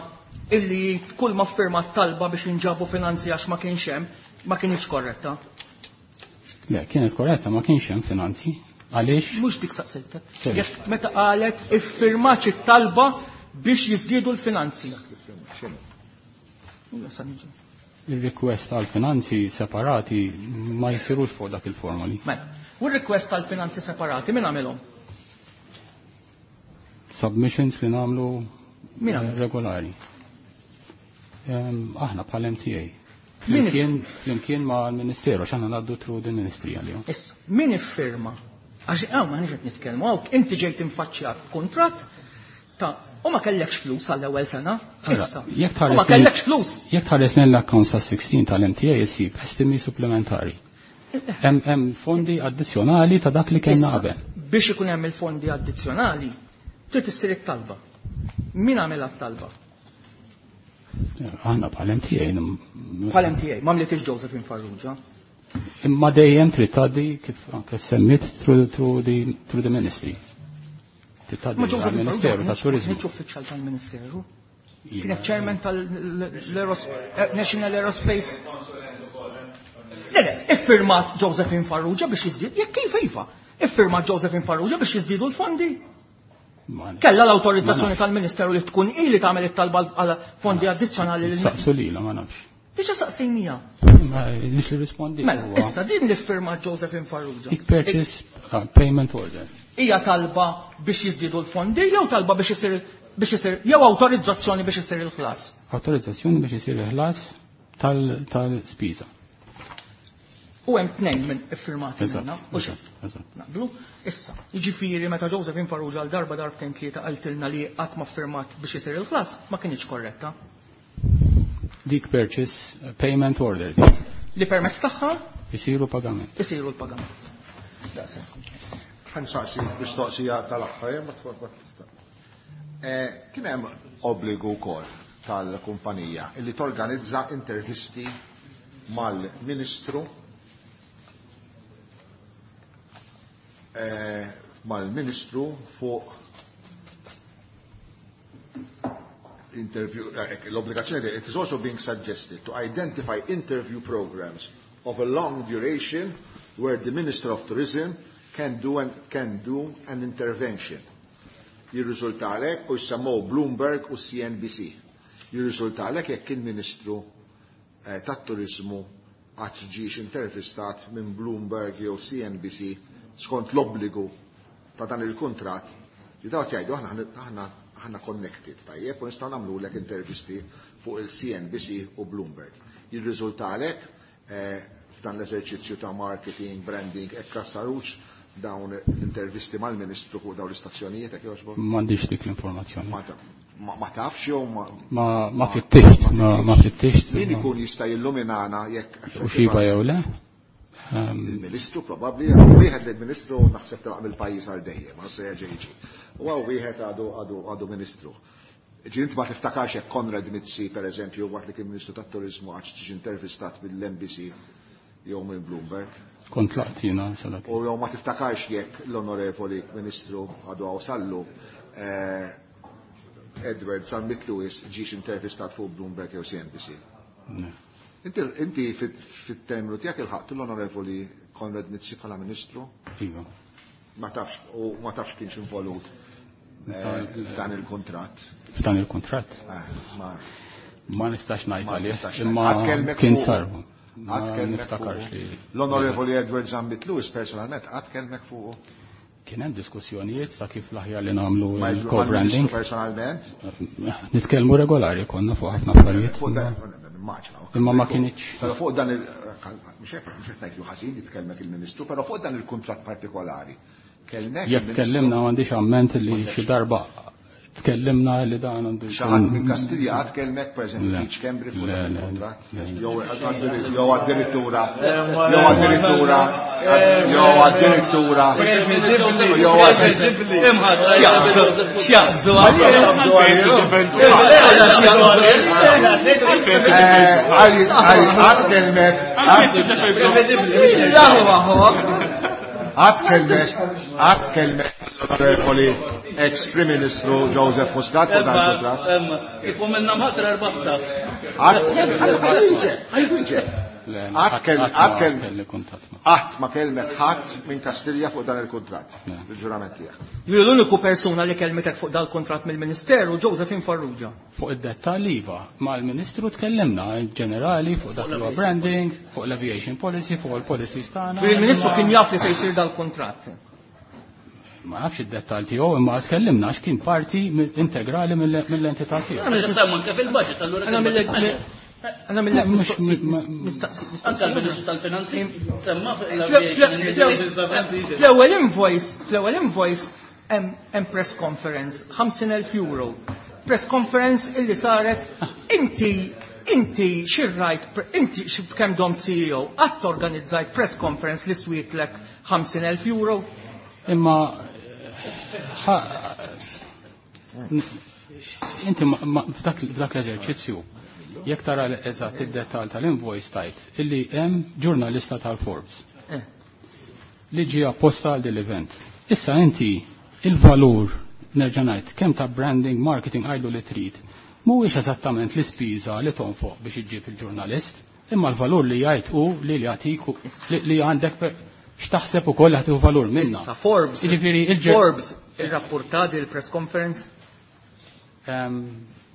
illi kull ma firmat talba biex inġabu finanzi għax ma kienx hemm, ma kienx korretta. Le, kienet korretta, ma kienx hemm finanzi. Għaliex? Mhux dik saqsejtek. Jekk meta qalet iffirmat it-talba biex jiżdiedu l-finanzi. Il-request għal finanzi separati ma jsirux fuq dak il-formoli. Mela, u r-request għal finanzi separati min għamilhom? Submissions li nagħmlu regolari. Aħna bħal M T A. Flimkien, flimkien ma' l-Ministeru, x'aħna ngħaddu through the ministry għalihom. Issa, min iffirma? Għax hawn ma qed nitkellmu hawn, inti ġejt infaċċjat b'kuntratt ta' u ma kellekx flus għall-ewwel sena. Issa, u ma kellekx flus. Jekk tħares lejn l-accounts ta' sixteen tal-M T A jsib estimi supplementari. Hemm fondi addizzjonali ta' dak li kellna qabel. Biex ikun hemm il-fondi addizzjonali, trid issir it-talba. Min għamilha t-talba? Aħna bħal M T A. Bħal M T A, ma mlitix Josephine Farrugia. Imma dejjem trid tgħaddi kif anke semmit through, through the, through the ministry. Trid tgħaddi Ma Josephine għall-Ministeru Farrugia tat-Turiżmu. Kienx uffiċjal tal-Ministeru. Kienet chairman tal-National Aerospace. Le, le, iffirmat Josephine Farrugia biex jiżdied, jekk kif iva, iffirmat Josephine Farrugia biex jiżdiedu l-fondi. Kella l-autorizzazzjoni tal-Ministeru li tkun ili tagħmel it-talba għal fondi addizzjonali lil Saqsu lilha, ma nafx. Diġà saqsejnija. Ma nix li rispondi. Mela, issa din li ffirmat Josephine Farrugia. Ik purchase payment order. Hija talba biex jiżdiedu l-fondi jew talba biex isir biex isir jew awtorizzazzjoni biex isir il-ħlas? Awtorizzazzjoni biex isir il-ħlas tal-spiża. U hemm tnejn minn iffirmati minna, u xejn. Eżatt. Naqblu? Issa, jiġifieri meta Josephine Farrugia għal darba darbtejn tlieta qaltilna li qatt ma ffirmat biex isir il-ħlas, ma kienx korretta. Dik purchase payment order. Li permezz tagħha isiru pagament. Isiru l-pagament. Daqshekk. Ħansaqsi mistoqsija tal-aħħar, ma tfort. Kien hemm obbligu wkoll tal-kumpanija illi torganizza intervisti mal-Ministru mal-Ministru fuq interview, l-obbligazzjoni, it is also being suggested to identify interview programs of a long duration where the Minister of Tourism can do an, can do an intervention. Jirriżultalek u jsemmew Bloomberg u C N B C. Jirriżultalek jekk il-Ministru tat-Turizmu qatt ġiex intervistat minn Bloomberg jew C N B C skont l-obbligu ta' dan il-kuntratt li dawk jgħidu aħna aħna aħna connected tajjeb u nistgħu nagħmlulek intervisti fuq il-C N B C u Bloomberg. Jirriżultalek f'dan l-eżerċizzju ta' marketing, branding, hekk sarux dawn l-intervisti mal-Ministru fuq dawn l-istazzjonijiet hekk jogħġbok? M'għandix dik l-informazzjoni. Ma ta-, ma, ma tafx jew ma Ma, ma fittixt, ma, ma fittixt. Min ikun jista' jilluminana jekk U xiva jew le? Il-Ministru probabbli, wieħed li l-Ministru naħseb telaq mill-pajjiż għal dejjem, ma se jerġa' jiġi. U hawn wieħed għadu, għadu, għadu Ministru. Ġi int ma tiftakarx jekk Konrad Mizzi, per eżempju, waqt li kien Ministru tat-Turiżmu għax ġie intervistat mill-M B C jew minn Bloomberg. Kont laqt jiena sa dak. U jew ma tiftakarx jekk l-Onorevoli Ministru għadu hawn sallu, eh, Edward Zammit Lewis ġiex intervistat fuq Bloomberg jew C N B C. Ne. Inti, inti fit-, fit-terminu tiegħek ilħaqt l-Onorevoli Konrad Mizzi bħala Ministru? Iva. Ma tafx, u ma tafx kienx involut, eh, f'dan il-kuntratt. F'dan il-kuntratt? Eh, ma Ma nistax ngħid Ma għalih, nistax imma ngħid. Għad kellmek kien fuq. sar. Għad Ma kellmek niftakarx fuq. li L-Onorevoli Edward Zammit Lewis personalment għad kellmek fuq. Kien hemm diskussjonijiet ta' kif l-aħjar li nagħmlu Ma il-co-branding. il-Ministru personalment? Nitkellmu regolari konna fuq ħafna affarijiet. Fuq dan, immaġina, ok. Imma ma kienx. Però fuq dan il-, mhux hekk, mhux qed ngħidlu ħażin jitkellmek il-Ministru, però fuq dan il-kuntratt partikolari. Kellmek Jekk il-Ministru? tkellimna m'għandix amment li xi darba Tkellimna li dan għandu. Xi ħadd minn Kastilja qatt kellmek pereżempju Keith Schembri fuq dan il-kuntratt? Jew addirittura jew addirittura jew addirittura jew X'jaqbżu Qatt kellmek Qatt kellmek qatt kellmek l-onorevoli ex-Prim Ministru Joseph Muscat fuq dan il-kuntratt. Kif minna mħatra erbaqta. Qatt ma kellmek ħadd minn Kastilja fuq dan il-kuntratt, il-ġurament tiegħek. Jien l-uniku persuna li kellmetek fuq dan il-kuntratt mill-Ministeru Josephine Farrugia. Fuq id-dettall iva, mal-Ministru tkellimna ġenerali fuq dak li huwa branding, fuq l-aviation policy, fuq il-policies tagħna. Il-Ministru kien jaf li se jsir dal-kuntratt. Ma nafx id-dettall tiegħu imma tkellimna għax kien parti integrali mill-entità tiegħu. Anke fil-budget allura. Għanna mill-mistaqsi. Anke l-Ministru tal-Finanzi semma fl-ewwel invoice, fl-ewwel invoice hemm press conference ħamsin elf euro. Press conference illi saret inti inti xirrajt inti kemm dom C E O qatt organizzajt press conference li swietlek ħamsin elf euro. Imma inti f'dak l-eżerċizzju jekk tara eżatt id-dettall tal-invoice tajt illi hemm ġurnalista tal-Forbes li ġie apposta għal din l-event. Issa inti il-valur nerġa' ngħid kemm ta' branding, marketing għajdu li trid, mhuwiex eżattament l-ispiża li tonfoq biex iġġib il-ġurnalist, imma l-valur li jgħid hu li jagħtik li għandek x'taħseb ukoll ħadd valur minna. Issa Forbes, Forbes irrapportati il-press conference?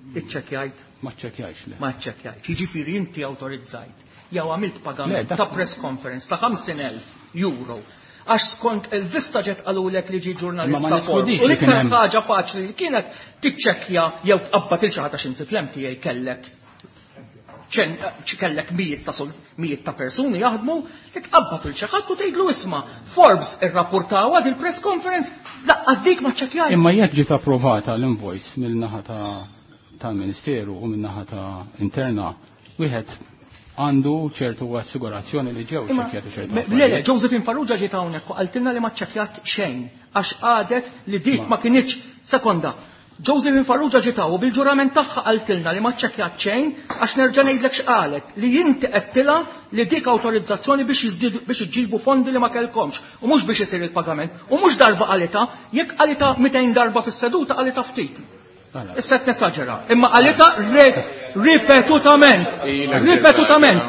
Iċċekkjajt? Ma ċċekkjajx le. Ma ċċekkjajt. Jiġifieri inti awtorizzajt jew għamilt pagament ta' press conference ta' ħamsin elf euro. Għax skont il-VistaJet qalulek li ġie ġurnalista Forbes. U l-iktar ħaġa faċli li kienet tiċċekkja jew tqabbad il xi ħadd għax inti fl-M T A kellek kellek mijiet ta' mijiet ta' persuni jaħdmu, titqabbad il xi ħadd u tgħidlu isma' Forbes irrapportaw għad il-press conference laqqas dik ma ċċekkjajt. Imma jekk ġiet approvata l-invoice mill-naħa ta' tal-Ministeru u min-naħa ta' interna, wieħed għandu ċertu assigurazzjoni li ġew ċekkjati ċertu. Le, le, Josephine Farrugia ġiet hawnhekk u qaltilna li ma ċċekkjat xejn għax qadet li dik ma kinitx sekonda. Josephine Farrugia ġiet hawn u bil-ġurament tagħha qaltilna li ma ċċekkjat xejn għax nerġa' ngħidlek x'qalet li inti qedtilha li dik awtorizzazzjoni biex jiżdiedu biex iġġibu fondi li ma kellkomx u mhux biex isir il-pagament u mhux darba qalitha, jekk qalitha mitejn darba fis-seduta qalitha ftit. Issa qed nesaġera, imma qalitha ripetutament, ripetutament.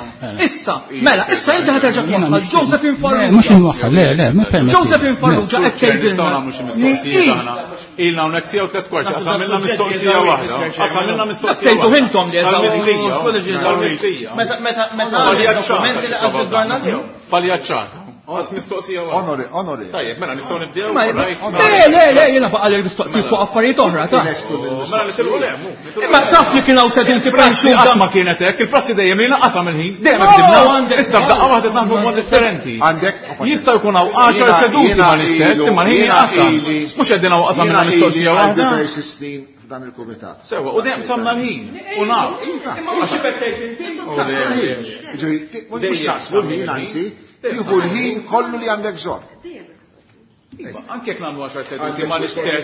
Issa, mela, issa inti ħa terġa' twaħħal Josephine Farrugia. Mhux inwaħħal, le, le, ma permetti. Josephine Farrugia qed tgħidilna. Ilna hawnhekk siegħa u tliet kwarti, qasamilna mistoqsija waħda. Qasamilna mistoqsija. Tgħidu intom li eżawri. Meta meta meta dokumenti li qas biżgħarna tiegħu. Paljaċċata. Għas mistoqsija waħda. Onori, onori. Tajjeb, mela nistgħu nibdew. Le, le, le, jiena baqa' li mistoqsija fuq affarijiet oħra, ta' Mela nisilqu le, mu. Imma taf li kien hawn seduti Il-prassi qatt ma kienet hekk, il-prassi dejjem li naqasam il-ħin, dejjem hekk dibna. Issa f'daqqa waħda naħdmu mod differenti. Għandek Jista' jkun hawn għaxar seduti ma l-istess, imma l-ħin jinqasam. Mhux qegħdin hawn qasam minna mistoqsija waħda. Diversi snin f'dan il-kumitat. Sewa, u dejjem samna l-ħin, u naf. Imma mhux xi tgħid inti. Ġifieri, mhux naqsmu l-ħin anzi, tieħu l-ħin kollu li għandek bżonn. Iva, anke jekk nagħmlu għaxar seduti ma l-istess.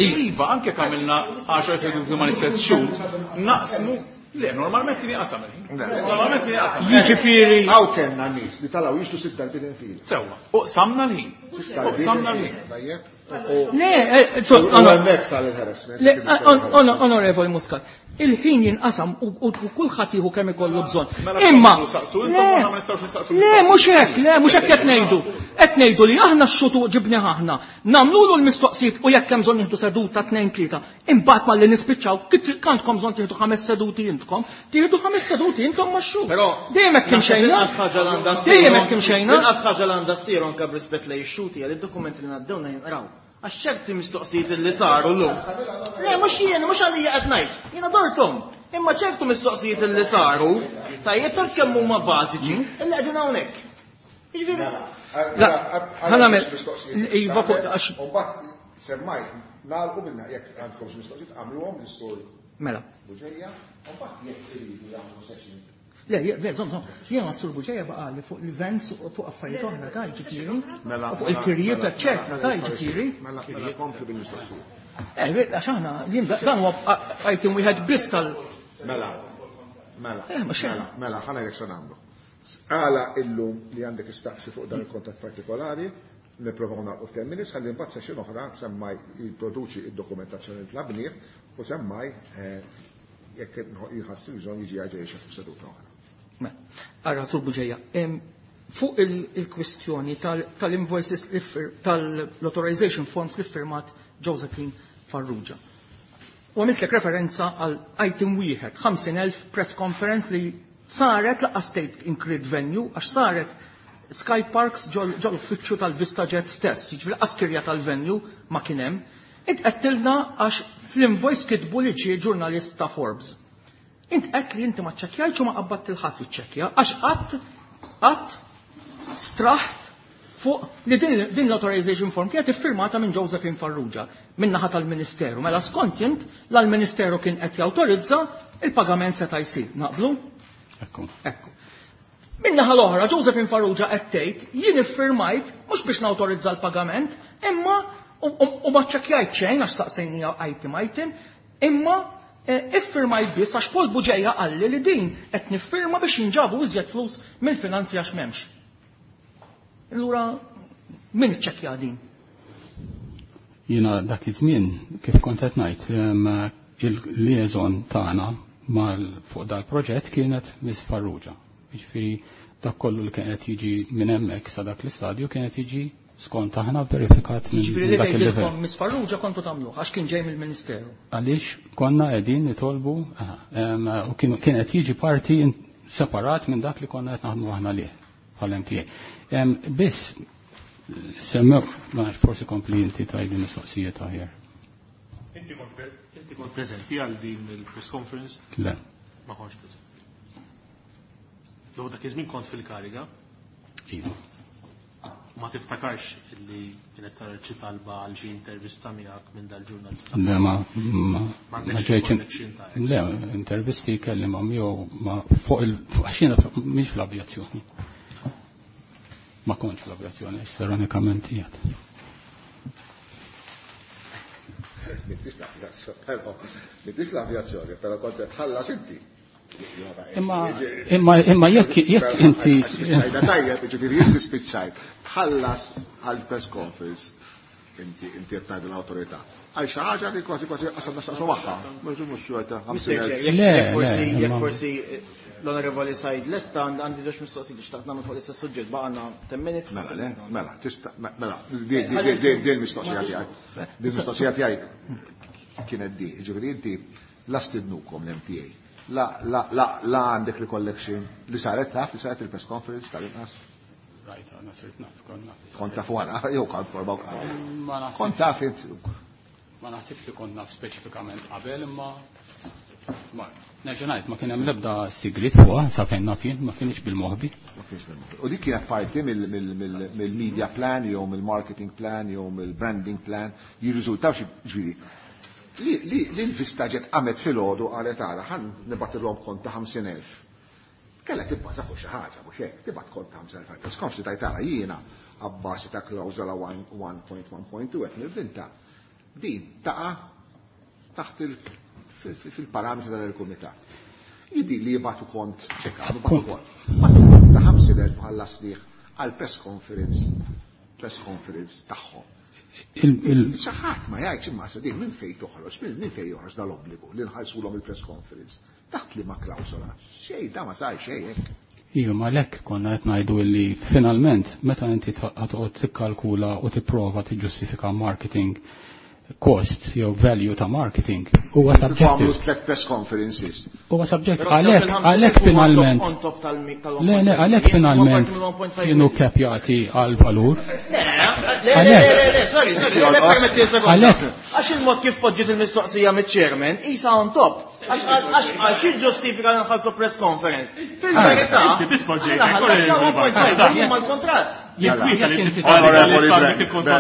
Iva, anke jekk għamilna għaxar seduti ma l-istess xhur, naqsmu. Le, normalment kien jaqsam il-ħin. Normalment kien jaqsam. Jiġifieri. Hawn kellna nies li talaw jixtru sitt darbiet infil. Sewwa, u qsamna l-ħin. Sitt darbiet Qsamna l-ħin. Tajjeb. Le, eh, so, U onor- hemmhekk sar il-harassment. Le, on-, onorevoli Muscat, il-ħin jinqasam u, u, u kulħadd jieħu kemm ikollu bżonn. Mela Imma tkomplu saqsu, intom le, aħna ma nistgħux nistaqsu le, mistoqsijiet. mhux hekk, le, mhux hekk qed ngħidu. Qed ngħidu li aħna x-xutu ġibni aħna, nagħmlulu l-mistoqsijiet u jekk hemm bżonn nieħdu seduta tnejn tlieta. Imbagħad malli nispiċċaw, kif kantkom bżonn tieħdu ħames seduti intkom, tieħdu ħames seduti intom ma' x-xhur. Però Dejjem hekk imxejna. Inqas ħaġa li għandha ssir, Dejjem hekk imxejna. Inqas ħaġa li għandha ssir anke b'rispett lejn ix-xuti għal id-dokumenti li ngħaddewna jinqraw. Għax ċerti mistoqsijiet li saru llum. Le, mhux jien, mhux għalija qed ngħid. Jiena dorthom. Imma ċertu mistoqsijiet li saru, tajjeb taf kemm huma bażiċi, illi qegħdin hawnhekk. Jiġifieri La, ħa nagħmel iva fuq għax U mbagħad Semmaj, nagħlqu minna jekk għandkom xi mistoqsijiet għamluhom lis-sur Mela. Buġeja, u mbagħad jekk iridu jagħmlu session. Le, le, żomm, żomm, jiena s-sur Buġeja baqali fuq l-events u fuq affarijiet oħra ta' ġifieri. Mela, Fuq il-kirjiet, eċċetera, ta' ġifieri. Mela, mela kompli bil-mistoqsija. Eh, għax aħna, jien dan huwa item wieħed biss tal. Mela, mela, Eh, ma xejn. mela, mela, ħa ngħidlek se nagħmlu. Għala illum li għandek istaqsi fuq dan il-kontatt partikolari, nipprovaw nagħlqu f'ten minutes, ħalli mbagħad session oħra semmaj jipproduċi id-dokumentazzjoni li tlabnieh u semmaj eh, jekk jħassi bżonn jiġi għaġej fuq seduta oħra. Mela, Ara, Sur Buġeja, em, fuq il- il-kwistjoni tal- tal-invoices li fir- tal-authorization forms li firmat Josephine Farrugia. U għamiltlek referenza għal item wieħed, ħamsin elf press conference li saret laqqa state inkrid venue, għax saret Sky Parks ġol uffiċċju tal-Vista Jet stess, jiġifieri lanqas kirja tal-venue ma kien hemm. Int qedtilna għax fl-invoice kitbu li ġie ġurnalist ta' Forbes. Int qed li inti ma ċċekkjajtx u ma qabbadt il-ħadd jiċċekkja għax qatt qatt straħt fuq li din, din l-authorization form kienet iffirmata minn Josephine Farrugia minn naħa tal-Ministeru. Mela skont int l-Ministeru kien qed jawtorizza il-pagament seta' jsir. Naqblu? Ekku. Ekku. Min-naħa l-oħra, Josephine Farrugia qed tgħid jien iffirmajt mhux biex nawtorizza l-pagament, imma u, u, u ma ċċekkjajt xejn għax saqsejnija item item, imma eh, iffirmajt biss għax Paul Buġeja qalli li din qed niffirma biex jinġabu iżjed flus mill-finanzi għax m'hemmx. Allura min iċċekkja din? Jiena dak iż-żmien kif kont qed ngħid, em, il-liaison tagħna mal fuq dal-proġett kienet Miss Farrugia. Jiġifieri dak kollu li kien qed jiġi minn hemmhekk sa dak l-istadju kien qed jiġi skont aħna verifikat minn Jiġifieri li dak il-livell. tgħidilkom Miss Farrugia kontu tagħmluh għax kien ġej mill-Ministeru. Għaliex konna qegħdin nitolbu aha, em, u kien kien qed jiġi parti in- separat minn dak li konna qed naħdmu aħna lih bħal M T A. Em, Biss semmew, ma nafx, forsi kompli inti tajdi mistoqsijiet aħjar. Inti kont pre- inti kont preżenti għal din il-press conference? Le. Ma kontx preżenti. Dopo dak iż-żmien kont fil-kariga, Iva. ma tiftakarx illi kienet saret xi talba għal xi intervista miegħek minn dal-ġurnalista. Le, ma ma ma M'għandekx ġejtx connection ta' hekk. Le, intervisti kelli ma jew ma fuq il fuq- għax jiena mhix fl-avjazzjoni. Ma kontx fl-avjazzjoni, għax ironikament qiegħed. M'intix l-avjazzjoni, però m'intix l-avjazzjoni, però kont qed tħallas inti. Imma imma imma jekk jekk inti Spiċċajna tajjeb, jiġifieri inti spiċċajt. Tħallas għal press conference inti inti qed tgħid l-awtorità. Għal xi ħaġa li kważi kważi qasam nastaqsu magħha. Mhux mhux xorta Mister Chair, jekk Le, jekk forsi le, jekk imma- forsi eh, l-Onorevoli Said lesta għandi żewġ mistoqsijiet li xtaqt nagħmel fuq l-istess suġġett baqgħna ten minutes. Mela, le, mela, tista' mela, di di di di l-mistoqsija tiegħi. Di l-mistoqsija tiegħi kienet di, jiġifieri inti la stidnukom l-M T A. La la la la għandek recollection li saret taf li saret il-press conference tal-inqas. Rajt, għana sirt naf, kont naf. Kont taf wara, jew kont forma Ma naħsibx- Kont taf int. Ma naħsibx li kont naf speċifikament qabel, imma ma nerġa' ngħid ma kien hemm l-ebda sigrit fuqha sa fejn naf jien, ma kienx bil-moħbi. Ma kienx bil-moħbi. U dik kienet parti mill-media plan jew mill-marketing plan jew mill-branding plan jirriżultaw xi ġifieri. Li li li l-Vista Jet qamet filgħodu qalet ara ħa nibgħatilhom kont ta' ħamsin elf. Kella tibbaża fuq xi ħaġa mhux hekk, tibgħat kont ta' ħamsin elf press conference tajt ara jiena abbażi ta' klawżola one punt one punt two qed nivvinta. Din taqa' taħt il fil-parametri tal-kumitat. Jidi li jibatu kont, ċekka, jibatu kont. Batu kont ta' ħamsin elf bħalla sliħ għal press conference, press conference tagħhom. Xi ħadd ma jgħidx imma sa din minn fejn toħroġ, minn fejn joħroġ dal-obbligu li nħallsulhom il-press conference. Taħt li ma klawsola. Xejn, da ma sar xejn hekk. Iva, ma lek konna qed ngħidu li finalment meta inti toqgħod tikkalkula u tipprova tiġġustifika marketing cost jew value ta' marketing huwa Għamlu subjective. tlet press conferences. Huwa subjective. Għalhekk għalhekk finalment. Le, le, għalhekk finalment kienu capjati għal valur. Le, le, le, le, le, sorry, sorry, le, permetti sekonda. Għalhekk. Għax il-mod kif poġġiet il-mistoqsija mit-chairman, isa on top. Għax ġustifika nħassu press conference. Fil-verità, mal-kontratt.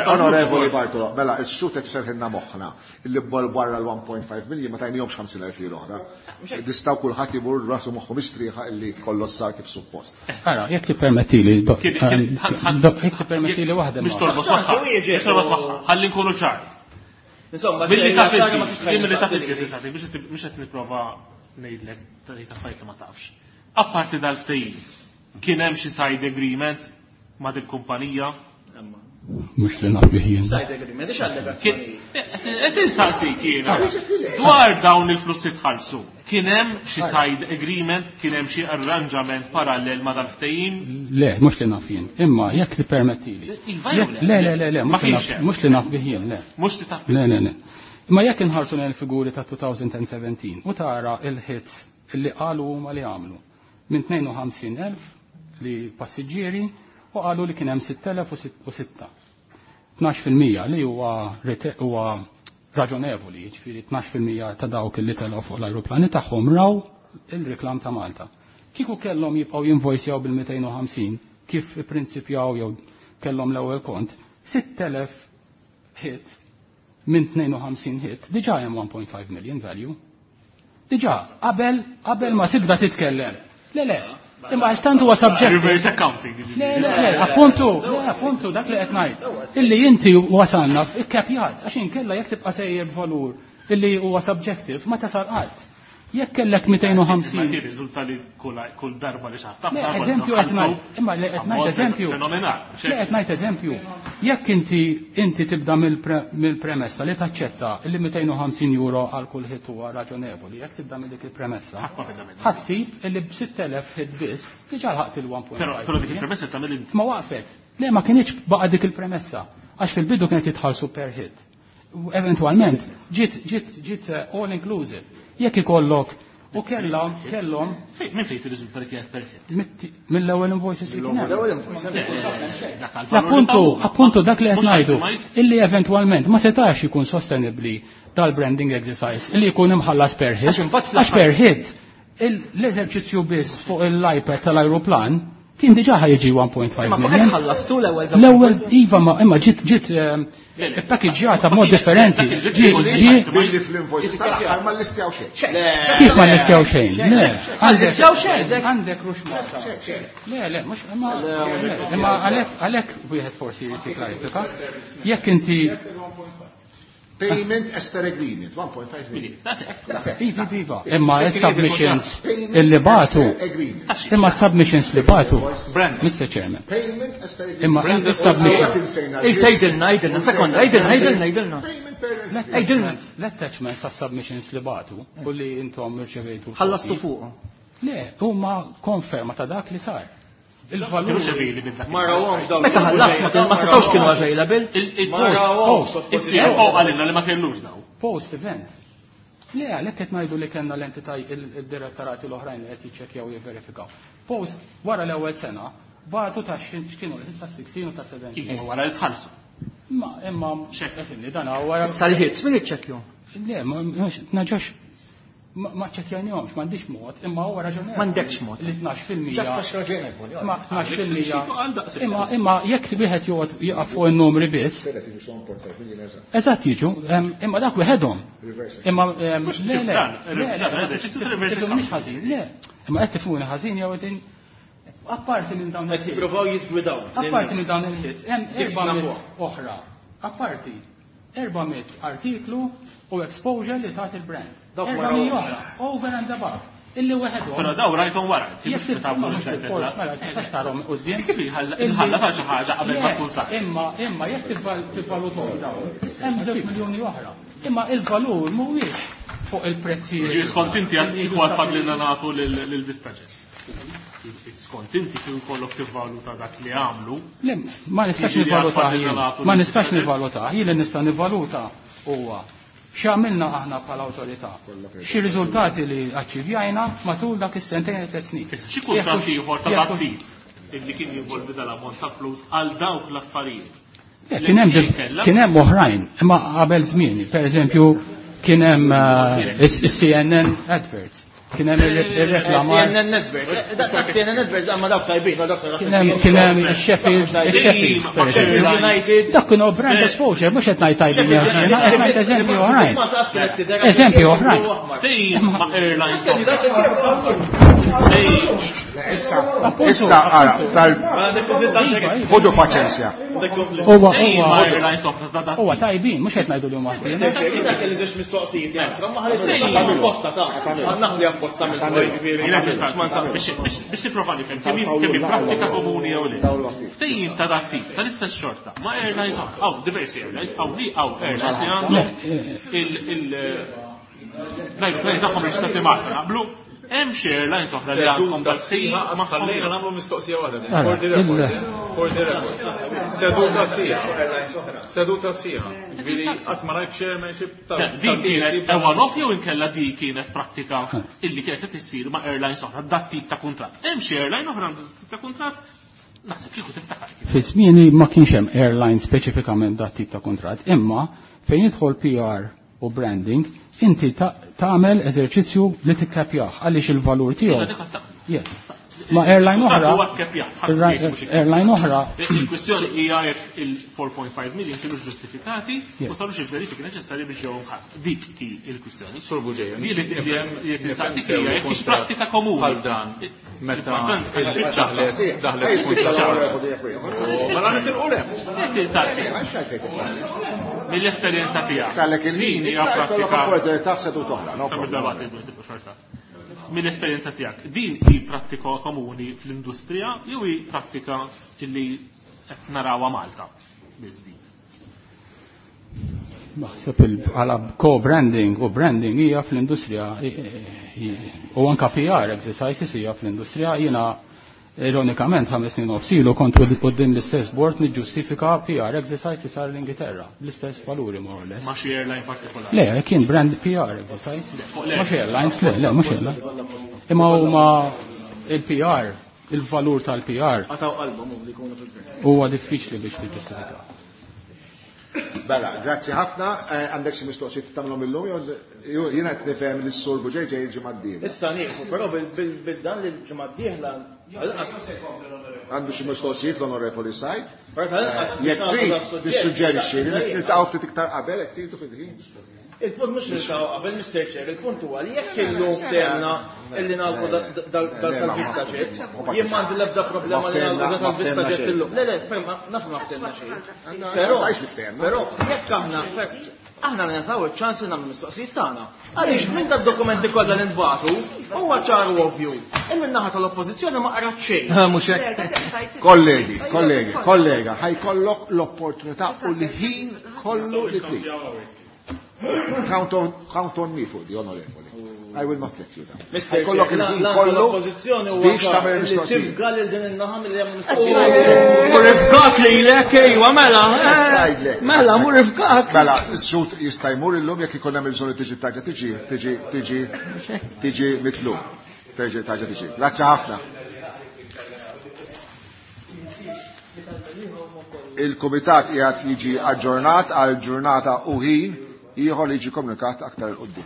Onorevoli Bartolo, mela, il-sutek serħinna moħħna illi bol barra l-one point five million ma tajnihomx ħamsin elf lira oħra. Nistaw kulħadd imur rasu moħħu mistrieħa illi kollox sar kif suppost. Ara, jekk tippermettili, jekk tippermettili waħda. Mhux torbot magħha. Mhux torbot magħha. Ħalli nkunu ċari. Insomma, billi taf inti, billi taf inti, mhux qed nipprova ngħidlek tgħid affarijiet li ma tafx. Apparti dal-ftehim, kien hemm xi side agreement ma' dik kumpanija? Mhux li naf bih jien. Side agreement, ix allegazzjoni. Qed insaqsik jiena. Dwar dawn il-flus li tħallsu, kien hemm xi side agreement, kien hemm xi arranġament parallel ma' dal-ftehim? Le, mhux li naf jien. Imma jekk tippermettili. Iva jew le? Le, le, le, le, Ma kienx hemm. mhux li naf bih jien, le. Mhux li taf. Le, le, le. Imma jekk inħarsu lejn il-figuri ta' two thousand seventeen u tara il-hits illi qalu huma li għamlu minn tnejn u ħamsin elf li passiġġieri u qalu li kien hemm sitt elef u sitta. Tnax fil-mija li huwa huwa raġonevoli, jiġifieri tnax fil-mija ta' dawk li telgħu fuq l-ajruplani tagħhom raw il-reklam ta' Malta. Kieku kellhom jibqgħu jinvojsjaw bil-mitejn u ħamsin kif ipprinċipjaw jew kellhom l-ewwel kont, sitt elef hit minn tnejn u ħamsin hit, diġà hemm one point five million value. Diġà, qabel, qabel ma tibda titkellem. Le, le, imma għax tant huwa subjective. Reverse accounting, jiġifieri. Le, le, le, appuntu, le, appuntu, dak li qed ngħid. Illi inti wasalna f'ikkapjat, għax inkella jekk tibqa' sejjer b'valur illi huwa subjective ma tasal qatt. Jekk kellek mitejn u ħamsin. Ma jirriżulta li kull, kull darba li xaħat Le, tafna, eżempju konna qed ngħid. nħallsu Imma le qed ngħid ammont eżempju. fenomenali. Le qed ngħid eżempju. Jekk inti, inti tibda mill-pre-, mill-premessa li taċċetta li mitejn u ħamsin euro għal kull hit huwa raġonevoli, jekk tibda minn dik il-premessa, Ħadd ma beda minnha. ħassib illi b'sitt elef hit biss diġà lħaqt il-one point Però, five però dik million. il-premessa tagħmel inti. Ma waqfet. Le, ma kienx baqa' dik il-premessa, għax fil-bidu kienet jitħallsu per hit. U eventualment ġiet, ġiet, ġiet, eh, all inclusive. Jekk ikollok u kellhom, kellhom Fejn, minn fejn tirriżulta li kienet per hit? Mitti-, mill-ewwel invoices li kien hemm. Mill-ewwel invoices. Le, le, le, dak għal valur Appuntu, li taw. appuntu dak li qed Mhux ngħidu, itemized. illi eventwalment ma setax ikun sostenibbli dal-branding exercise illi jkun imħallas per hit. Għax imbagħad fl-aħħar Għax per hit, il-, l-eżerċizzju biss fuq il-iPad tal-ajruplan kien diġà ħajġi one point five Imma fuq million. hekk ħallastu l-ewwel żewġ L-ewwel, invoices? iva, ma, imma ġiet, ġiet, ehm, Le, le. ippakeġġjata b'mod differenti. Dak il-ġiet Ġi, ġiet ġi, Billi fl-invoices tal-aħħar ma llistjaw xejn. Kif ma llistjaw xejn? Le, għandek Llistjaw xejn. Għandek rux Malta. Le, le, mhux, imma, le, imma għalhekk, għalhekk wieħed forsi jrid jiklarifika. Jekk inti Payment as per agreement, one point five million. That's it. Iva, iva. Imma il-submissions illi batu, Agreement. imma submissions li batu, Brand. Mister Chairman. Payment as per agreement. Imma il-submission. Ej, sejdilna, ejdilna, sekonda, ejdilna, ejdilna, ejdilna. Payment per agreement. Ejdilna. L-attachments ta' submissions li batu u li intom irċevejtu. Ħallastu fuqhom. Le, huma konferma ta' dak li sar. Il-valur. Kienu xevili minn dak. Ma rawhomx dawn. Meta ħallast ma kien- ma setgħux kienu available. Ma rawhomx. Il-C F O qalilna li ma kellux daw. Post event. Le, għalhekk qed ngħidu li kellna l-entità il-direttorati l-oħrajn li qed jiċċekkjaw u jivverifikaw. Post wara l-ewwel sena bagħtu ta' x'kienu ta' sixteen u ta' seventeen. Iva, wara li tħallsu. Ma imma xekk dan wara. Issa l-hits min iċċekkjhom? Le, ma naġax ma ma ċċekkjajnihomx, m'għandix mod, imma huwa raġonevoli. M'għandekx mod. Li tnax fil-mija. Ġast għax raġonevoli. Ma tnax fil-mija. Għal daqshekk. Imma, imma jekk wieħed joqgħod jieqaf fuq in-numri biss. Eżatt jiġu, em, imma dak wieħedhom. Imma, em, Mhux le, le, dan, le, le, dan, eżerċizzju ta' reverse tifhimni accounting. ħażin, le. Imma qed tifhmuni ħażin jew qegħdin apparti minn dawn Qed il-hits. jippruvaw jiżgwidaw. Apparti minn dawn il-hits, hemm Dik erba' mitt nafuha. oħra. Apparti erba' mitt artiklu u exposure li tagħti il-brand. Dawk Erba' wara mitt oħra. oħra, over and above. Illi weħedhom. Però daw rajthom wara, inti Jekk mhux meta tifhimha mhux mhux qed bil-fors, titla'. mela, tistax tarhom quddiem. Kif inħalla- Illi- inħalla ta' xi ħaġa qabel ma Le, tkun saret? Imma, imma jekk tivval-, tivvalutom dawn, hemm żewġ miljuni oħra. Imma il-valur mhuwiex fuq il-prezzijiet. Ġi, skont inti għal Illi kieku għad jistgħu fadlilna nagħtu lil-, lil-Vistaġet. Skont inti kien kollok tivvaluta dak li għamlu. Le, ma nistax Jiġifieri nivvaluta għad fadlilna jien. nagħtu Ma lil nistax Vistaġet. nivvaluta. Jien li nista' nivvaluta huwa x'għamilna aħna bħala awtorità. Xi riżultati li aċċivjajna matul dak is-sentejn u tliet snin. Issa, xi kuntratt Jekk hux- ieħor ta' jekk hux- dak tip illi kien jinvolvi dal-ammont ta' flus għal dawk l-affarijiet. Le, kien hemm Li dil- kellha? kien hemm oħrajn, imma qabel żmieni, per eżempju, Kien hemm is-C N N adverts. Kien hemm ir-reklamar. C N N adverts. C N N adverts għamma dawk tajbin, dawk Kien hemm ix-Sheffield, ix-Sheffield. Dak kienu brand exposure, mhux qed ngħid tajbin jew xejn, qed ngħid eżempju oħrajn. Eżempju oħrajn. Ma' airlines. Issa, issa ara, tal ħodu paċenzja. Huwa huwa tajbin, mhux qed ngħidu li huma ħażin. Dak li żewġ mistoqsijiet, ma ħareġ apposta ta' naħli apposta mill-biex nipprova nifhem kemm hi prattika komuni jew le. Ftehim ta' dat tip tal-istess xorta ma' airlines hawn diversi airlines hawn li hawn airlines li għandhom il-ajruplani tagħhom reġistrati Malta naqblu. Hemm xi airlines oħra li għandhom dal-sija ma ħallejna nagħmlu mistoqsija waħda. For the record. For the record. Seduta sija. Seduta sija. Ġifieri qatt ma rajt chairmanship tal. Din kienet one-off jew inkella di kienet prattika illi kienet qed issir ma' airlines oħra dat tip ta' kuntratt. Hemm xi airline oħra għandha tip ta' kuntratt naħseb kieku tiftakar. Fi żmieni ma kienx hemm airline speċifikament dat tip ta' kuntratt, imma fejn jidħol P R u branding, inti tagħmel eżerċizzju li tikkapjah għaliex il-valur tiegħu. Yes. Ma airline oħra. Airline oħra. Il-kwistjoni hija jekk il-four point five million kienux ġustifikati u sarux il-verifiki neċessarji biex ġew mħass. Dik hi il-kwistjoni. Sur Buġeja. Di li tinsaqsik hija jekk hix prattika komuni. Bħal dan meta daħlet daħlet Mela nitilqu hemm. Tinsaqsik. Mill-esperjenza tiegħek. Din hija prattika. Mill-esperjenza tiegħek, din hi prattika komuni fl-industrija jew hi prattika illi qed narawha Malta biss din? Naħseb għala co-branding u branding hija fl-industrija u anka P R exercises hija fl-industrija. Jiena ironikament ħames snin nofs ilu kont quddiem l-istess board niġġustifika P R exercise li sar l-Ingilterra, bl-istess valuri more or less. Ma xi airline partikolari? Le, kien brand P R exercise. Ma xi airlines, le, le, mhux airline. Imma huma il-P R, il-valur tal-P R. Għataw qalbhom li jkunu fil-gvern. Huwa diffiċli biex tiġġustifika. Bella, grazzi ħafna. Għandek xi mistoqsijiet tagħmlhom illum jew jiena qed nifhem li s-sur Buġej ġej il-ġimgħa d-dieħla. Issa nieħu, però bil-dan li l-ġimgħa d-dieħla għandu xi mistoqsijiet l-Onorevoli Said. Jekk trid tissuġġerixxi li niltaqgħu ftit iktar qabel jekk tridu fil-ħin. Il-punt mhux niltaqgħu qabel Mister Chair, il-punt huwa li jekk illum ftehemna illi nagħlqu dal-VistaJet, jien m'għandi l-ebda problema li nagħlqu dal-VistaJet illum. Le, le, naf ma ftehemna xejn. Però, però jekk aħna aħna nagħtaw iċ-ċans li nagħmlu mistoqsijiet tagħna. Għaliex minn dad-dokumenti kollha li nbagħtu huwa ċar u ovvju illi n-naħa tal-Oppożizzjoni ma qrat xejn. Mhux hekk. Kollegi, kollegi, kollega, ħajkollok l-opportunità u l-ħin kollu li trid. Count on, count on me for the onorevoli. I will not let you down. Mister Ħajkollok Chair, il-ħin la- kollu l-oppożizzjoni huwa biex ċar tagħmel li mistoqsijiet. tifga lil din in-naħa milli jagħmlu mistoqsijiet. Mur ifgak lilek, ejwa, mela, eh, Ngħidlek. mela, mur ifgak. Mela, s-sut jista' jmur illum jekk ikun hemm il-bżonn li tiġi tarġa' tiġi, tiġi, tiġi, tiġi mitlub. Tiġi tarġa' tiġi. Grazzi ħafna. Il-Kumitat qiegħed jiġi aġġornat għal ġurnata u ħin ieħor li jiġi komunikat aktar il quddiem.